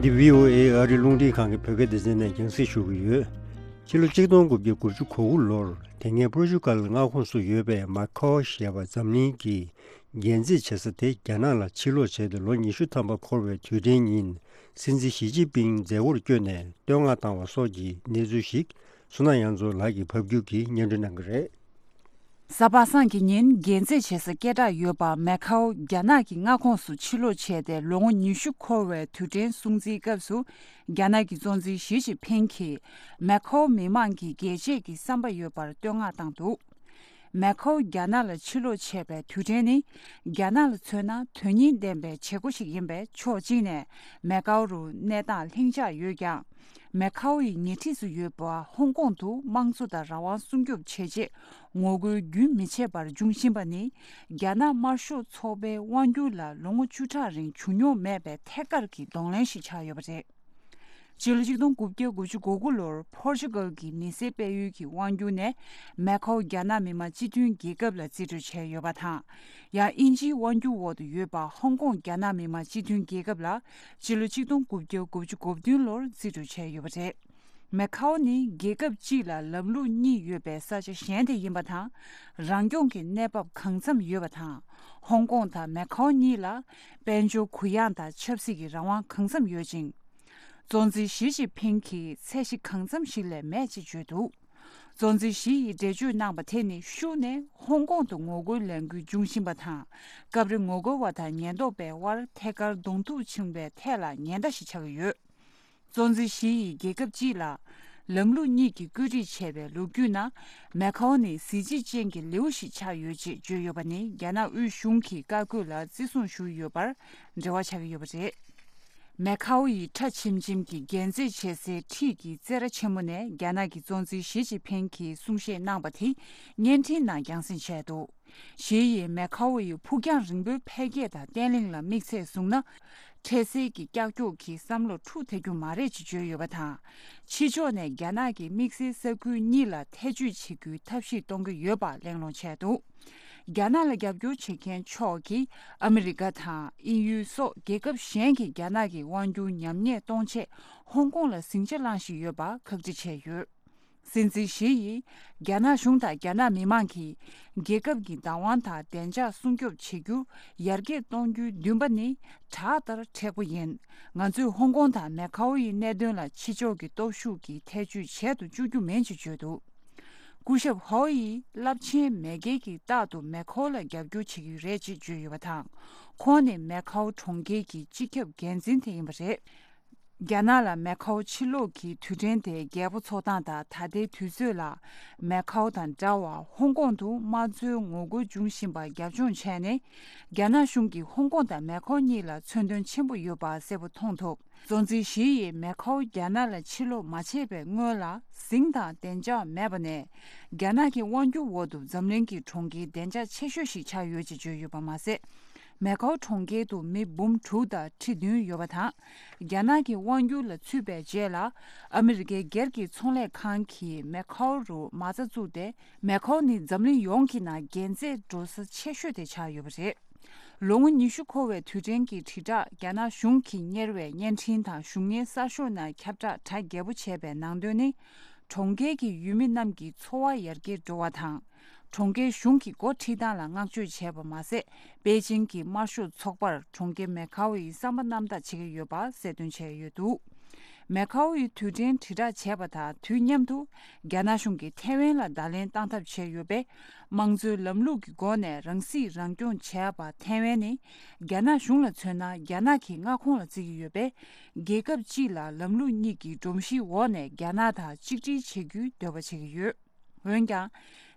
འདི་བྷི་ཨོ་ཨེ་ཨ་རི་རླུང་འཕྲིན་ཁང་གི་བོད་སྐད་སྡེ་ཚན་ནས་རྒྱང་སྲིང་ཞུ་གི་ཡོད། ཕྱི་ལོ་ཆིག་སྟོང་དགུ་བརྒྱ་དགུ་བཅུ་གོ་དགུ་ལོར་དེ་སྔའི་པོར་ཅུ་གལ་མངའ་ཁོངས་སུ་ཡོད་པའི་མ་ཁའོ་ཞེས་པ་འཛམ་གླིང་གི་རྒྱལ་མཛེས་བྱེད་ས་དེ་རྒྱ་ནག་ལ་ཕྱིར་ལོག་བྱས་ཏེ་ལོ་ཉི་ཤུ་ཐམ་པ་འཁོར་བའི་དུས་དྲན་ཉིན། སྲིད་འཛིན་ཞི་ཅིན་ཕིང་མཛད་སྒོར་བསྐྱོད་ནས་བསྟོད་བསྔགས་བཏང་བ་སོགས་ཀྱི་གནས་ཚུལ་ཞིག་བསོད་ནམས་དབྱངས་མཚོ་ལགས་ཀྱིས་ཕབ་སྒྱུར་གྱིས་སྙན་སྒྲོན་གནང་གི་རེད། གཟའ་པ་སངས་ཀྱི་ཉིན་རྒྱལ་མཛེས་བྱེད་ས་སྐད་གྲགས་ཡོད་པ་མེ་ཁའོ་རྒྱ་ནག་གི་མངའ་ཁོངས་སུ་ཕྱིར་ལོག་བྱས་ཏེ་ལོ་ངོ་ཉི་ཤུ་འཁོར་བའི་དུས་དྲན་སྲུང་བརྩིའི་སྐབས་སུ། རྒྱ་ནག་གི་གཙོ་འཛིན་ཞི་ཅིན་ཕིང་གིས་མེ་ཁའོ་མི་མང་གི་རྒྱལ་གཅེས་ཀྱི་བསམ་པ་ཡོད་པར་བསྟོད་བསྔགས་བཏང་འདུག། མེ་ཁའོ་རྒྱ་ནག་ལ་ཕྱིར་ལོག་བྱས་པའི་དུས་དྲན་ནི། རྒྱ་ནག་ལ་མཚོན་ན་དོན་སྙིང་ལྡན་པའི་བྱེད་སྒོ་ཞིག་ཡིན་པས། ཕྱོགས་གཅིག་ནས་མེ་ཁའོ་རུ་གནས་སྟངས་ལྷིང་འཇགས་ཡོད་ཀྱང་། མེ་ཁའོ་ཡི་ཉེ་འཁྲིས་སུ་ཡོད་པ་ཧོང་ཀོང་དུ་དམངས་གཙོ་དང་རང་དབང་སྲུང་སྐྱོབ་བྱེད་ཆེད་ངོ་རྒོལ་རྒྱུན་མི་ཆད་པར་འབྱུང་བཞིན་པ་ནི། རྒྱ་ནག་དམར་ཤོག་ཚོགས་པའི་དབང་སྒྱུར་ལ་ལོ་ངོ་བཅུ་ཕྲག་རིང་བྱུང་མྱོང་མེད་པའི་ཐད་ཀར་གྱི་གདོང་ལེན་ཞིག་ཆགས་ཡོད་པ་རེད། སྤྱི་ལོ་ཆིག་སྟོང་དགུ་བརྒྱ་དགུ་བཅུ་གོ་དགུ་ལོར་པོར་ཅུ་གལ་གྱི་མི་སེར་སྤེལ་ཡུལ་གྱི་དབང་སྒྱུར་ནས་མེ་ཁའོ་རྒྱ་ནག་མི་དམངས་སྤྱི་མཐུན་རྒྱལ་ཁབ་ལ་རྩིས་སྤྲོད་བྱས་ཡོད་པ་དང་། ཡང་དབྱིན་ཇིའི་དབང་སྒྱུར་འོག་ཏུ་ཡོད་པ་ཧོང་ཀོང་རྒྱ་ནག་མི་དམངས་སྤྱི་མཐུན་རྒྱལ་ཁབ་ལ་སྤྱི་ལོ་ཆིག་སྟོང་དགུ་བརྒྱ་དགུ་བཅུ་གོ་བདུན་ལོར་རྩིས་སྤྲོད་བྱས་ཡོད་པ་རེད། མེ་ཁའོ་ནི་རྒྱལ་ཁབ་གཅིག་ལ་ལམ་ལུགས་གཉིས་ཡོད་པའི་ས་ཆ་གཞན་དེ་ཡིན་པ་དང་། རང་སྐྱོང་གི་གནས་བབ་གང་འཚམ་ཡོད་པ་དང་། ཧོང་ཀོང་དང་མེ་ཁའོ་གཉིས་ལ་དཔལ་འབྱོར་གུ་ཡངས་དང་ཆབ་སྲིད་ཀྱི་རང་དབང་གང་འཚམ་ཡོད་ཅིང་། གཙོ་འཛིན་ཞི་ཅིན་ཕིང་གིས་ཚད་གཞི་གང་འཚམ་ཞིག་ལས་མེད་ཅེས་བརྗོད་འདུག། གཙོ་འཛིན་ཞི་ཡིས་འགྲེལ་བརྗོད་གནང་བ་དེ་ནི་ཤུགས་ནས་ཧོང་ཀོང་དུ་ངོ་རྒོལ་ལས་འགུལ་འབྱུང་བཞིན་པ་དང་། སྐབས་རེ་ངོ་རྒོལ་བ་དང་ཉེན་རྟོག་པའི་དབར་ཐད་ཀར་གདོང་ཐུག་ཕྱིན་པའི་ཐད་ལ་ཉེན་བརྡ་ཞིག་ཆགས་ཀྱི་ཡོད། གཙོ་འཛིན་ཞི་ཡིས་རྒྱལ་ཁབ་སྤྱི་ལ་ལམ་ལུགས་གཉིས་ཀྱིས་བཀོད་སྒྲིག་བྱས་པའི་ལོ་རྒྱུས་ནང་། མེ་ཁའོ་ནི་གཟི་བརྗིད་ཅན་གྱི་ལེའུ་ཞིག་ཆགས་ཡོད་ཅེས་བརྗོད་ཡོད་པ་ནི། རྒྱ་ནག་དབུས་གཞུང་གི་བཀའ་བཀོད་ལ་བརྩི་སྲུང་ཞུས་ཡོད་པར་འབྲེལ་བ་ཆགས་ཀྱི་ཡོད་པ་རེད། མེ་ཁའོ་ཡི་ཁྲ་ཆེམ་ཆེམ་གྱི་རྒྱན་རྩེད་བྱེད་སའི་འཁྲིས་ཀྱི་རྩེད་ར་ཆེན་མོ་ནས་རྒྱ་ནག་གི་གཙོ་འཛིན་ཞི་ཅིན་ཕིང་གིས་གསུང་བཤད་གནང་པ་དེ་བརྙན་འཕྲིན་ནང་རྒྱང་སྲིང་བྱས་འདུག་ཞི་ཡིས་མེ་ཁའོ་ཡི་ཕུགས་རྒྱང་རིང་པོའི་འཕེལ་རྒྱས་དང་བརྟན་ལྷིང་ལ་དམིགས་ཚད་བཟུང་ན། འཕྲལ་སེལ་གྱི་ཀྱག་ཀྱོག་གིས་བསམ་བློ་འཁྲུག་ཐེབས་རྒྱུ་མ་རེད་ཅེས་བརྗོད་ཡོད་པ་དང་། ཕྱི་ཕྱོགས་ནས་རྒྱ་ནག་གི་དམིགས་བསལ་ས་ཁུལ་གཉིས་ལ་ཐེ་བྱུས་བྱེད་རྒྱུའི་ཐབས་ཤེས་གཏོང་གི་ཡོད་པ་གླེང་སློང་བྱས་འདུག་རྒྱ་ནག་ལ་རྒྱབ་སྐྱོར་བྱེད་མཁན་ཕྱོགས་ཀྱིས་ཨ་མི་རི་ཀ་དང་དབྱིན་ཡུལ་སོགས་རྒྱལ་ཁབ་གཞན་གྱིས་རྒྱ་ནག་གི་དབང་སྒྱུར་ཉམས་ཉེས་གཏོང་ཆེད་ཧོང་ཀོང་ལ་ཟིང་ཆ་བསླངས་བཞིན་ཡོད་པ་ཁག་དཀྲི་བྱས་ཡོད། སྲིད་འཛིན་ཞི་ཡིས་རྒྱ་ནག་གཞུང་དང་རྒྱ་ནག་མི་མང་གིས་རྒྱལ་ཁབ་ཀྱི་བདག་དབང་དང་བདེ་འཇགས་སྲུང་སྐྱོབ་བྱེད་རྒྱུ་ཡར་རྒྱས་གཏོང་རྒྱུའི་འདུན་པ་ནི་བྲག་ལྟར་མཁྲེགས་པོ་ཡིན། ང་ཚོས་ཧོང་ཀོང་དང་མེ་ཁའོ་ཡི་གནད་དོན་ལ་ཕྱི་ཕྱོགས་ཀྱི་སྟོབས་ཤུགས་ཀྱིས་ཐེ་བྱུས་བྱེད་དུ་བཅུག་རྒྱུ་མིན་ཞེས་བརྗོད་འདུག་སྐུ་ཞབས་ཧོ་ཡིས་རླབས་ཆེན་མེས་རྒྱལ་གྱིས་རྟག་ཏུ་མེ་ཁའོ་ལ་རྒྱབ་སྐྱོར་བྱེད་ཀྱི་རེད་ཅེས་བརྗོད་ཡོད་པ་དང་། ཁོང་ནི་མེ་ཁའོ་གྲོང་ཁྱེར་གྱི་སྤྱི་ཁྱབ་འགན་འཛིན་དེ་ཡིན་པ་རེད། རྒྱ་ནག་ལ་མེ་ཁའོ་ཕྱིར་སློག་གི་དུས་དྲན་དེ་རྒྱལ་པོ་འཚོགས་སྟངས་དང་ད་ལྟའི་དུས་ཚོད་ལ་མེ་ཁའོ་དང་འདྲ་བར་ཧོང་ཀོང་དུ་དམངས་གཙོའི་ངོ་རྒོལ་འབྱུང་བཞིན་པ་རྒྱབ་ལྗོངས་བྱས་ནས། རྒྱ་ནག་གཞུང་གིས་ཧོང་ཀོང་དང་མེ་ཁའོ་གཉིས་ལ་མཚོན་དོན་ཆེན་པོ་ཡོད་པ་གསལ་པོ་མཐོང་ཐུབ། གཙོ་འཛིན་ཞི་ཡིས་མེ་ཁའོ་རྒྱ་ནག་ལ་ཕྱིར་སློག་མ་བྱས་པའི་སྔོན་ལ་ཟིང་དང་བདེ་འཇགས་མེད་པ་ནས། རྒྱ་ནག་གི་དབང་སྒྱུར་འོག་ཏུ་འཛམ་གླིང་གི་གྲོང་ཁྱེར་བདེ་འཇགས་ཆེ་ཤོས་ཤིག་ཆགས་ཡོད་ཅེས་བརྗོད་ཡོད་པ་མ་ཟད། མེ་ཁའོ་གྲོང་ཁྱེར་དུ་མི་འབུམ་དྲུག་དང་ཁྲི་བདུན་ཡོད་པ་དང་། རྒྱ་ནག་གི་དབང་སྒྱུར་ལ་ཚུད་པའི་རྗེས་ལ། ཨ་མི་རི་ཀའི་སྒེར་གྱི་ཚོང་ལས་ཁང་གིས་མེ་ཁའོ་རུ་མ་རྩ་བཙུགས་ཏེ། མེ་ཁའོ་ནི་འཛམ་གླིང་ཡོངས་ཀྱི་ནང་རྒྱལ་རྩེད་འགྲོ་ས་ཆེ་ཤོས་དེ་ཆགས་ཡོད་པ་རེད། ལོ་ངོ་ཉི་ཤུ་འཁོར་བའི་དུས་དྲན་གྱི་དྲིལ་བསྒྲགས་རྒྱ་ནག་གཞུང་གིས་གཉེར་བའི་བརྙན་འཕྲིན་དང་གཞུང་གཉེར་གསར་ཤོག་ནང་ཁྱབ་བསྒྲགས་གྲ་རྒྱས་པོ་བྱས་པའི་ནང་དོན་ནི། གྲོང་ཁྱེར་གྱི་ཡུལ་མི་རྣམས་ཀྱི་འཚོ་བ་ཡར་རྒྱས་འགྲོ་བ་དང་། གྲོང་ཁྱེར་གཞུང་གི་འགོ་ཁྲིད་སྟངས་ལ་བསྔགས་བརྗོད་བྱས་པ་མ་ཟད། པེ་ཅིང་གི་དམར་ཤོག་ཚོགས་པར་གྲོང་ཁྱེར་མེ་ཁའོ་ཡི་བསམ་པ་རྣམ་དག་བྱེད་ཀྱི་ཡོད་པ་གསལ་སྟོན་བྱས་ཡོད་འདུག་མེ་ཁའོ་ཡི་དུས་དྲན་དྲིལ་བསྒྲགས་བྱས་པ་དང་དུས་མཉམ་དུ། རྒྱ་ནག་གཞུང་གིས་ཐའེ་ཝན་ལ་བརྡ་ལན་བཏང་ཐབས་བྱས་ཡོད་པས། དམངས་གཙོའི་ལམ་ལུགས་ཀྱི་སྒོ་ནས་རང་སྲིད་རང་སྐྱོང་བྱས་པ་ཐའེ་ཝན་ནི། རྒྱ་ནག་གཞུང་ལ་མཚོན་ན་རྒྱ་ནག་གི་མངའ་ཁོངས་ལ་བརྩི་གི་ཡོད་པས། རྒྱལ་ཁབ་གཅིག་ལ་ལམ་ལུགས་གཉིས་ཀྱི་སྒྲོམ་གཞིའི་འོག་ནས་རྒྱ་ནག་དང་གཅིག་སྒྲིལ་བྱེད་རྒྱུའི་འདོད་པ་བྱེད་ཀྱི་ཡོད། འོན་ཀྱང་།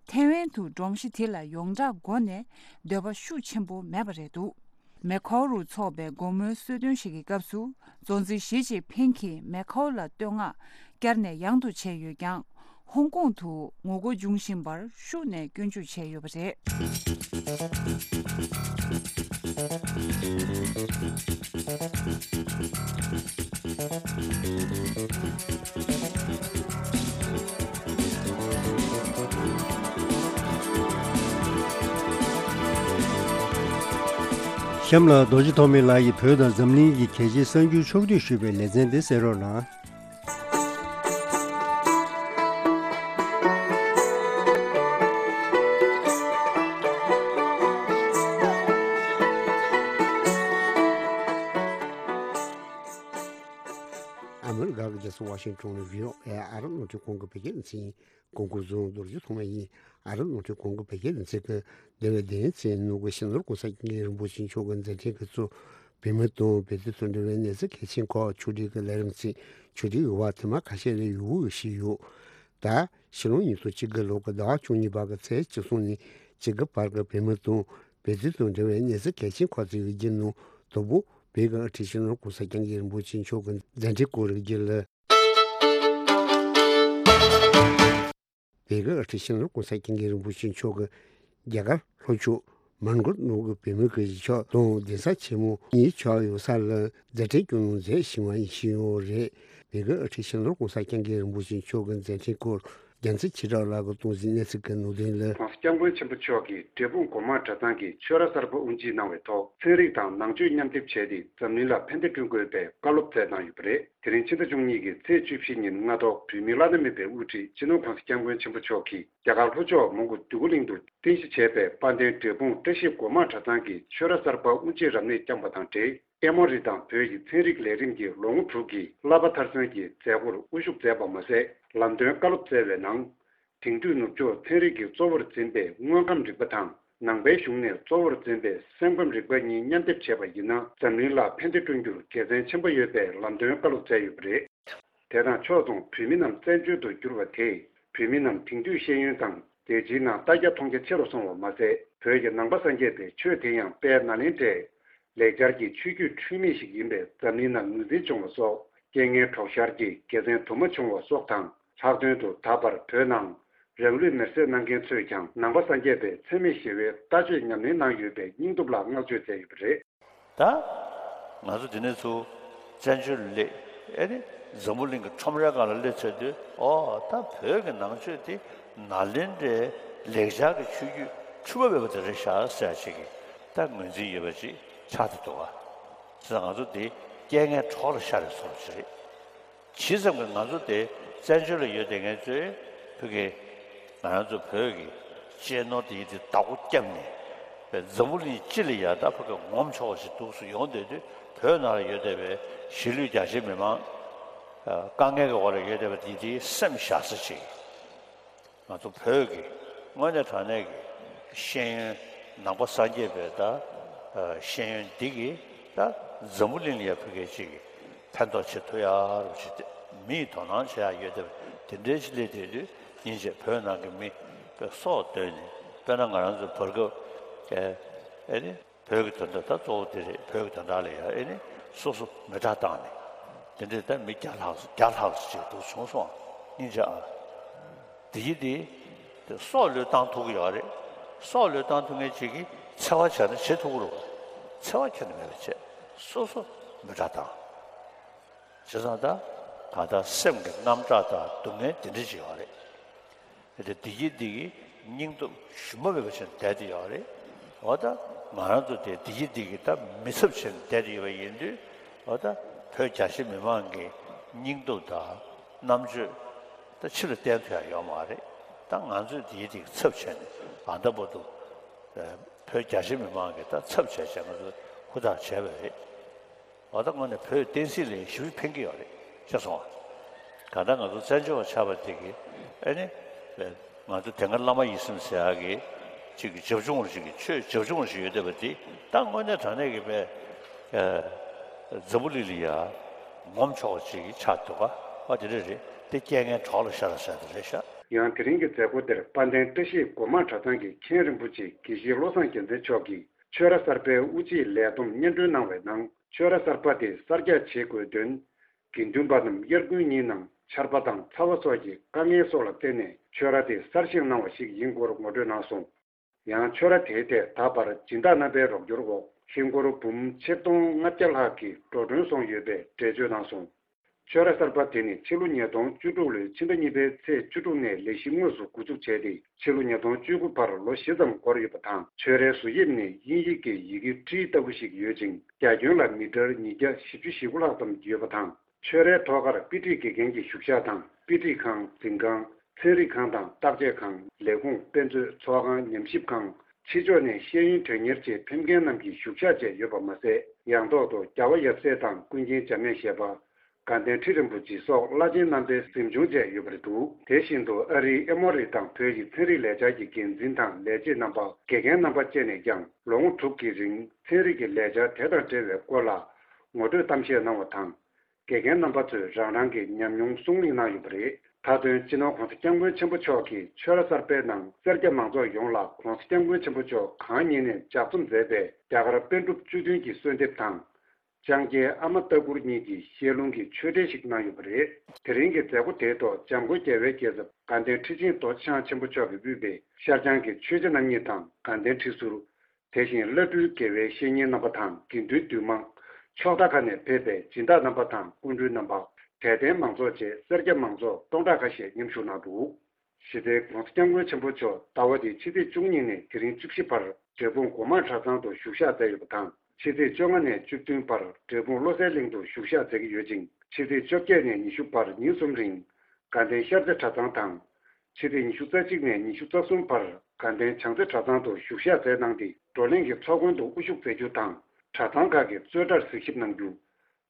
ཐའེ་ཝན་དུ་སྒྲོམ་གཞི་དེ་ལ་ཡོངས་གྲགས་སྒོ་ནས་འདོད་པ་ཤུགས་ཆེན་པོ་མེད་པ་རེད་འདུག་མེ་ཁའོ་རུ་འཚོགས་པའི་དགོང་མོའི་གསོལ་སྟོན་ཞིག་གི་སྐབས་སུ། གཙོ་འཛིན་ཞི་ཅིན་ཕིང་གིས་མེ་ཁའོ་ལ་བསྟོད་བསྔགས་བསྐྱར་ནས་ཡང་དུ་བྱས་ཡོད་ཀྱང་། ཧོང་ཀོང་དུ་ངོ་རྒོལ་འབྱུང་བཞིན་པར་ཤུགས་ནས་སྐྱོན་བརྗོད་བྱས་ཡོད་པ་རེད། གཤམ་ལ་རྡོ་རྗེ་ཐོགས་མེད་ལགས་ཀྱིས་བོད་དང་འཛམ་གླིང་གི་གལ་ཆེའི་གསར་འགྱུར་ཕྱོགས་བསྡུས་ཞུས་པའི་ལེ་ཚན་འདི་གསན་རོགས་གནང་། ཨ་མི་རི་ཀ་གི་རྒྱལ་ས་ཝ་ཤིང་ཊོན་ནས་བྷི་ཨོ་ཨེ་ཨ་རབ་རླུང་འཕྲིན་ཁང་གི་བོད་སྐད་སྡེ་ཚན་ཡིན། གོང་བཀུར་བཟང་རྡོ་རྗེ་ཐོགས་མེད་ཡིན། ཨ་རབ་རླུང་འཕྲིན་ཁང་གི་བོད་སྐད་སྡེ་ཚན་གྱི་འདས་པའི་བདུན་ཚེས་ནང་གི་སྤྱི་ནོར་༸གོང་ས་༸སྐྱབས་མགོན་རིན་པོ་ཆེ་མཆོག་གི་མཛད་འཕྲིན་གྱི་གཙོ། བོད་མི་དང་བོད་དོན་དང་འབྲེལ་བའི་གནས་ཚུལ་གལ་ཆེན་ཁག་ཕྱོགས་སྒྲིག་གི་ལས་རིམ་ཚོས་ཕྱོགས་སྒྲིག་གི་བར་ཐེངས་མ་ཁ་ཤས་ལས་ཡོལ་བ་ཞིག་ཡོད། ད་ཕྱི་ལོ་ཉིས་སྟོང་བཅུ་དགུ་ལོ་གི་ཟླ་བ་བཅུ་གཉིས་པ་གི་ཚེས་བཅུ་གསུམ་ནས་བཅུ་དགུ་བར་གྱི་བོད་མི་དང་བོད་དོན་དང་འབྲེལ་བའི་གནས་ཚུལ་གལ་ཆེན་ཁག་ཅིག་གི་རྒྱུད་ནང་དང་པོ། བོད་ཀྱི་དབུ་ཁྲིད་སྤྱི་ནོར་༸གོང་ས་༸སྐྱབས་མགོན་རིན་པོ་ཆེ་མཆོག་གི་མཛད་འཕྲིན་སྐོར་རིགས་ཀྱི་ལ། བོད་ཀྱི་དབུ་ཁྲིད་སྤྱི་ནོར་༸གོང་ས་༸སྐྱབས་མགོན་རིན་པོ་ཆེ་མཆོག་གིས་རྒྱ་གར་ལྷོ་ཕྱོགས་མན་གོར་ནང་གི་བོད་མི་གི་གཞིས་ཆགས་དང་གདན་ས་ཆེན་མོ་གཉིས་ཆགས་ཡོད་ས་ལ་མཛད་འཕྲིན་སྐྱོང་གནང་མཛད་ཞུས་པ་ཡིན་ཞུས་ཡོད་རེད། བོད་ཀྱི་དབུ་ཁྲིད་སྤྱི་ནོར་༸གོང་ས་༸སྐྱབས་མགོན་རིན་པོ་ཆེ་མཆོག་གི་མཛད་འཕྲིན་སྐོར་རྒྱལ་མཚན་ཆོས་གྲགས་ལགས་ཀྱིས་གཏོང་གཟིགས་གནས་ཚུལ་གྱི་ནང་དོན་ལ། ༸གོང་ས་༸སྐྱབས་མགོན་ཆེན་པོ་མཆོག་གིས་འབྲས་སྤུངས་སྒོ་མང་གྲྭ་ཚང་གི་ཆོས་ར་གསར་པ་དབུ་འབྱེད་གནང་བའི་ཐོག་ཚན་རིག་དང་ནང་ཆོས་མཉམ་སྡེབ་བྱས་ཏེ་འཛམ་གླིང་ལ་ཕན་བདེ་བསྐྲུན་དགོས་པའི་བཀའ་སློབ་སྩལ་གནང་ཡོད་པ་རེད། དེ་རིང་ཕྱི་ཟླ་བཅུ་གཉིས་ཀྱི་ཚེས་བཅུ་བཞི་ཉིན་སྔ་དྲོ་བོད་མིའི་བླ་ན་མེད་པའི་དབུ་ཁྲིད་སྤྱི་ནོར་༸གོང་ས་༸སྐྱབས་མགོན་ཆེན་པོ་མཆོག་གིས་རྒྱ་གར་ལྷོ་ཕྱོགས་མོན་གྷོ་འདོད་རྒུ་གླིང་དུ་རྟེན་གཞི་བྱས་པའི་དཔལ་ལྡན་འབྲས་སྤུངས་བཀྲ་ཤིས་སྒོ་མང་གྲྭ་ཚང་གི་ཆོས་ར་གསར་པ་དབུ་འབྱེད་རབ་གནས་བསྐྱངས་པ་དང་འབྲེལ། ཨེ་མོ་རི་དང་བོད་ཀྱི་ཚན་རིག་ལས་རིམ་གྱི་ལོ་ངོ་དྲུག་གི་བསླབ་པ་མཐར་སོན་གྱི་མཛད་སྒོར་དབུ་བཞུགས་མཛད་པ་མ་ཟད། ལམ་སྟོན་བཀའ་སློབ་སྩལ་བའི་ནང་། དེང་དུས་ནུབ་ཕྱོགས་ཚན་རིག་གིས་གཙོ་བོར་འཛིན་པའི་དངོས་ཁམས་རིག་པ་དང་། ནང་པའི་གཞུང་ནས་གཙོ་བོར་འཛིན་པའི་སེམས་ཁམས་རིག་པ་གཉིས་མཉམ་སྡེབ་བྱས་པ་ཡིན་ན། འཛམ་གླིང་ལ་ཕན་བདེ་བསྐྲུན་རྒྱུར་དགེ་མཚན་ཆེན་པོ་ཡོད་པའི་ལམ་སྟོན་བཀའ་སློབ་སྩལ་ཡོད་པ་རེད། དེ་དང་ཕྱོགས་མཚུངས་བོད་མི་རྣམས་བཙན་བྱོལ་དུ་གྱུར་བ་དེས་བོད་མི་རྣམས་དེང་དུས་ཤེས་ཡོན་དང་རྒྱལ་སྤྱིའི་ནང་ལྟ་རྒྱ་མཐོང་རྒྱ་ཆེ་རུ་སོང་བ་མ་ཟད། བོད་ཀྱི་ནང་པ་སངས་རྒྱས་པའི་ཆོས་དེ་ཡང་དཔལ་ནཱ་ལེནྡྲའི་ ལེགས་སྦྱར་གྱི་ཆོས་བརྒྱུད་འཁྲུལ་མེད་ཞིག་ཡིན་པས་འཛམ་གླིང་ནང་ངོས་འཛིན་བྱུང་བ་སོགས། རྐྱེན་ངན་གྲོགས་ཤར་གྱིས་དགེ་མཚན་དུ་མ་བྱུང་བ་སོགས་དང་། ལྷག་དོན་དུ་ད་བར་བོད་ནང་རང་ལུས་མེར་སྲེག་གནང་མཁན་ཚོས་ཀྱང་ནང་པ་སངས་རྒྱས་པའི་འཚེ་མེད་ཞི་བའི་ལྟ་སྤྱོད་ཉམས་ལེན་གནང་ཡོད་པའི་སྙིང་སྟོབས་ལ་བསྔགས་བརྗོད་མཛད་ཡོད་པ་རེད། ད་ང་ཚོ་འདི་ནས་ཚུར་བཙན་བྱོལ་སླེབས། ཨེ་ནི་འཛམ་བུ་གླིང་གི་ཁྲོམ་རའི་སྒང་ལ་སླེབས་ཚར་དུས། ཨོ་ད་བོད་ཀྱི་ནང་ཆོས་འདི་ནཱ་ལེནྡྲའི་ལེགས་སྦྱར་གྱི་ཆོས་བརྒྱུད་འཁྲུལ་པ་མེད་པ་དེ་རེད་ཤག་ཟེར་ཡ་ཅིག་གི་ད་ངོས་འཛིན་ཡོད་པ་ཅིག་ཆགས་བསྡད་འདུག་ག། བྱས་ཙང་ང་ཚོ་འདི་རྐྱེན་ངན་གྲོགས་ལ་ཤར་བའི་བཟོ་འདྲ་ཅིག་རེད། ཇི་ཙམ་གྱིས་ང་ཚོ་དེ་བཙན་བྱོལ་ལ་ཡོད་བསྡད་མཁན་ཚོས་བོད་ཀྱི་ང་རང་ཚོ་བོད་ཀྱི་གཅེས་ནོར་དེ་ཡི་དེ་བདག་པོ་བརྒྱབ་ནས་བའི་འཛམ་བུ་གླིང་སྤྱི་ལ་ཡ་ད་ཕ་གི་ངོམ་ཆོག་པ་ཞིག་འདུག་སུ་ཡོང་བསྡད་དུས། བོད་ནང་ལ་ཡོད་བསྡད་པའི་གཞིས་ལུས་རྒྱ་ཆེ་མི་མང་དཀའ་ངལ་གྱི་འོག་ལ་ཡོད་བསྡད་པ་དེ་དེའི་སེམས་བཞག་ས་ཅིག་ང་ཚོ་བོད་ཀྱི་དངོས་གནས་དྲང་གནས་ཀྱི་ཤེས་ཡོན་ནང་པ་སངས་རྒྱས་པའི་ད་ཤེས་ཡོན་འདི་གིས་ད་འཛམ་བུ་གླིང་ལ་ཡ་ཕ་གི་ཅིག་གི་ཕན་ཐོགས་བྱེད་ཐུབ་ཡག་རུ་ཞིག་སྟེ། མི་ཡི་དོ་སྣང་བྱེད་ཡག་ཡོད་དེ། དེ་འདྲའི་ཅིག་སླེབས་དེ་དུས་སྙིང་རྗེ། བོད་ནང་གི་མི་དཔེ་སྲོག་བཏོན་ནས། དཔེར་ན་ང་རང་ཚོ་བར་སྐབས་ཨེ་ཨེ་ནི་བོད་ཀྱི་དོན་དག་ད་གཙོ་བོ་དེ་རེད། བོད་ཀྱི་དོན་དག་ལ་ཡ་ཨེ་ནི་སོ་སོ་མེ་སྲེག་བཏང་ནས། དེ་འདྲའི་ད་མི་བརྒྱ་ལྷག་བརྒྱ་ལྷག་ཅིག་འདུག་བྱུང་སོང་། སྙིང་རྗེ་ཨ། དེ་ཡི་དེ་སྲོག་བློས་བཏང་ཐུབ་ཀྱི་ཡོད་རེད། སྲོག་བློས་བཏང་ཐུབ་མཁན་ཅིག་གིས་འཚེ་བ་བྱས་ན་བྱེད་ཐུབ་ཀྱི་རེད་པ། འཚེ་བ་ཁྱོན་ནས་མེད་པ་བྱས། སོ་སོ་མེ་སྲེག་བཏང་། བྱས་ཙང་ད་གང་ལྟར་སེམས་ཀྱི་རྔམ་སྐྲག་དང་སྡུག་བསྔལ་དེ་འདྲ་ཅིག་ཡོད་རེད། དེ་འདི་གིས་འདི་གིས་སྙིང་སྟོབས་ཞུམ་པ་མེད་པ་བྱས་ནས་བསྡད་དེ་ཡོད་རེད། འོ་ད་ང་རང་ཚོ་དེ་འདི་གིས་འདི་གིས་ད་མི་ཚབ་བྱས་ནས་བསྡད་དེ་ཡོད་པ་ཡིན་དུས། འོ་ད་བོད་རྒྱ་ཆེ་མི་མང་གི་སྙིང་སྟོབས་དང་རྣམ་དཔྱོད་ད་ཕྱི་ལ་བསྟན་ཐུབ་ཡག་ཡོད་མ་རེད། ད་ང་ཚོས་འདི་གིས་འདི་གིས་ཚབ་བྱས་ནས་ད་ལྟ་བར་དུ་བོད་རྒྱ་ཆེ་མི་མང་གི་ད་ཚབ་བྱས་བྱས་ང་ཚོ་ཧུར་ཐག་བྱས་པ་རེད། འོ་ད་དངོས་གནས་བོད་བསྟན་སྲིད་ལ་ཞེ་པོ་ཕན་གྱི་ཡོད་རེད། ཤེས་སོང་ང་། གང་ལྟར་ང་ཚོ་བཙན་བྱོལ་བ་ཆགས་པ་དེ་གིས་ཨེ་ནི་ང་ཚོ་དེ་སྔ་བླ་མ་ཡིད་བཞིན་ཟེར་ཡག་གི་ཅིག་གི་བྱབ་ཆུང་ཞིག་གི་ཆོས་བྱབ་ཆུང་ཞིག་ཡོད་བསྡད་པ་དེ་ད་དངོས་གནས་དྲང་གནས་ཀྱི་བས་འཛམ་བུ་གླིང་ལ་ཡ་ངོམ་ཆོག་པ་ཅིག་ཆགས་འདུག་ག། ཨ་དེ་འདྲ་རེད། དེ་རྐྱེན་ངན་གྲོགས་ལ་ཤར་ཟེར་དེ་རེད་ཤག། ཡང་དེ་རིང་གི་མཛད་སྒོ་དེར་དཔལ་ལྡན་བཀྲ་ཤིས་སྒོ་མང་གྲྭ་ཚང་གི་མཁན་རིན་པོ་ཆེ་དགེ་བཤེས་བློ་བཟང་རྒྱལ་མཚན་མཆོག་གིས། ཆོས་ར་གསར་པའི་དབུ་འབྱེད་ལས་བསྡོམས་སྙན་སྒྲོན་གནང་བའི་ནང་། ཆོས་ར་གསར་པ་དེ་གསར་རྒྱག་བྱེད་དགོས་དོན། དགེ་འདུན་པ་རྣམས་དབྱར་དགུན་གཉིས་ནང་ཆར་པ་དང་ཚ་བ་སོགས་ཀྱི་དཀའ་ངལ་སོགས་ལ་བརྟེན་ནས་ཆོས་ར་དེ་གསར་བཞེངས་གནང་བ་ཞིག་ཡིན་སྐོར་ངོ་སྤྲོད་གནང་སོང་། ཡང་ཆོས་ར་དེའི་ཐད་ད་བར་སྦྱིན་བདག་རྣམ་པའི་རོགས་སྐྱོར་འོག་ཧིན་སྒོར་འབུམ་ཆིག་སྟོང་ལྔ་བརྒྱ་ལྷག་གི་འགྲོ་གྲོན་སོང་ཡོད་པའི་འགྲེལ་བརྗོད་གནང་སོང་། ཆོས་ར་གསར་པ་དེ་ནི་ཕྱི་ལོ་ཉིས་སྟོང་བཅུ་དྲུག་ལོའི་ཕྱི་ཟླ་གཉིས་པའི་ཚེས་བཅུ་དྲུག་ནས་ལས་གཞི་དངོས་སུ་འགོ་འཛུགས་བྱས་ཏེ། ཕྱི་ལོ་ཉིས་སྟོང་བཅུ་དགུ་བར་ལོ་བཞི་ཙམ་འགོར་ཡོད་པ་དང་། ཆོས་རའི་བཟོ་དབྱིབས་ནི་དབྱིན་ཡིག་གི་ཡི་གེ་ཊི་ལྟ་བུ་ཞིག་ཡོད་ཅིང་། རྒྱ་ཁྱོན་ལ་མི་ཊར་ཉིས་བརྒྱ་བཞི་བཅུ་ཞེ་དགུ་ལྷག་ཙམ་ཡོད་པ་དང་། ཆོས་རའི་ཐོག་ཁར་དཔེ་ཁྲིད་དགེ་རྒན་གྱི་བཞུགས་ཤག་དང་། དཔེ་ཁྲིད་ཁང་། འཛིན་ཁང་། ཚན་རིག་ཁང་དང་བརྟག་དཔྱད་ཁང་། ལས་ཁུངས། དཔེ་མཛོད། ཚོགས་ཁང་། ཉམས་ཞིབ་ཁང་། ཕྱི་ཕྱོགས་ནས་ཤེས་ཡོན་དོན་གཉེར་ཆེད་ཕེབས་མཁན་རྣམས་ཀྱི་བཞུགས་ཤག་བཅས་ཡོད་པ་མ་ཟད། ཡང་ཐོག་ཏུ་རྒྱལ་བ་ཡབ་སྲས་དང་ཀུན་མཁྱེན་འཇམ་དབྱངས་བཞད་པ། དགའ་ལྡན་ཁྲི་རིན་པོ་ཆེ་སོགས་བླ་ཆེན་རྣམ་པའི་གཟིམ་ཆུང་བཅས་ཡོད་པ་རེད་འདུག། དེ་བཞིན་དུ་ཨ་རིའི་ཨེ་མོ་རི་དང་བོད་ཀྱི་ཚན་རིག་ལས་འཆར་གྱི་འགན་འཛིན་དང་ལས་བྱེད་རྣམ་པ། དགེ་རྒན་རྣམ་པ་བཅས་ནས་ཀྱང་ལོ་ངོ་དྲུག་གི་རིང་ཚན་རིག་གི་ལས་འཆར་དེ་དང་འབྲེལ་བའི་སྐོར་ལ་ངོ་སྤྲོད་གཏམ་བཤད་གནང་བ་དང་། དགེ་རྒན་རྣམ་པ་ཚོས་རང་རང་གི་ཉམས་མྱོང་གསུང་གླེང་གནང་ཡོད་པ་རེད། མཐའ་དོན་སྤྱི་ནོར་༸གོང་ས་༸སྐྱབས་མགོན་ཆེན་པོ་མཆོག་གིས་ཆོས་ར་གསར་པའི་ནང་སེར་སྐྱ་མང་ཚོགས་ཡོངས་ལ་༸གོང་ས་༸སྐྱབས་མགོན་ཆེན་པོ་མཆོག་གང་ཉིད་ནས་ལྗགས་རྩོམ་མཛད་པའི་རྒྱ་གར་པཎ་གྲུབ་བཅུ་བདུན་གྱི་གསོལ་འདེབས་དང་། ལྕང་སྐྱའི་ཨ་མ་ལྟ་བུར་གཉིས་ཀྱི་ཞལ་ལུང་གི་ཆོས་འབྲེལ་ཞིག་གནང་ཡོད་པ་རེད། དེ་རིང་གི་མཛད་སྒོ་དེའི་ཐོག་འཇམ་མགོན་རྒྱལ་བའི་རྒྱལ་ཚབ་དགའ་ལྡན་ཁྲི་ཆེན་རྡོ་རྗེ་འཆང་ཆེན་པོ་མཆོག་གིས་དབུས་པའི་ཤར་བྱང་གི་ཆོས་རྗེ་རྣམ་གཉིས་དང་དགའ་ལྡན་ཁྲི་ཟུར། དེ་བཞིན་བླ་སྤྲུལ་དགེ་བའི་བཤེས་གཉེན་རྣམ་པ་དང་དགེ་འདུན་འདུས་མང་། ཕྱོགས་མཐའ་ཁག་ནས་ཕེབས་པའི་སྦྱིན་བདག་རྣམ་པ་དང་སྐུ་མགྲོན་རྣམ་པ། དད་ལྡན་མང་ཚོགས་བཅས་སེར་སྐྱ་མང་ཚོགས་སྟོང་ཕྲག་ཁ་ཤས་མཉམ་ཞུགས་གནང་འདུག། གཞི་རྩའི་༸གོང་ས་༸སྐྱབས་མགོན་ཆེན་པོ་མཆོག་ཟླ་བ་འདིའི་ཕྱི་ཚེས་བཅུ་གཉིས་ནས་དེ་རིང་བཅུ་བཞི་བར་འབྲས་སྤུངས་སྒོ་མང་གྲྭ་ཚང་དུ་བཞུགས་ཞག་མཛད་ཡོད་པ་དང་། ཕྱི་ཚེས་བཅོ་ལྔ་ནས་བཅུ་བདུན་བར་འབྲས་སྤུངས་བློ་གསལ་གླིང་དུ་བཞུགས་ཞག་མཛད་ཀྱི་ཡོད་ཅིང་། ཕྱི་ཚེས་བཅོ་བརྒྱད་ནས་ཉི་ཤུ་བར་ཉིན་གསུམ་རིང་དགའ་ལྡན་ཤར་རྩེ་གྲྭ་ཚང་དང་། ཕྱི་ཚེས་ཉི་ཤུ་རྩ་གཅིག་ནས་ཉི་ཤུ་རྩ་གསུམ་བར་དགའ་ལྡན་བྱང་རྩེ་གྲྭ་ཚང་དུ་བཞུགས་ཞག་མཛད་གནང་སྟེ། བགྲོ་གླེང་གི་ཚོགས་མགོན་དུ་དབུ་བཞུགས་མཛད་རྒྱུ་དང་། གྲྭ་ཚང་ཁག་གི་རྩོད་གྲྭར་གཟིགས་ཞིབ་གནང་རྒྱུ།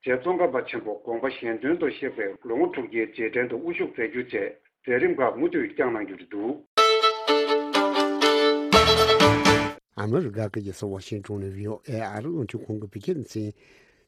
རྗེ་ཙོང་ཁ་པ་ཆེན་པོ་དགོངས་པ་གཞན་དོན་དུ་གཤེགས་པའི་ལོ་ངོ་དྲུག་བརྒྱའི་རྗེས་དྲན་དུ་དབུ་བཞུགས་མཛད་རྒྱུ་བཅས་མཛད་རིམ་ཁག་མུ་མཐུད་བསྐྱངས་གནང་རྒྱུ་རེད་འདུག། ཨ་མི་རི་ཀ་གི་རྒྱལ་ས་ཝ་ཤིང་ཏོན་ནས་བྷི་ཨོ་ཨེ་ཨ་རི་རླུང་འཕྲིན་ཁང་གི་བོད་སྐད་སྡེ་ཚན།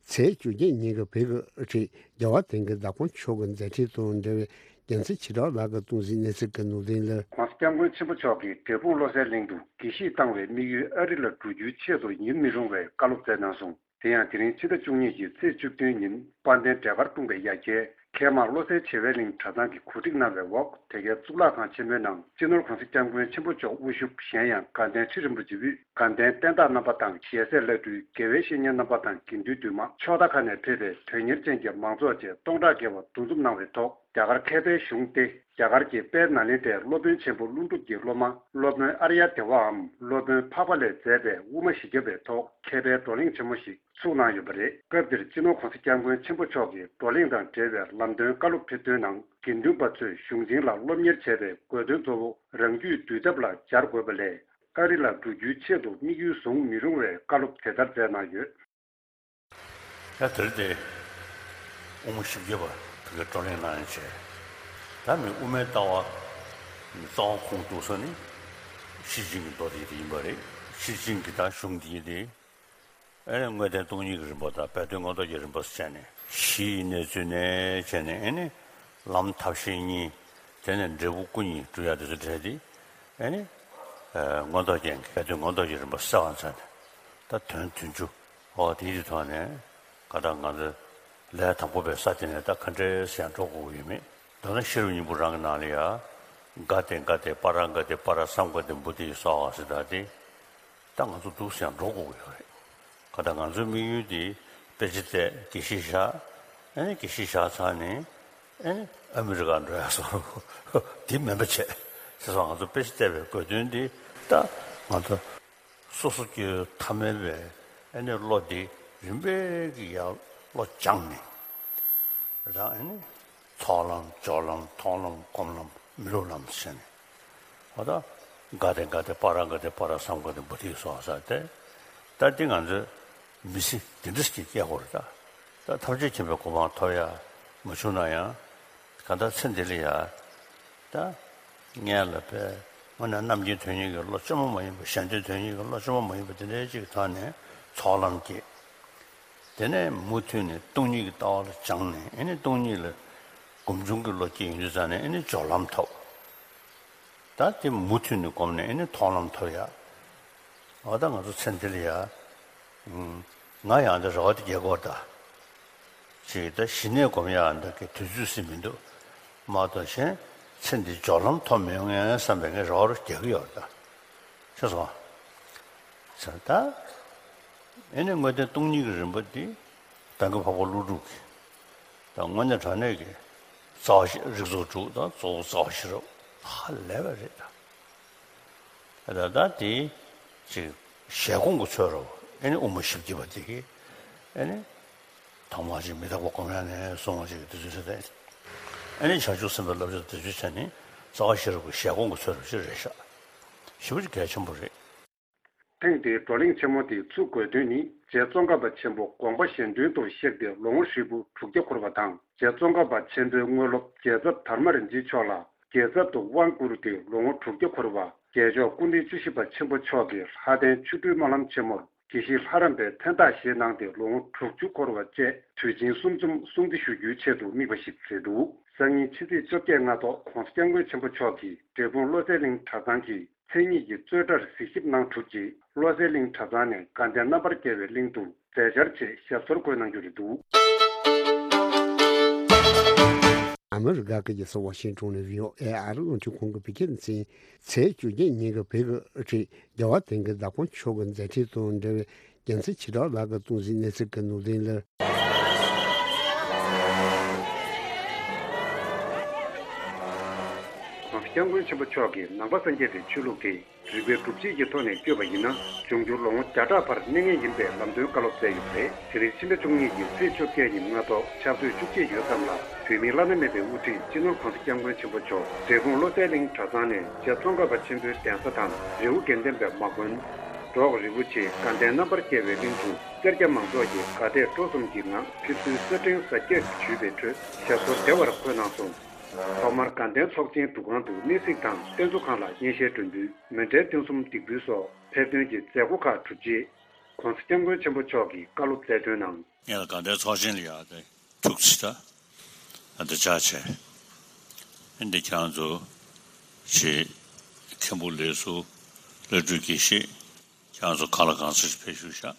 ཚེས་བཅོ་བརྒྱད་ཉིན་གྱི་བོད་ཀྱི་དབུ་ཁྲིད་རྒྱལ་བ་དེང་གི་བདག་པོ་མཆོག་གི་མཛད་འཕྲིན་དང་འབྲེལ་བའི་རྒྱལ་མཚན་ཞེ་དྲག་ལགས་ཀྱིས་གཏོང་གཟིགས་གནས་ཚུལ་གྱི་ནང་དོན་ལ། ༸གོང་ས་༸སྐྱབས་མགོན་ཆེན་པོ་མཆོག་གིས་འབྲས་སྤུངས་བློ་གསལ་གླིང་དུ་དགེ་བཤེས་བཏང་བའི་དམིགས་ཡུལ་ཨ་རི་ལ་འགྲོ་རྒྱུའི་ཆེད་དུ་ཡིན་མི་རུང་བའི་བཀའ་སློབ་སྩལ་གནང་སོང་། དེ་ཡང་དེ་རིང་ཕྱི་ཟླ་བཅུ་གཉིས་ཀྱི་ཚེས་བཅུ་བདུན་ཉིན་དཔལ་ལྡན་འབྲས་དཀར་སྤུངས་པའི་ཡ་གྱལ་མཁལ་མ་བློ་གསལ་བྱེ་བའི་གླིང་གྲྭ་ཚང་གིས་གོ་སྒྲིག་གནང་བའི་འོག་དེ་གའི་གཙུག་ལག་ཁང་ཆེན་མོའི་ནང་སྤྱི་ནོར་༸གོང་ས་༸སྐྱབས་མགོན་ཆེན་པོ་མཆོག་དབུ་བཞུགས། གཞན་ཡང་དགའ་ལྡན་ཁྲི་རིན་པོ་ཆེ་དབུས་དགའ་ལྡན་བསྟན་བདག་རྣམ་པ་དང་ཞལ་ཟས་བླ་སྤྲུལ་དགེ་བའི་བཤེས་གཉེན་རྣམ་པ་དང་དགེ་འདུན་འདུས་མང་ཕྱོགས་མཐའ་ཁག་ནས་ཕེབས་པའི་དོན་གཉེར་ཅན་གྱི་མང་ཚོགས་བཅས་སྟོང་ཕྲག་བརྒལ་བ་འདུ་འཛོམས་གནང་བའི་ཐོག་རྒྱ་གར་མཁས་པའི་གཞུང་སྟེ། རྒྱ་གར་གྱི་དཔལ་ནཱ་ལེནྡྲའི་སློབ་དཔོན་ཆེན་པོ་ཀླུ་སྒྲུབ་ཀྱི་སློབ་མ་སློབ་དཔོན་ཨརྱ་དེ་ཝའམ་སློབ་དཔོན་འཕགས་པ་ལས་མཛད་པའི་དབུ་མ་བཞི་བརྒྱ་པའི་ཐོག་མཁས་པའི་བགྲོ་གླེང་ཆེན་མོ་ཞིག་ཚུགས་གནང་ཡོད་པ་རེད། སྐབས་འདིར་སྤྱི་ནོར་༸གོང་ས་༸སྐྱབས་མགོན་ཆེན་པོ་མཆོག་གིས་བགྲོ་གླེང་དང་འབྲེལ་བའི་ལམ་སྟོན་བཀའ་སློབ་ཕེབས་དོན་ནང་། དགེ་འདུན་པ་ཚོས་གཞུང་ཆེན་ལ་སློབ་གཉེར་བྱས་པའི་དགོས་དོན་གཙོ་བོ་རང་རྒྱུད་འདུལ་ཐབས་ལ་སྦྱར་དགོས་པ་ལས། ཨ་རི་ལ་འགྲོ་རྒྱུའི་ཆེད་དུ་དམིགས་ཡུལ་བཟུང་མི་རུང་བའི་བཀའ་སློབ་དེ་ལྟར་མཛད་གནང་ཡོད། ཡང་དེར་དེ་དབུ་མ་བཞི་བརྒྱ་པ་བོད་སྐད་བགྲོ་གླེང་གནང་ཡང་བྱས། ད་མི་དབུ་མའི་ལྟ་བ་རྩ་བ་ཁུངས་གཏུགས་ས་ནི་ཤེར་ཕྱིན་གྱི་མདོ་སྡེ་དེ་ཡིན་པ་རེད། ཤེར་ཕྱིན་གྱི་ད་གཞུང་འདི་ཡིན་ཏེ། ཨེ་ནི་དངོས་བསྟན་སྟོང་ཉིད་ཀྱི་རིམ་པ་དང་སྦས་དོན་མངོན་རྟོགས་ཀྱི་རིམ་པ་སོགས་བྱས་ནས་གཞི་ཡི་གནས་ཚུལ་ནས་བྱས་ནས། ཨེ་ནི་ལམ་ཐབས་ཤེས་གཉིས། དེ་ནས་འབྲས་བུ་སྐུ་གཉིས་སྒྲུབ་ཡ་དེ་ཚོ་འབྲེལ་ཏེ། ཨེ་ནི་མངོན་རྟོགས་རྒྱན་གྱི་སྦས་དོན་མངོན་རྟོགས་ཀྱི་རིམ་པ་གསལ་བར་མཛད་ནས། ད་དོན་བདུན་ཅུ། འོ་དེའི་ཐོག་ནས་ག་ད་ང་ཚོ་ལས་དང་པོ་པའི་ས་དེ་ནས་ད་ག་འདྲས་ཡང་འགྲོ་དགོས་ཀྱི་ཡོད་མེད། མདོར་ན་ཤེས་རབ་སྙིང་པོ་རང་གི་ནང་ལ་ཡ། ག་ཏེ་ག་ཏེ་པཱ་ར་ག་ཏེ་པཱ་ར་སཾ་ག་ཏེ་བོ་དྷི་སྭཱ་ཧཱ་ཟེར་ད་དེ། ད་ང་ཚོ་འདུག་སེ་ཡང་འགྲོ་དགོས་ཀྱི་ཡོད་རེད། ག་ད་ང་ཚོའི་དམིགས་ཡུལ་དེ་དཔེ་ཆ་བལྟས་དགེ་བཤེས་བཞག་ཨེ་ནི་དགེ་བཤེས་བཞག་ཚར་ནས་ཨེ་ནི་ཨ་མི་རི་ཀ་འགྲོ་ཡ་སོགས་དེ་མིན་པ་བྱས། བྱས་ཙང་ང་ཚོ་དཔེ་ཆ་བལྟས་པའི་དགོས་དོན་དེ་ད་ང་ཚོ་སོ་སོ་སྐྱེ་བོའི་ཐ་མལ་པའི་ཨེ་ནི་བློ་དེ་རིམ་པས་ཀྱིས་ཡར་བློ་སྦྱངས་ནས། ད་ཨེ་ནི་ཚོགས་ལམ་སྦྱོར་ལམ་མཐོང་ལམ་སྒོམ་ལམ་མི་སློབ་ལམ་ཟེར་ནས། འོ་ད་ག་ཏེ་ག་ཏེ་པཱ་ར་ག་ཏེ་པཱ་ར་སཾ་ག་ཏེ་བོ་དྷི་སྭཱ་ཧཱ་ཟེར་ཏེ། ད་འདི་ང་ཚོས་མི་ཚེ་འདི་འདྲ་ཞིག་སྐྱེལ་དགོས་རེད་ད། ད་ཐམས་ཅད་མཁྱེན་པའི་གོ་འཕང་ཐོབ་ཡ་མ་བྱུང་ན་ཡང་། གང་ལྟར་ཚེ་འདི་ལ་ཡ། ད་སྔོན་ལ་དཔེ་དངོས་གནས་རྣམ་མཁྱེན་དོན་གཉེར་གྱི་བློ་བཅོས་མ་མ་ཡིན་པ། གཞན་དོན་དོན་གཉེར་གྱི་བློ་བཅོས་མ་མ་ཡིན་པ་དེ་འདྲའི་ཅིག་ཐོག་ནས་ཚོགས་ལམ་སྐྱེས། དེ་ནས་མུ་མཐུད་ནས་སྟོང་ཉིད་ཀྱི་ལྟ་བ་ལ་སྦྱངས་ནས། ཨེ་ནི་སྟོང་ཉིད་ལ་སྒོམ་བྱུང་གི་བློ་སྐྱེས་ཡོང་དུས་ཙང་ནས། ཨེ་ནི་སྦྱོར་ལམ་ཐོབ། ད་དེ་མུ་མཐུད་ནས་སྒོམ་ནས་ཨེ་ནི་མཐོང་ལམ་ཐོབ་ཡ། འོ་ད་ང་ཚོ་ཚེ་འདི་ལ་ཡ། ཨུམ། ང་ཡང་འདི་རེ་བ་དེ་རྒྱག་གི་ཡོད་ད། ཅིག་ད་གཞི་ནས་སྒོམ་ཡ་འདི་གི་དུས་ཚོད་ཟིན་མི་འདུག་མ་གཏོགས་གཞན་ཚེ་འདི་སྦྱོར་ལམ་ཐོབ་མི་ཡོང་ངས་བསམ་པའི་ངས་རེ་བ་རུ་རྒྱག་གི་ཡོད་ད། ཤེས་སོང་། ཟེར་ད། ཨེ་ནི་དངོས་བསྟན་སྟོང་ཉིད་ཀྱི་རིམ་པ་འདི་བན་དགེ་འཕགས་པ་ཀླུ་སྒྲུབ་ཀྱི། ད་དངོས་གནས་དྲང་གནས་ཀྱི་རྩ་བ་ཤེས་རིགས་ཚོགས་དྲུག་དང་གཙོ་བོ་རྩ་བ་ཤེས་རབ་ཧ་ལས་པ་རེད་ད། ད་ད་དེ་ཅིག་ཞལ་སྒོང་གི་ཚོད་རོ། ཨེ་ནི་དབུ་མ་བཞི་བརྒྱ་པ་དེ་གི་ཨེ་ནི་ཐོག་མར་ཅིག་མི་རྟག་པ་སྒོམ་ཡ་ནས་བཟུང་བ་ཅིག་དེ་ཚོ་བྱས་ཏེ། ཨེ་ནི་བྱང་ཆུབ་སེམས་དཔའི་བསླབ་བྱ་དེ་ཚོ་བྱས་ནས་རྩ་བ་ཤེས་རབ་ཀྱི་ཞལ་སྒོང་གི་ཚོད་རོ་ཅིག་རེད་ཤག་ཞེ་པོ་ཅིག་གལ་ཆེན་པོ་རེད། ཐེངས་འདིའི་བགྲོ་གླེང་ཆེན་མོ་དེ་ཚུགས་དགོས་དོན་ནི། རྗེ་ཙོང་ཁ་པ་ཆེན་པོ་དགོངས་པ་གཞན་དོན་དུ་གཤེགས་ཏེ་ལོ་ངོ་ཧྲིལ་པོ་དྲུག་བརྒྱ་འཁོར་བ་དང་། རྗེ་ཙོང་ཁ་པ་ཆེན་པོའི་དངོས་སློབ་རྒྱལ་ཚབ་དར་མ་རིན་ཆེན་མཆོག་ལ་རྒྱལ་ཚབ་ཏུ་དབང་བསྐུར་ཏེ་ལོ་ངོ་དྲུག་བརྒྱ་འཁོར་བ། རྒྱལ་མཆོག་སྐུ་ཕྲེང་བཅུ་བཞི་པ་ཆེན་པོ་མཆོག་གིས་ལྷ་ལྡན་ཆོ་འཕྲུལ་སྨོན་ལམ་ཆེན་མོར་དགེ་བཤེས་ལྷ་རམས་པའི་མཚན་རྟགས་བཞེས་གནང་སྟེ་ལོ་ངོ་དྲུག་ཅུ་འཁོར་བ་བཅས་དུས་ཆེན་གསུམ་འཛོམས་སྲུང་བརྩི་ཞུ་རྒྱུའི་ཆེད་དུ་དམིགས་པ་ཞིག་རེད་འདུག་སང་ཉིན་ཕྱི་ཚེས་བཅོ་བརྒྱད་སྔ་ཐོག་༸གོང་ས་༸སྐྱབས་མགོན་ཆེན་པོ་མཆོག་གིས་འབྲས་སྤུངས་བློ་གསལ་གླིང་གྲྭ་ཚང་གི་མཚན་ཉིད་ཀྱི་རྩོད་གྲྭར་གཟིགས་ཞིབ་གནང་གྲུབ་རྗེས། བློ་གསལ་གླིང་གྲྭ་ཚང་ནས་དགའ་ལྡན་རྣམ་པར་རྒྱལ་བའི་གླིང་དུ་མཛད་འཆར་ཆེད་ཞབས་སོར་འགོད་གནང་རྒྱུ་རེད་འདུག་ཨ་མི་རི་ཀ་གི་རྒྱལ་ས་ཝ་ཤིང་ཊོན་ནས་བྷི་ཨོ་ཨེ་ཨ་རི་རླུང་འཕྲིན་ཁང་གི་བོད་སྐད་སྡེ་ཚན། ཚེས་བཅོ་བརྒྱད་ཉིན་གྱི་བོད་ཀྱི་དབུ་ཁྲིད་རྒྱལ་བ་དོན་གྱི་བདག་པོ་མཆོག་གི་མཛད་འཕྲིན་དང་འབྲེལ་བའི་རྒྱལ་མཚན་ཆེ་དྲགས་ལགས་ཀྱིས་གཏོང་གཟིགས་གནས་ཚུལ་གྱི་ནང་དོན་ལ། ༸གོང་ས་༸སྐྱབས་མགོན་ཆེན་པོ་མཆོག་གིས་ནང་པ་སངས་རྒྱས་པའི་ཆོས་ལུགས་དེ་རིགས་པའི་སྒྲུབ་བྱེད་ཀྱི་ཐོག་ནས་བསྐྱོད་པ་ཡིན་ན། འབྱུང་འགྱུར་ལོ་ངོ་བརྒྱ་ཕྲག་བར་གནས་ངེས་ཡིན་པའི་ལམ་སྟོན་བཀའ་སློབ་སྩལ་ཡོད་པ་རེད། དེ་རིང་ཕྱི་ཟླ་བཅུ་གཉིས་ཀྱི་ཚེས་བཅོ་བརྒྱད་ཉིན་སྔ་ཐོག་ཆབ་སྲིད་བཅུ་གཅིག་ཡོལ་ཙམ་ལ། བོད་མིའི་བླ་ན་མེད་པའི་དབུ་ཁྲིད་སྤྱི་ནོར་༸གོང་ས་༸སྐྱབས་མགོན་ཆེན་པོ་མཆོག་འབྲས་སྤུངས་བློ་གསལ་གླིང་གྲྭ་ཚང་ནས་རྗེ་ཙོང་ཁ་པ་ཆེན་པོའི་གདན་ས་དང་རི་བོ་དགེ་ལྡན་པའི་མ་དགོན། འབྲོག་རི་བོ་ཆེ་དགའ་ལྡན་རྣམ་པར་རྒྱལ་བའི་གླིང་དུ་སེར་སྐྱ་མང་ཚོགས་ཀྱིས་དགའ་དད་སྤྲོ་གསུམ་གྱི་ངང་ཕེབས་བསུའི་གསེར་ཕྲེང་གཟར་བརྒྱད་ཞུས་པའི་ཁྲོད་ཞབས་སོར་བདེ་བར་འཁོད་གནང་སོང་། ཐོག་མར་དགའ་ལྡན་ཚོགས་ཆེན་འདུ་ཁང་དུ་གནས་གཟིགས་དང་རྟེན་གཙོ་ཁང་ལ་སྙན་ཤལ་སྒྲོན་པུས་མཎྜལ་རྟེན་གསུམ་འདེགས་འབུལ་སོགས་ཕེབས་ཐོན་གྱི་མཛད་སྒོ་ཁག་གྲུབ་རྗེས། ༸གོང་ས་༸སྐྱབས་མགོན་ཆེན་པོ་མཆོག་གིས་བཀའ་སློབ་སྩལ་དོན་ནང་། ངས་ལ་དགའ་ལྡན་ཚོགས་ཆེན་ལ་ཡར་དེ་ཐུག་ཚེ་ད་ཨ་འདི་ཅག་བྱས། ཨ་འདི་ཁྱེད་རང་ཚོ་ཞེས་མཁན་པོ་ལས་སུ་བླ་སྤྲུལ་དགེ་བཤེས་ཁྱེད་རང་ཚོ་གང་ལ་གང་འཚམ་ཞིག་ཕེབས་བཞུགས་ཤག་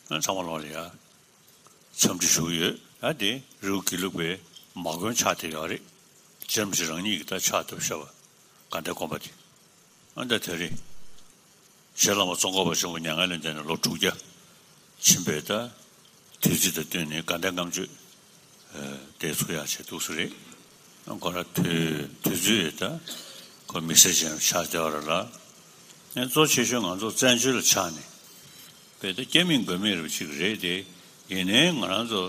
ཚང་མ་ལོག་ལ་ཡ། འཚམས་འདྲི་ཞུ་གི་ཡོད། ཨ་དེ་རི་བོ་དགེ་ལུགས་པའི་མ་དགོན་ཕྱག་དེ་ཡོད་རེད། རྗེ་རིན་པོ་ཆེ་རང་ཉིད་ཀྱིས་ད་ཕྱག་བཏབ་བཞག་པ། དགའ་ལྡན་དགོན་པ་དེ། ཨ་ད་དེ་རེད། རྗེ་བླ་མ་ཙོང་ཁ་པ་ཆེན་པོ་མྱ་ངན་ལས་འདས་ནས་ལོ་དྲུག་བརྒྱ་ཕྱིན་པའི་ད་དུས་ཚིགས་དང་བསྟུན་ནས་དགའ་ལྡན་ལྔ་མཆོད་དེ་ཚུགས་ཡག་བྱས་འདུག་ས་རེད། ཁོ་ར་དུས་དུས་ཚོད་ད་ཁོ་དམིགས་བསལ་ཅན་ཆགས་བསྡད་པ་རེད་ལ། ཨ་གཙོ་ཆེ་ཤོས་ང་ཚོ་བཙན་བྱོལ་ལ་ཆགས་ནས་དཔེ་ད་སྐྱེ་མེད་མགོན་མེད་རེད་པ་ཅིག་རེད་དེ། ཡིན་ནའི་ང་རང་ཚོ་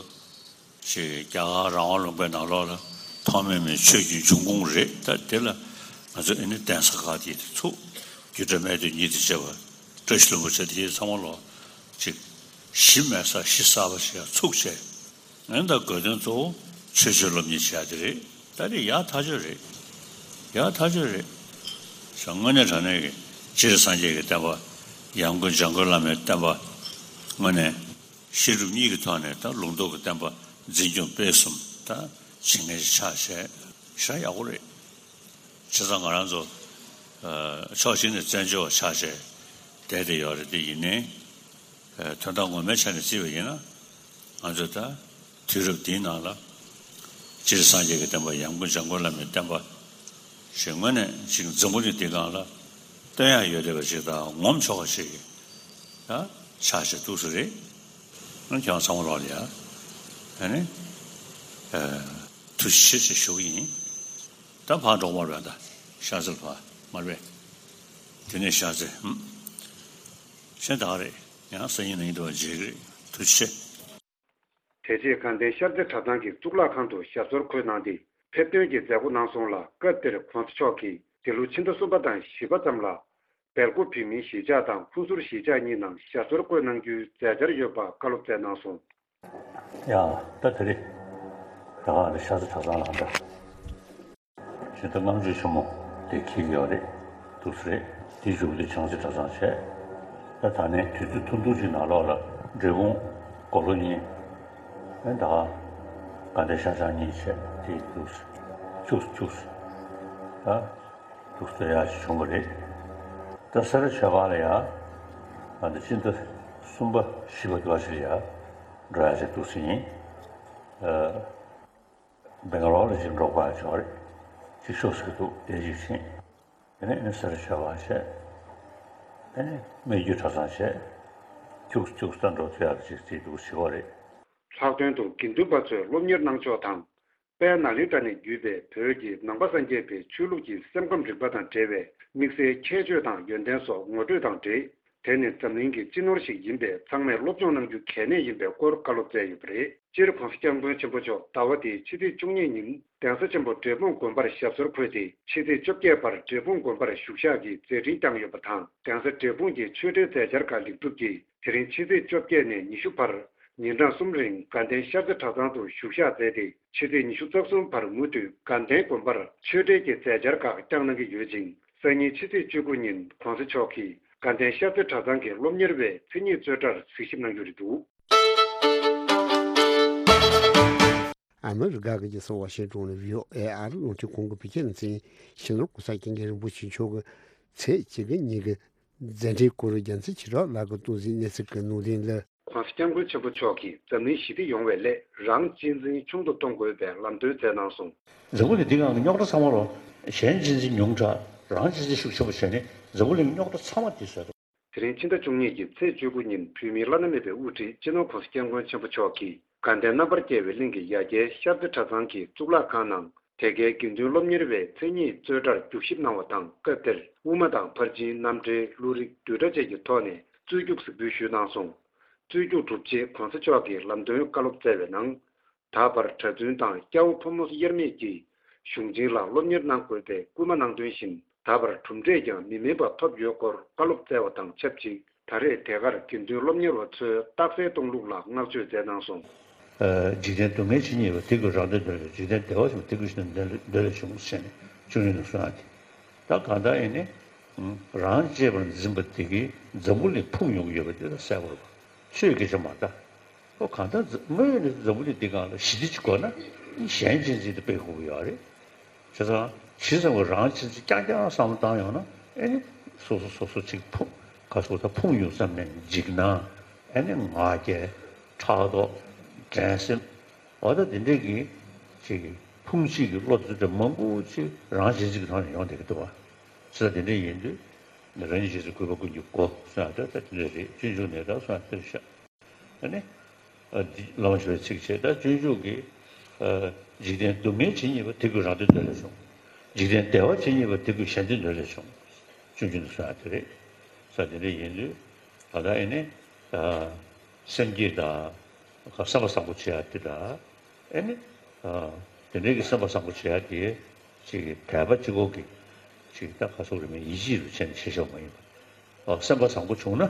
ཞེས་རྒྱ་གར་རང་དབང་ལུང་པའི་ནང་ལོགས་ལ་ཐོགས་མེད་མའི་ཆོས་ཀྱི་འབྱུང་ཁུངས་རེད། ད་དེ་ལ་ང་ཚོ་ཨེ་ནི་གདན་ས་ཁག་དེ་ཚུགས། རྒྱུད་གྲྭ་སྨད་སྟོད་གཉིས་དང་བཅས་པ། བཀྲ་ཤིས་ལྷུན་པོ་ཆེ་དེ་ཚང་མ་ལོག་ཅིག་གཞི་མེད་ས་གཞི་གསར་པ་ཞིག་ཡང་ཚུགས་བྱས། ཨེ་ད་དགོས་དོན་གཙོ་བོ་ཆོས་ཆོས་སློབ་གཉེར་བྱས་དེ་རེད། ད་རེས་ཡག་ཐག་ཆོད་རེད། ཡག་ཐག་ཆོད་རེད། ཞང་དངོས་གནས་དྲང་གནས་ཀྱི་སྤྱིར་སངས་རྒྱས་ཀྱི་བསྟན་པ། ཡང་སྒོས་འཇམ་མགོན་བླ་མའི་བསྟན་པ། དངོས་གནས་བཤད་སྒྲུབ་གཉིས་ཀྱི་ཐོག་ནས་ད་ལུང་རྟོགས་ཀྱི་བསྟན་པ་འཛིན་སྐྱོང་སྤེལ་གསུམ་ད་བྱེད་མཁན་ཞིག་ཆགས་བྱས་ཞེ་དྲག་ཡག་པོ་རེད། བྱས་ཙང་ང་རང་ཚོ་ཕྱོགས་གཅིག་ནས་བཙན་བྱོལ་བ་ཆགས་བྱས་བསྡད་དེ་ཡོད་རེད། དེ་ཡིན་ནའི་དོན་དག་ངོ་མའི་ཆ་ནས་བརྩིས་པ་ཡིན་ན། ང་ཚོས་ད་དུས་རབས་འདིའི་ནང་ལ་སྤྱིར་སངས་རྒྱས་ཀྱི་བསྟན་པ། ཡང་སྒོས་འཇམ་མགོན་བླ་མའི་བསྟན་པ་ཞེས་དངོས་གནས་ཅིག་འཛམ་བུ་གླིང་འདིའི་སྒང་ལ་སྟོན་ཡག་ཡོད་བསྡད་པ་ཞིག་དང་ངོམ་ཆོག་པ་ཞིག་ད་ཆགས་བྱས་འདུག་ས་རེད། ཁྱེད་རང་ཚང་མ་ལོག་ལ་ཡ། ཨ་ནི་ཐུགས་རྗེ་ཆེ་ཞེས་ཞུ་གི་ཡིན། ད་ཕར་འགྲོ་མ་རེད། ད་ཤར་རྩེར་ཕར་མ་རེད། དེ་ནས་ཤར་རྩེ། ཧུམ། གཞན་དག་རེད། ཡང་སང་ཉིན་ནང་ཉིན་དུ་བ་མཇལ་གི་རེད། ཐུགས་རྗེ་ཆེ། དེ་རྗེས་དགའ་ལྡན་ཤར་རྩེ་གྲྭ་ཚང་གི་གཙུག་ལག་ཁང་དུ་ཞབས་སོར་འཁོད་གནང་སྟེ་ཕེབས་སྟོན་གྱི་མཛད་སྒོ་གནང་སོང་ལ། སྐབས་དེར་༸གོང་ས་མཆོག་གིས་འདི་ལོ་ཕྱི་ཟླ་གསུམ་པ་དང་བཞི་པ་ཙམ་ལ་སྦེལ་ཀོབ་བོད་མིའི་གཞིས་ཆགས་དང་ཧུན་སུར་གཞིས་ཆགས་གཉིས་ནང་ཞབས་སོར་འཁོད་གནང་རྒྱུའི་མཛད་འཆར་ཡོད་པ་བཀའ་སློབ་སྩལ་གནང་སོང་། ཡ། ད་དེ་རེད། ད་ག་ནས་ཤར་རྩེ་གྲྭ་ཚང་ལ་ད། ཕྱི་ཟླ་ལྔ་མཆོད་ཆེན་མོ་དེ་འཁེལ་གྱི་ཡོད་རེད། འདུག་ས་རེད། དེའི་མཇུག་དེ་བྱང་རྩེ་གྲྭ་ཚང་བྱས། ད་ད་ནས་དུས་ཚོད་ཐུང་ཐུང་ཅིག་ནང་ལོགས་ལ་འབྲས་སྤུངས་དགུང་ལོ་གཉིས། ཨེ་ད་ག་དགའ་ལྡན་ཤར་བྱང་གཉིས་བྱས། དེ་འདུག་ས་བཅུག་བཅུག་ས་ད་འདུག་ས་ཡག་ཅིག་བྱུང་བ་རེད། ད་སེ་ར་ཆོས་སྒར་ལ་ཡ་ང་ཚོ་ཕྱི་ཟླ་གསུམ་པ་བཞི་པ་དེ་བ་ཞིག་ལ་ཡ་འགྲོ་ཡག་ཅིག་འདུག་ས་ཡིན། ཨ། སྦེང་ག་ལོར་ལ་ཅིག་འགྲོ་དགོས་ཡག་ཅིག་ཡོད་རེད། ཅིག་ཤོག་ཟེར་གྱི་འདུག་དེ་ཅིག་ཕྱིན། དེ་ནས་ཨ་ནི་སེ་ར་ཆོས་སྒར་བྱས། ཨ་ནི་སྨད་རྒྱུད་གྲྭ་ཚང་བྱས། ཁྱུག་ཁྱུག་ད་འགྲོ་ཐུབ་ཡག་ཅིག་བརྩིས་འདུག་ཟེར་བ་རེད། ལྷག་དོན་དུ་དགེ་འདུན་པ་ཚོས་སློབ་གཉེར་གནང་ཕྱོགས་དང་། དཔལ་ནཱ་ལེནྡྲ་ནས་བརྒྱུད་པའི་བོད་ཀྱི་ནང་པ་སངས་རྒྱས་པའི་ཆོས་ལུགས་ཀྱི་སེམས་ཁམས་རིག་པ་དང་འབྲེལ་བའི་དམིགས་བསལ་ཁྱད་ཆོས་དང་ཡོན་ཏན་སོགས་ངོ་སྤྲོད་དང་འབྲེལ། དེ་ནི་འཛམ་གླིང་གི་སྤྱི་ནོར་ཞིག་ཡིན་པས་ཚང་མས་སློབ་སྦྱོང་གནང་རྒྱུ་གལ་གནད་ཡིན་པའི་སྐོར་བཀའ་སློབ་སྩལ་ཡོད་པ་རེད། སྤྱིར་༸གོང་ས་༸སྐྱབས་མགོན་ཆེན་པོ་མཆོག་ཟླ་བ་འདིའི་ཕྱི་ཚེས་བཅུ་གཉིས་ཉིན་གདན་ས་ཆེན་པོ་འབྲས་སྤུངས་དགོན་པར་ཞབས་སོར་འཁོད་དེ། ཕྱི་ཚེས་བཅོ་བརྒྱད་བར་འབྲས་སྤུངས་དགོན་པར་བཞུགས་ཞག་གི་མཛད་འཕྲིན་བསྐྱངས་ཡོད་པ་དང་། གདན་ས་འབྲས་སྤུངས་ཀྱི་ཆོས་འབྲེལ་མཛད་འཆར་ཁག་ལེགས་གྲུབ་ཀྱིས། དེ་རིང་ཕྱི་ཚེས་བཅོ་བརྒྱད་ནས་ཉི་ཤུ་བར་ཉིན་གྲངས་གསུམ་རིང་དགའ་ལྡན་ཤར་རྩེ་གྲྭ་ཚང་དུ་བཞུགས་ཞག་མཛད་དེ། ཕྱི་ཚེས་ཉི་ཤུ་རྩ་གསུམ་བར་མུ་མཐུད་དགའ་ལྡན་དགོན་པར་ཆོས་འབྲེལ་གྱི་མཛད་འཆར་ཁག་བསྐྱངས་གནང་གི་ཡོད་ཅིང་། སང་ཉིན་ཕྱི་ཚེས་བཅུ་དགུ་ཉིན་༸གོང་ས་མཆོག་གིས་དགའ་ལྡན་ཤར་རྩེ་གྲྭ་ཚང་གི་སློབ་གཉེར་བའི་མཚན་ཉིད་རྩོད་གྲྭར་གཟིགས་ཞིབ་གནང་རྒྱུ་རེད་འདུག། ཨ་མི་རི་ཀ་གི་རྒྱལ་ས་ཝ་ཤིང་ཏོན་ནས་བྷི་ཨོ་ཨེ་ཨ་རི་རླུང་འཕྲིན་ཁང་གི་བོད་སྐད་སྡེ་ཚན་ཡིན། སྤྱི་ནོར་༸གོང་ས་༸སྐྱབས་མགོན་རིན་པོ་ཆེ་མཆོག་གི་ཚེས་གཅིག་གི་ཉིན་གྱི་མཛད་འཕྲིན་སྐོར་རྒྱལ་མཚན་ཆོས་གྲགས་ལགས་ཀྱིས་གཏོང་གཟིགས་གནས་ཚུལ་གྱི་ནང་དོན་ལ། ༸གོང་ས་༸སྐྱབས་མགོན་ཆེན་པོ་མཆོག་གིས་འཛམ་གླིང་ཞི་བདེ་ཡོང་བའི་སླད་རང་གཅེས་འཛིན་ཆུང་དུ་གཏོང་དགོས་པའི་ལམ་སྟོན་མཛད་གནང་སོང་། འཛམ་བུ་གླིང་འདི་སྒང་གི་རྙོག་དྲ་ཚང་མ་ལོ། གཞན་གཅེས་འཛིན་ཉུང་དྲགས། རང་གཅེས་འཛིན་ཤུགས་ཆེན་པོ་བྱས་ནས་འཛམ་བུ་གླིང་གི་རྙོག་དྲ་ཚང་མ་འདི་བཟོས་འདུག། དེ་རིང་ཕྱི་ཟླ་བཅུ་གཉིས་ཀྱི་ཚེས་བཅུ་དགུ་ཉིན་བོད་མིའི་བླ་ན་མེད་པའི་དབུ་ཁྲིད་སྤྱི་ནོར་༸གོང་ས་༸སྐྱབས་མགོན་ཆེན་པོ་མཆོག་གིས་དགའ་ལྡན་རྣམ་པར་རྒྱལ་བའི་གླིང་གི་ཡ་གྱལ་ཤར་རྩེ་གྲྭ་ཚང་གི་གཙུག་ལག་ཁང་ནང་། དེ་གའི་དགེ་འདུན་སློབ་གཉེར་བའི་མཚན་ཉིད་རྩོད་གྲྭར་རྒྱུགས་ཞིབ་གནང་བ་དང་། སྐབས་དེར་དབུ་མ་དང་ཕར་ཕྱིན་རྣམ་འགྲེལ་བློ་རིག་བསྡུས་གྲྭ་བཅས་ཀྱི་ཐོག་ནས་རྩོད་རྒྱུགས་གཟིགས་འབུལ་ཞུས་གནང་སོང་། རྩོད་རྒྱུགས་གྲུབ་རྗེས་༸གོང་ས་མཆོག་གིས་ལམ་སྟོན་བཀའ་སློབ་སྩལ་བའི་ནང་། ད་བར་གྲྭ་བཙུན་དང་སྐྱ་བོ་ཕོ་མོ་དབྱེར་མེད་ཀྱིས་གཞུང་ཆེན་ལ་སློབ་གཉེར་གནང་དགོས་པའི་སྐུལ་མ་གནང་དོན་བཞིན། ད་བར་གྲུབ་འབྲས་ཀྱང་མི་དམན་པ་ཐོབ་ཡོད་སྐོར་བཀའ་སློབ་སྩལ་བ་དང་ཆབས་ཅིག། ད་རེས་དེ་གར་དགེ་འདུན་སློབ་གཉེར་བ་ཚོའི་རྟགས་གསལ་གཏོང་ལུགས་ལ་བསྔགས་བརྗོད་མཛད་གནང་སོང་། འཇིག་རྟེན་སྡུག་བསྔལ་ཇི་སྙེད་པ། དེ་ཀུན་རང་དོན་འདོད་ལས་འཇིག། རྟེན་བདེ་བ་ཆེན་པོ། དེ་ཀུན་ཞི་གནས་འདོད་ལས་འདོད་ལས་བྱུང་། ཞེས་ནས་བཅུ་གཉིས་ནས་གསུངས་ཡ་དེ། ད་གང་ལྟར་ཡིན་ནའི། རང་གཅེས་པར་འཛིན་པ་དེ་གིས་འཛམ་བུ་གླིང་ཕུང་ཡོང་གི་ཡོད་པ་དེ་ད་གསལ་པོ་རེད་པ། ཆོས་སྐད་ཆ་མ་རེད་ད། ཨོ་གང་ལྟར་འཛམ་དངོས་ཡོད་ནས་འཛམ་བུ་གླིང་འདི་སྒང་ལ་ཞི་བདེ་ཅིག་དགོས་ན་གཞན་གཅེས་འཛིན་དེ་སྤེལ་དགོས་ཀྱི་ཡོད་རེད། བྱས་ཙང་ཇི་ཙམ་གྱིས་རང་གཅེས་འཛིན་རྐྱང་རྐྱང་བསམ་བློ་བཏང་ཡོང་ན། ཨེ་ནི་སོ་སོ་སོ་སོ་ཅིག་ཕུང་ག་སོ་ད་ཕུང་ཡོང་བསམ་ནས་འཇིགས་སྣང་ ཨ་ནི་ང་རྒྱལ། ཕྲག་དོག་འགྲན་སེམས། འོ་ད་དེ་འདྲའི་གི་ཅིག་ཕུང་བྱེད་ཀྱི་བློ་དེ་འདྲ་མང་པོ་ཅིག་རང་གཅེས་འཛིན་གྱི་ཐོག་ནས་ཡོང་བསྡད་ཀྱི་འདུག་བ། ཟེར་དེ་འདྲ་ཡིན་དུས་རང་ཉིད་རྗེས་སུ་གུས་པ་ཀུན་གྱི་སྒོ་ཟེར་ཡ་ད་ད་དེ་འདྲ་རེད། སྤྱོད་འཇུག་ནས་ད་གསུངས་ཡ་དེ་རེད་ཤག་ཨ་ནི། ཨ་འདི་བླ་མ་ཞུ་བའི་ཚིག་བྱས། ད་སྤྱོད་འཇུག་གི་ཨ་འཇིག་རྟེན་སྡུག་བསྔལ་ཇི་སྙེད་པ། དེ་ཀུན་རང་དོན་དོན་ལས་བྱུང་། འཇིག་རྟེན་བདེ་བ་ཇི་སྙེད་པ། དེ་ཀུན་གཞན་དོན་དོན་ལས་བྱུང་། སྤྱོད་འཇུག་ནས་གསུངས་ཡ་དེ་རེད། ས་དེ་འདྲ་ཡིན་དུས་ད་ལྟ་ཨེ་ནི་ཨ་སེམས་བསྐྱེད་དང་། སེམས་པ་བཟང་པོ་བྱེད་ཡ་དེ་དང་། ཨེ་ནི། ཨ་དེ་འདྲའི་གི་སེམས་པ་བཟང་པོ་བྱེད་ཡ་དེ་ཅིག་དད་པ་གཅིག་པོ་གི་ཅིག་ད་ག་སོགས་རེ་མིན་ཡིད་ཆེས་རུ་བྱས་ནས་བྱེད་ཆོག་མ་ཡིན་པ། ཨ་སེམས་པ་བཟང་པོ་བྱུང་ན་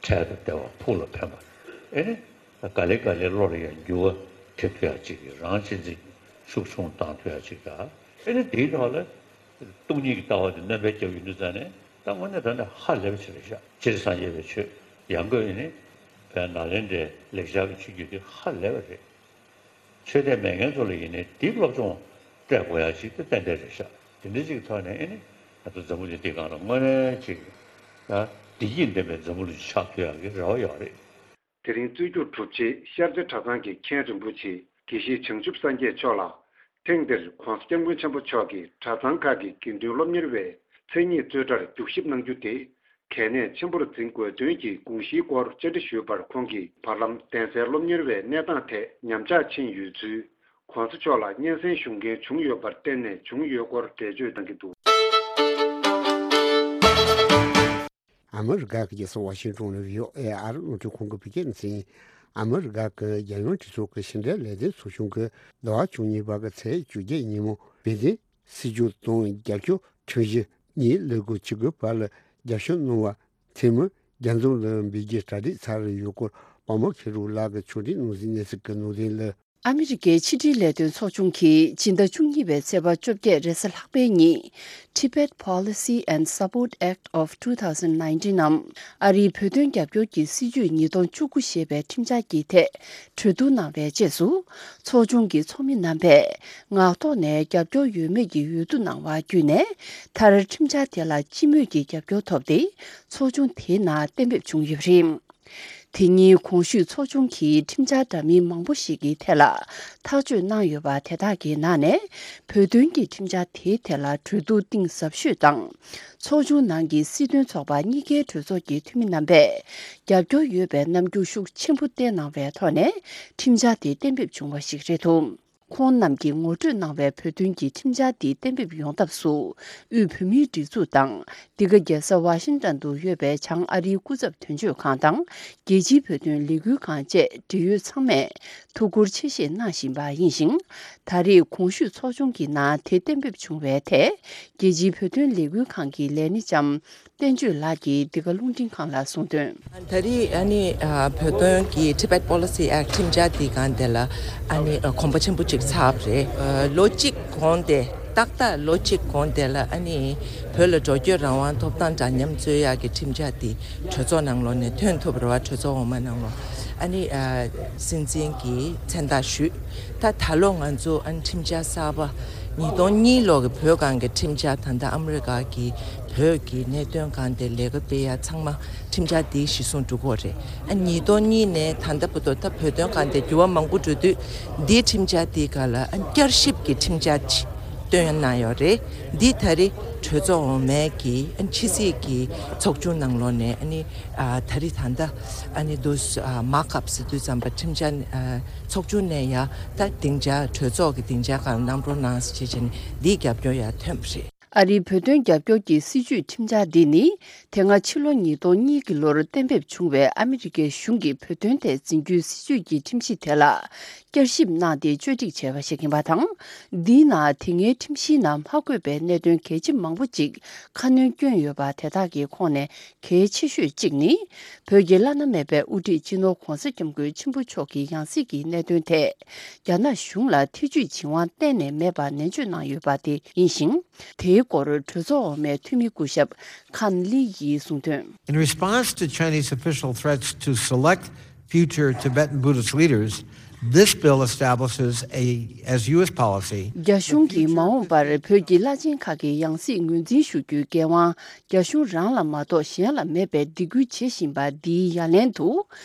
འཕྲལ་དུ་བདེ་བ་ཕུགས་ལ་ཕན་པ། ཨེ་ནི། ག་ལེ་ག་ལེ་བློ་ལ་ཡང་འགྱུར་བ་ཐེབས་ཐུབ་ཡ་ཅིག་གི་རང་གཅེས་འཛིན་ཤུགས་ཆུང་བཏང་ཐུབ་ཡ་ཅིག་དང་། ཨེ་ནི་དེའི་ཐོག་ལ་སྟོང་ཉིད་ཀྱི་ལྟ་བ་དེ་སྣོན་པ་བརྒྱབ་ཡོང་དུས་ཙང་ནས་ད་དངོས་གནས་དྲང་གནས་ཧ་ལས་པ་ཅིག་རེད་ཤག་སྤྱིར་སངས་རྒྱས་པའི་ཆོས་ཡང་སྒོས་ཨེ་ནི་བོད་ནཱ་ལེནྡྲའི་ལེགས་སྦྱར་གྱི་ཆོས་བརྒྱུད་དེ་ཧ་ལས་པ་རེད། ཆོས་དད་མེད་མཁན་ཚོ་ལ་ཡིན་ནའི་འདི་སློབ་སྦྱོང་སྤྲད་དགོས་ཡ་ཞིག་ཏུ་ཏན་ཏན་རེད་ཤག་དེ་འདྲ་ཅིག་ཐོག་ནས་ཨེ་ནི་ང་ཚོ་འཛམ་བུ་གླིང་འདིའི་སྒང་ལ་དངོས་གནས་ཅིག་ད་བདེ་སྐྱིད་ལྡན་པའི་འཛམ་བུ་གླིང་ཞིག་ཆགས་ཐུབ་ཡག་གི་རེ་བ་ཡོད་རེད། དེ་རིང་རྩོད་རྒྱུགས་གྲུབ་རྗེས་ཤར་རྩེ་གྲྭ་ཚང་གི་མཁན་རིན་པོ་ཆེ་དགེ་བཤེས་བྱང་ཆུབ་སངས་རྒྱས་མཆོག་ལ་ཐེངས་འདིར་༧གོང་ས་༧སྐྱབས་མགོན་ཆེན་པོ་མཆོག་གིས་གྲྭ་ཚང་ཁག་གི་དགེ་འདུན་སློབ་གཉེར་བའི་མཚན་ཉིད་རྩོད་གྲྭར་རྒྱུགས་ཞིབ་གནང་རྒྱུ་དེ་གལ་གནད་ཆེན་པོར་འཛིན་དགོས་དོན་གྱི་དགོངས་གཞིའི་སྐོར་བཅར་འདྲི་ཞུས་པར་ཁོང་གིས་བར་ལམ་གདན་སའི་སློབ་གཉེར་བའི་གནས་སྟངས་ཐད་ཉམས་ཆག་ཕྱིན་ཡོད་ཚུལ། ༧གོང་ས་མཆོག་ལ་སྙན་སེང་ཞུ་མཁན་བྱུང་ཡོད་པར་བརྟེན་ནས་བྱུང་ཡོད་སྐོར་འགྲེལ་བརྗོད་གནང་གི་འདུག་ཨ་མི་རི་ཀ་གི་རྒྱལ་ས་ཝ་ཤིང་ཏོན་ནས་བྷི་ཨོ་ཨེ་ཨར་རླུང་འཕྲིན་ཁང་གི་བོད་སྐད་སྡེ་ཚན། ཨ་མི་རི་ཀ་གི་རྒྱལ་ཡོངས་སྤྱི་ཚོགས་ཀྱི་ཕྱི་འབྲེལ་ལས་དོན་ཚོགས་ཆུང་གིས་ཟླ་བ་བཅུ་གཉིས་པ་གི་ཚེས་བཅོ་བརྒྱད་ཉིན་མོ་བྷི་ཏིན་སྲིད་ཇུས་དང་རྒྱབ་སྐྱོར་ཁྲིམས་གཞི་གཉིས་ལས་འགུལ་བྱེད་སྒོའི་བར་ལ་རྒྱབ་སྐྱོར་གནང་བ་དེ་མིན་རྒྱ་འཛོམས་ལ་འབུལ་རྒྱུའི་གྲ་སྒྲིག་ཚར་ཡོད་སྐོར་པདྨ་མཁས་གྲུབ་ལགས་ཀྱིས་ཕྱོགས་སྒྲིག་གནང་གཟིགས་གནས་ཚུལ་གྱི་ནང་དོན་ལ། ཨ་མི་རི་ཀའི་ཕྱི་དྲིལ་ལས་དོན་ཚོགས་ཆུང་གིས་སྤྱི་ཟླ་བཅུ་གཉིས་པའི་ཚེས་པ་བཅོ་བརྒྱད་རེས་གཟའ་ལྷག་པའི་ཉིན། Tibet Policy and Support Act of two thousand nineteen ནམ། ཨ་རིའི་བོད་དོན་རྒྱབ་སྐྱོར་གྱི་སྲིད་ཇུས་ཉིས་སྟོང་བཅུ་དགུ་ཞེས་པའི་ཁྲིམས་འཆར་གྱི་ཐད་གྲོས་བསྡུར་གནང་བའི་རྗེས་སུ། ཚོགས་ཆུང་གི་ཚོགས་མི་རྣམ་པས་ངག་ཐོག་ནས་རྒྱབ་སྐྱོར་ཡོད་མེད་ཀྱི་འོས་བསྡུ་གནང་བ་བརྒྱུད་ནས། མཐར་ཁྲིམས་འཆར་དེ་ལ་སྤྱི་མོས་ཀྱི་རྒྱབ་སྐྱོར་ཐོབ་སྟེ། ཚོགས་ཆུང་དེའི་ནང་གཏན་འབེབས་བྱུང་ཡོད་པ་རེད། དེ་ཉིན་གོང་ཞུས་ཚོགས་ཆུང་གིས་ཁྲིམས་འཆར་འདྲ་མིན་མང་པོ་ཞིག་གི་ཐད་ལ་ཐག་གཅོད་གནང་ཡོད་པ་དེ་དག་གི་ནང་ནས། བོད་དོན་གྱི་ཁྲིམས་འཆར་དེའི་ཐད་ལ་གྲོས་བསྡུར་གཏིང་ཟབ་ཤོས་དང་། ཚོགས་ཆུང་ནང་གི་སྲིད་དོན་ཚོགས་པ་གཉིས་ཀའི་གྲོས་ཚོགས་ཀྱི་འཐུས་མི་རྣམ་པས་རྒྱབ་སྐྱོར་ཡོད་པའི་རྣམ་འགྱུར་ཤུགས་ཆེན་པོ་བསྟན་གནང་བའི་ཐོག་ནས་ཁྲིམས་འཆར་དེ་གཏན་འབེབས་བྱུང་བ་ཞིག་རེད་འདུག་ཁོང་རྣམས་ཀྱིས་ངོ་སྤྲོད་གནང་བའི་བོད་དོན་གྱི་ཁྲིམས་འཆར་འདི་གཏན་འབེབས་ཡོང་ཐབས་སུ། དབུས་བོད་མིའི་སྒྲིག་འཛུགས་དང་། འདི་ག་རྒྱལ་ས་ཝ་ཤིང་ཏན་དུ་ཡོད་པའི་བྱང་ཨ་རིའི་སྐུ་ཚབ་དོན་གཅོད་ཁང་དང་། རྒྱལ་སྤྱིའི་བོད་དོན་ལས་འགུལ་ཁང་བཅས་འབྲེལ་ཡོད་ཚང་མས་ཐུགས་ཁུར་ཆེ་བཞེས་གནང་བཞིན་པ་ཡིན་ཞིང་། ད་རེས་གོང་ཞུས་ཚོགས་ཆུང་གི་ནང་དེ་གཏན་འབེབས་བྱུང་བའི་ཐད། རྒྱལ་སྤྱིའི་བོད་དོན་ལས་འགུལ་ཁང་གི་ལས་སྣེ་ལྕམ། བསྟན་ཆོས་ལགས་ཀྱིས་འདི་ག་རླུང་འཕྲིན་ཁང་ལ་གསུངས་དོན། ད་རེས་ཨ་ནི་ཨ་བོད་དོན་གྱི་Tibet Policy Act ཁྲིམས་འཆར་འདི་སྒང་དེ་ལ་ཨ་ནི་ཨ་གོམ་པ་ཆེན་པོ་ཅིག་ཚར་བ་རེད། ཨ་ལོ་གཅིག་གོང་དེ་ཏག་ཏག་ལོ་གཅིག་གོང་དེ་ལ་ཨ་ནི་བོད་ལ་འགྲོ་སྐྱོད་རང་དབང་ཐོབ་ཐང་འདྲ་མཉམ་རྩོད་ཡག་གི་ཁྲིམས་འཆར་འདི་གྲོས་ཚོགས་ནང་ལོགས་ནས་ཐོན་ཐུབ་པ་རེད་བ། གྲོས་ཚོགས་འོག་མ་ནང་ལོགས་ཨ་ནི་ཨ་སྲིད་འཛིན་གྱིས་མཚན་རྟགས་ཞུས། ད་ད་ལོ་ང་ཚོ་ཨ་ནི་ཁྲིམས་འཆར་གསར་པ་ཉིས་སྟོང་གཉིས་ལོ་གི་བོད་སྒང་གི་ཁྲིམས་འཆར། ད་ལྟ་ཨ་མི་རི་ཀ་གི་བོད་ཀྱི་གནད་དོན་སྒང་དེ་ལས་ཀ་སྤེལ་ཡ་ཚང་མ་ཁྲིམས་འཆར་འདི་གཞི་བཟུང་འགྲོ་གི་རེད། ཨ་ཉིས་སྟོང་གཉིས་ནས་ད་ལྟ་བར་དུ་ད་བོད་དོན་སྒང་དེ་འགྱུར་བ་མང་པོ་འགྲོ་དུས་འདིའི་ཁྲིམས་འཆར་འདི་སྒང་ལ་ཨ་བསྐྱར་ཞིབ་ཀྱི་ཁྲིམས་འཆར་ཅིག་བཏོན་གནང་ཡོད་རེད། འདི་ད་རེས་གྲོས་ཚོགས་འོག་མའི་གི་ཨ་ཕྱི་སྲིད་ཀྱི་ཚོགས་ཆུང་ནང་ལོགས་ནས་ཨ་ནི་ཨ་ད་རེས་ད་ལྟ་ཨ་ནི་འདུག་ཨ་མར་ཀ་ཨབ་ཟེར་དུས་ཙམ་པ་ཁྲིམས་འཆར་ཨ་ཚོགས་ཆུང་ནས་ཡ་ད་སྡིངས་ཆ་གྲོས་ཚོགས་ཀྱི་སྡིངས་ཆ་སྒང་གནང་རོགས་གནང་ཟེར་བྱས་བྱས་ནས་འདིའི་རྒྱབ་སྐྱོར་ཡ་ཐོན་པ་རེད། ཨ་རིའི་བོད་དོན་རྒྱབ་སྐྱོར་གྱི་སྲིད་ཇུས་ཁྲིམས་འཆར་འདི་ནི། དེ་སྔ་ཕྱི་ལོ་ཉིས་སྟོང་གཉིས་ཀྱི་ལོར་གཏན་འབེབས་བྱུང་བའི་ཨ་མི་རི་ཀའི་གཞུང་གི་བོད་དོན་ཐད་འཛིན་རྒྱུའི་སྲིད་ཇུས་ཀྱི་ཁྲིམས་གཞི་དེ་ལ་བསྐྱར་ཞིབ་གནང་སྟེ་བཅོས་སྒྲིག་བྱས་པ་ཞིག་ཡིན་པ་དང་། འདིའི་ནང་དེ་སྔའི་ཁྲིམས་གཞིའི་ནང་མ་འཁོད་པའི་གནད་དོན་གལ་ཆེ་མང་པོ་ཅིག་ཁ་སྣོན་བསྐྱོན་ཡོད་པ་དེ་དག་གི་ཁོངས་ནས་གལ་ཆེ་ཤོས་གཅིག་ནི། བོད་ཀྱི་བླ་ན་མེད་པའི་དབུ་ཁྲིད་སྤྱི་ནོར་༧གོང་ས་༧སྐྱབས་མགོན་ཆེན་པོ་མཆོག་གི་ཡང་སྲིད་ཀྱི་གནད་དོན་ཐད། རྒྱ་ནག་གཞུང་ལ་ཐེ་བྱུས་བྱེད་དབང་གཏན་ནས་མེད་པ་ནན་བརྗོད་གནང་ཡོད་པ་དེ་ཡིན་ཞིང་། དེའི་སྐོར་གྲོས་ཚོགས་འོག་མའི་འཐུས་མི་སྐུ་ཞབས་ཁཱན་ལི་ཡིས་གསུངས་དོན། In response to Chinese official threats to select future Tibetan Buddhist leaders, This bill establishes a, as U S policy, རྒྱ་གཞུང་གིས་མ་འོངས་པར་བོད་ཀྱི་བླ་ཆེན་ཁག་གི་ཡང་སྲིད་ངོས་འཛིན་ཞུ་རྒྱུའི་འགན་དབང་རྒྱ་གཞུང་རང་ལ་མ་གཏོགས་གཞན་ལ་མེད་པའི་སྡིགས་སྐུལ་བྱེད་བཞིན་པ་འདིའི་ཡ་ལན་དུ།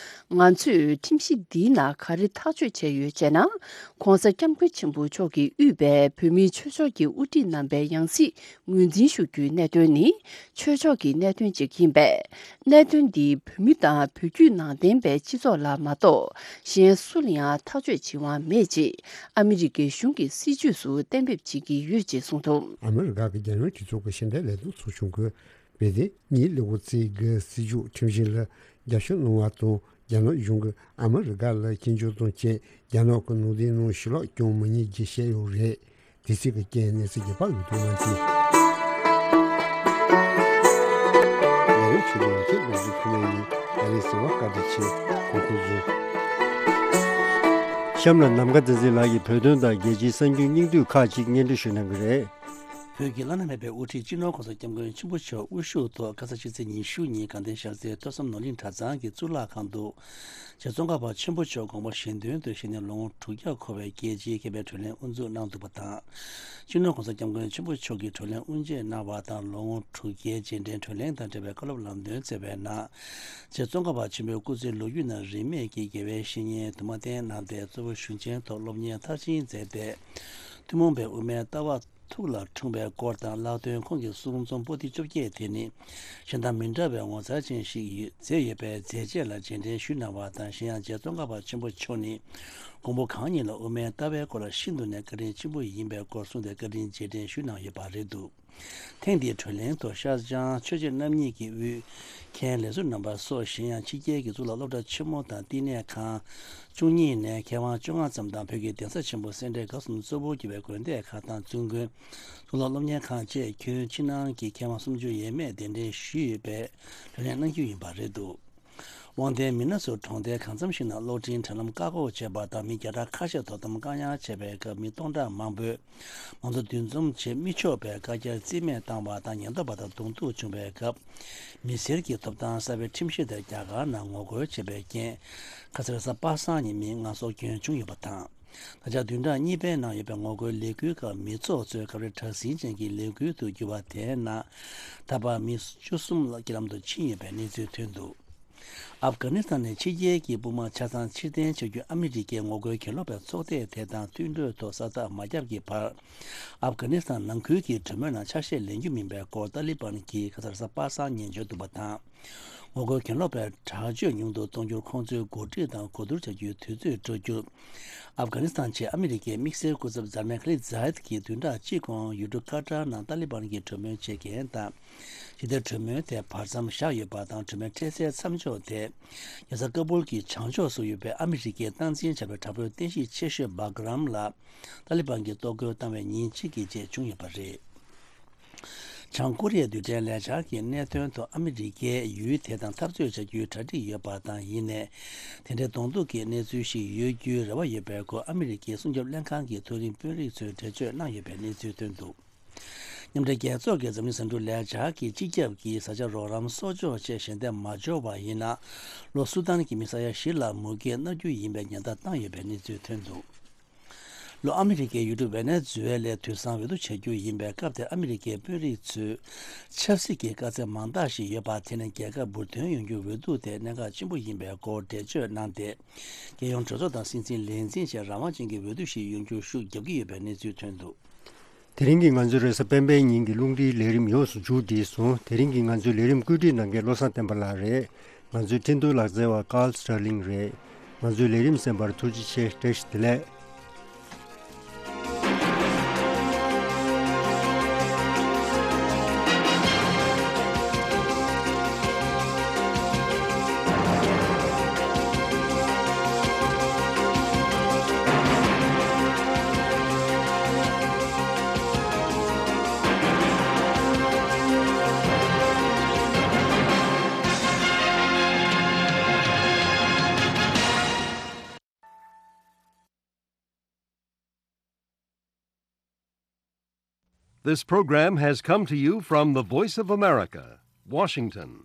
ང་ཚོས་ཁྲིམས་གཞི་འདིའི་ནང་ག་རེ་ཐག་གཅོད་བྱས་ཡོད་ཅེ་ན། ྋགོང་ས་ྋསྐྱབས་མགོན་ཆེན་པོ་མཆོག་གིས་དབུས་པའི་བོད་མིའི་ཆོས་ཕྱོགས་ཀྱི་དབུ་ཁྲིད་རྣམ་པའི་ཡང་སྲིད་ངོས་འཛིན་ཞུ་རྒྱུའི་གནད་དོན་ནི་ཆོས་ཕྱོགས་ཀྱི་གནད་དོན་ཅིག་ཡིན་པས། གནད་དོན་འདིས་བོད་མི་དང་བོད་བརྒྱུད་ནང་བསྟན་པའི་སྤྱི་ཚོགས་ལ་མ་གཏོགས་གཞན་སུ་ལ་ཡང་ཐག་གཅོད་བྱེད་དབང་མེད་ཅེས་ཨ་མི་རི་ཀའི་གཞུང་གི་སྲིད་བྱུས་སུ་གཏན་འབེབས་བྱེད་ཀྱི་ཡོད་ཅེས་གསུངས་འདུག་ཨ་མི་རི་ཀ་གི་རྒྱལ་ཡོངས་སྤྱི་ཚོགས་ཀྱི་ཤེས་ལྡན་ལས་དོན་ཚོགས་ཆུང་གིས་བེ་ཏེ་ཉིན་ལེ་གོ་ཙི་གི་སྲིད་བྱུས་ཁྲིམས་གཞི་ལ་རྒྱབ་སྐྱོར་གནང་བ་དང་། རྒྱ་ནག་གཞུང་གིས་ཨ་མི་རི་ཀ་ལ་སྐྱོན་བརྗོད་དང་བཅས་རྒྱ་ནག་གི་ནང་བསྟན་ནང་ཞུ་ལོག་བསྐྱོན་མི་ཉན་ཅེས་བཤད་ཡོད་རེད། དེ་སྲིད་ཀྱི་རྐྱེན་གནས་ཚུལ་རྒྱས་པ་ཡོད་དུ་མ་ཚིག་ལས་རིམ་ཆོས་ལྡན་ཡིག་ཆེན་ལོ་རྒྱུས་ཐོག་མའི་ཡིན། ཨ་རིའི་གསང་བ་བཀའ་དྲིན་ཆེ། གོང་འཁོད་བཟུང་། གཤམ་ལ་ནམ་མཁའ་བསྟན་འཛིན་ལགས་ཀྱིས་བོད་དོན་དང་རྒྱལ་སྤྱིའི་གསར་འགྱུར་སྙིང་བསྡུས་ཁག་ཅིག་སྙན་སྒྲོན་ཞུ་གནང་གི་རེད། བོད་ཀྱི་བླ་ན་མེད་པའི་དབུ་ཁྲིད་སྤྱི་ནོར་ྋགོང་ས་ྋསྐྱབས་མགོན་ཆེན་པོ་མཆོག་དབུ་བཞུགས་ཐོག་ཁ་ས་ཕྱི་ཚེས་ཉི་ཤུ་ཉིན་དགའ་ལྡན་ཤར་རྩེའི་ཐོས་བསམ་ནོར་གླིང་གྲྭ་ཚང་གི་གཙུག་ལག་ཁང་དུ། རྗེ་ཙོང་ཁ་པ་ཆེན་པོ་མཆོག་དགོངས་པ་བཞེས་དོན་དུ་བཞེས་ནས་ལོ་ངོ་དྲུག་བརྒྱ་འཁོར་བའི་རྒྱལ་སྤྱིའི་མཁས་པའི་གྲོས་གླེང་དབུ་འཛུགས་གནང་འདུག་པ་དང་། སྤྱི་ནོར་ྋགོང་ས་ྋསྐྱབས་མགོན་ཆེན་པོ་མཆོག་གིས་གྲོས་གླེང་དབུ་འབྱེད་གནང་བ་དང་། ལོ་ངོ་དྲུག་བརྒྱའི་རྗེས་དྲན་གྲོས་གླེང་དང་འབྲེལ་བའི་བཀའ་སློབ་ལམ་སྟོན་སྩལ་བའི་ནང་། རྗེ་ཙོང་ཁ་པ་ཆེན་པོའི་སྐུ་ཚེའི་ལོ་རྒྱུས་ནང་རིས་མེད་ཀྱི་དགེ་བའི་བཤེས་གཉེན་དུ་མ་བསྟེན་གནང་སྟེ། གཙོ་བོ་གཞུང་ཆེན་ཐོག་སློབ་གཉེར་མཐར་ཕྱིན་མཛད་དེ། ཐུན་མོང་པའི་དབུ་མའི་ལྟ་བ་ཐུགས་ལ་འཁྲུངས་པའི་སྐོར་དང་། ལྷག་དོན་ཁོང་གི་གསུང་རྩོམ་པོ་ཏི་བཅོ་བརྒྱད་དེ་ནི་གཞན་དང་མི་འདྲ་བའི་ངོ་མཚར་ཅན་ཞིག་ཡོད་མཛད་ཡོད་པའི་མཛད་རྗེས་ལ་རྗེས་དྲན་ཞུས་གནང་བ་དང་། གཞན་ཡང་རྗེ་ཙོང་ཁ་པ་ཆེན་པོ་མཆོག་ནི་མགོན་པོ་གང་ཉིད་ལ་དབུ་མའི་ལྟ་བའི་སྐོར་ལ་ཤིན་ཏུ་ནས་བཀའ་དྲིན་ཆེན་པོ་ཡིན་པའི་སྐོར་གསུངས་ཏེ། བཀའ་དྲིན་རྗེས་དྲན་ཞུས་གནང་ཡོད་པ་རེད་འདུག་ཐེངས་འདིའི་གྲོས་གླེང་ཐོག་ཤར་བྱང་ཆོས་རྗེ་རྣམ་གཉིས་ཀྱི་དབུས་མཁན་ལས་ཟུར་རྣམ་པ་སོགས། གཞན་ཡང་ཕྱི་རྒྱལ་གྱི་གཙུག་ལག་སློབ་གྲྭ་ཆེན་མོ་དང་བསྟི་གནས་ཁང་བཅུ་གཉིས་ནས་མཁས་དབང་བཅོ་ལྔ་ཙམ་དང་། བོད་ཀྱི་གདན་ས་ཆེན་པོ་སེ་འབྲས་དགའ་གསུམ་གཙོ་བོར་གྱུར་པའི་དགོན་སྡེ་ཁག་དང་བཙུན་དགོན། གཙུག་ལག་སློབ་གཉེར་ཁང་བཅས་ཁྱོན་ཕྱི་ནང་གི་མཁས་དབང་སུམ་ཅུ་ཡས་མས་གདན་འདྲེན་ཞུས་ཡོད་པའི་གྲོས་གླེང་གནང་རྒྱུ་ཡིན་པ་རེད་འདུག་དབང་ལྡན་མི་སྣ་ཚོས་གྲོང་རྡལ་གང་འཚམ་ཞིག་ནང་གློག་འཕྲིན་དྲ་ལམ་བཀག་འགོག་བྱས་པ་དང་། མི་བརྒྱ་ཕྲག་ཁ་ཤས་དོ་དམ་བཀག་ཉར་བྱས་པའི་སྐབས། མི་སྟོང་ཕྲག་མང་པོས་མང་གཙོ་འདུ་འཛོམས་བྱེད་མི་ཆོག་པའི་བཀའ་རྒྱར་རྩིས་མེད་བཏང་བ་དང་། ཉེན་རྟོག་པ་དང་གདོང་ཐུག་བྱུང་བའི་སྐབས། མི་སེར་གྱི་ཐོབ་ཐང་གསར་པའི་ཁྲིམས་གཞི་དེ་རྒྱ་གར་ནང་ངོ་རྒོལ་བྱས་པའི་རྐྱེན། ཁ་སང་རེས་གཟའ་པ་སངས་ཉིན་མི་ལྔ་སྲོག་སྐྱོན་བྱུང་ཡོད་པ་དང་། ད་ཆ་བདུན་ཕྲག་གཉིས་པའི་ནང་ཡོད་པའི་ངོ་རྒོལ་ལས་འགུལ་ཁག་མི་ཚོགས་ཚོས་སྐབས་རེ་དྲག་ཟིང་ཅན་གྱི་ལས་འགུལ་དུ་གྱུར་བ་དེའི་ནང་། ད་བར་མི་བཅུ་གསུམ་ལ་རྐྱེན་ལམ་དུ་ཕྱིན་ཡོད་པའི་གནས་ཚུལ་ཐོན་འདུག་ཨབ་གྷ་ནི་སི་ཐན་ནས་ཕྱི་རྒྱལ་གྱི་དཔུང་དམག་ཆ་ཚང་ཕྱིར་འཐེན་བྱ་རྒྱུ་ཨ་མི་རི་ཀའི་ངོ་རྒོལ་གྱེན་ལོག་པའི་ཚོགས་སྡེ་དེ་དང་མཐུན་གྲོས་ཐོག་ས་རྟགས་མ་བརྒྱབ་ཀྱི་བར། ཨབ་གྷ་ནི་སི་ཐན་ནང་ཁུལ་གྱི་གྲོས་མོལ་ནང་ཆ་ཤས་ལེན་རྒྱུ་མིན་པའི་སྐོར་ཏཱ་ལི་བན་གྱིས་ཁ་སང་རེས་གཟའ་པ་སངས་ཉིན་བརྗོད་འདུག་པ་དང་། ངོ་རྒོལ་གྱེན་ལོག་པའི་དྲག་སྤྱོད་ཉུང་དུ་གཏོང་རྒྱུར་ཁོང་ཚོས་འགོ་ཁྲིད་དང་གོ་བསྡུར་བྱ་རྒྱུའི་དུས་ཚོད་སྤྲོད་རྒྱུར། ཨབ་གྷ་ནི་སི་ཐན་ཆེད་ཨ་མི་རི་ཀའི་དམིགས་བསལ་སྐུ་ཚབ་ཛར་མན་ཁ་ལིད་ཛཱ་ཡད་ཀྱིས་བདུན་ཕྲག་གཅིག་གོང་ཡུལ་གྲུ་ཀ་ཏར་ནང་ཏཱ་ལི་བན་གྱི་གྲོས་མོལ་བྱེད་མཁན་དང་། ཞི་བདེ་གྲོས་མོལ་དེ་བར་མཚམས་བཞག་ཡོད་པ་དང་། གྲོས་མོལ་འཕྲལ་སེལ་མཚམས་འཇོག་དེ་རྒྱལ་ས་ཀ་སྦུལ་གྱི་བྱང་ཕྱོགས་སུ་ཡོད་པའི་ཨ་མི་རི་ཀའི་སྟངས་འཛིན་བྱ་བའི་དྲག་པོའི་རྟེན་གཞི་ཆེ་ཤོས་སྦག་རམ་ལ་ཏཱ་ལི་བན་གྱིས་གཏོར་རྒོལ་བཏང་བའི་ཉིན་གཅིག་གི་རྗེས་བྱུང་ཡོད་པ་རེད། བྱང་ཀོ་རི་ཡའི་རྡུལ་ཕྲན་ལས་འཆར་གྱི་གནད་དོན་ཐོག་ཨ་མི་རི་ཀས་ཡུལ་དེ་དང་འཐབ་རྩོད་བྱ་རྒྱུའི་གྲ་སྒྲིག་ཡོད་པ་དང་། ཡིན་ནའི་དེ་འདྲའི་གདོང་ཐུག་གི་གནས་ཚུལ་ཞིག་ཡོད་རྒྱུའི་རེ་བ་ཡོད་པའི་སྐོར་ཨ་མི་རི་ཀའི་སྲུང་སྐྱོབ་ལྷན་ཁང་གི་མཐོ་རིམ་དཔོན་རིགས་ཚོས་འགྲེལ་བརྗོད་གནང་ཡོད་པའི་གནས་ཚུལ་ཐོན་འདུག་མཉམ་འབྲེལ་རྒྱལ་ཚོགས་ཀྱི་འཛམ་གླིང་ཟིང་འཁྲུག་ལས་འཆར་གྱིས་སྤྱི་ཁྱབ་ཀྱི་བཟའ་བཅའ་རོགས་རམ་གསོག་འཇོག་བཅས་ཞལ་འདེབས་མ་འབྱོར་བ་ཡིན་ན། ལྷོ་སུ་དཱན་གྱི་མི་ས་ཡ་བཞི་ལ་མུ་གེ་མནར་རྒྱུ་ཡིན་པའི་ཉེན་བརྡ་བཏང་ཡོད་པའི་གནས་ཚུལ་ཐོན་འདུག་ལྷོ་ཨ་མི་རི་ཀའི་ཡུལ་གྲུ་ཝེ་ནེ་ཛུ་ཝེ་ལའི་དུས་བཟང་འོས་བསྡུ་བྱ་རྒྱུ་ཡིན་པའི་སྐབས་དེར། ཨ་མི་རི་ཀའི་དཔོན་རིགས་ཚོས་ཆབ་སྲིད་ཀྱི་དཀའ་ཚེགས་མང་དག་ཞིག་ཡོད་པ། དེ་ནི་རྒྱལ་ཁབ་འབུར་ཐོན་ཡོང་རྒྱུའི་འོས་བསྡུ་དེ་གནད་འགག་ཆེན་པོ་ཡིན་པའི་སྐོར་འགྲེལ་བརྗོད་གནང་སྟེ། རྒྱལ་ཡོངས་གྲོས་ཚོགས་དང་སྲིད་འཛིན་ལས་འཛིན་བཅས་རང་དབང་ཅན་གྱི་འོས་བསྡུ་ཞིག་ཡོང་རྒྱུར་ཤུགས་རྒྱབ་ཀྱི་ཡོད་པའི་གནས་ཚུལ་ཐོན་འདུག་དེ་རིང་གི་ང་ཚོའི་རེས་གཟའ་སྤེན་པའི་ཉིན་གྱི་རླུང་འཕྲིན་ལས་རིམ་ཡོངས་སུ་མཇུག་བསྒྲིལ་སོང་། དེ་རིང་གི་ང་ཚོའི་ལས་རིམ་བཀོད་སྒྲིག་གནང་མཁན་བློ་བཟང་བསྟན་པ་ལགས་རེད། ང་ཚོའི་འཕྲིན་གཏོང་ལག་རྩལ་བ་ཀཱལ་སི་ཊར་ལིང་རེད། ང་ཚོའི་ལས་རིམ་གསན་པར་ཐུགས་རྗེ་ཆེ། བཀྲ་ཤིས་བདེ་ལེགས། This program has come to you from the Voice of America, Washington.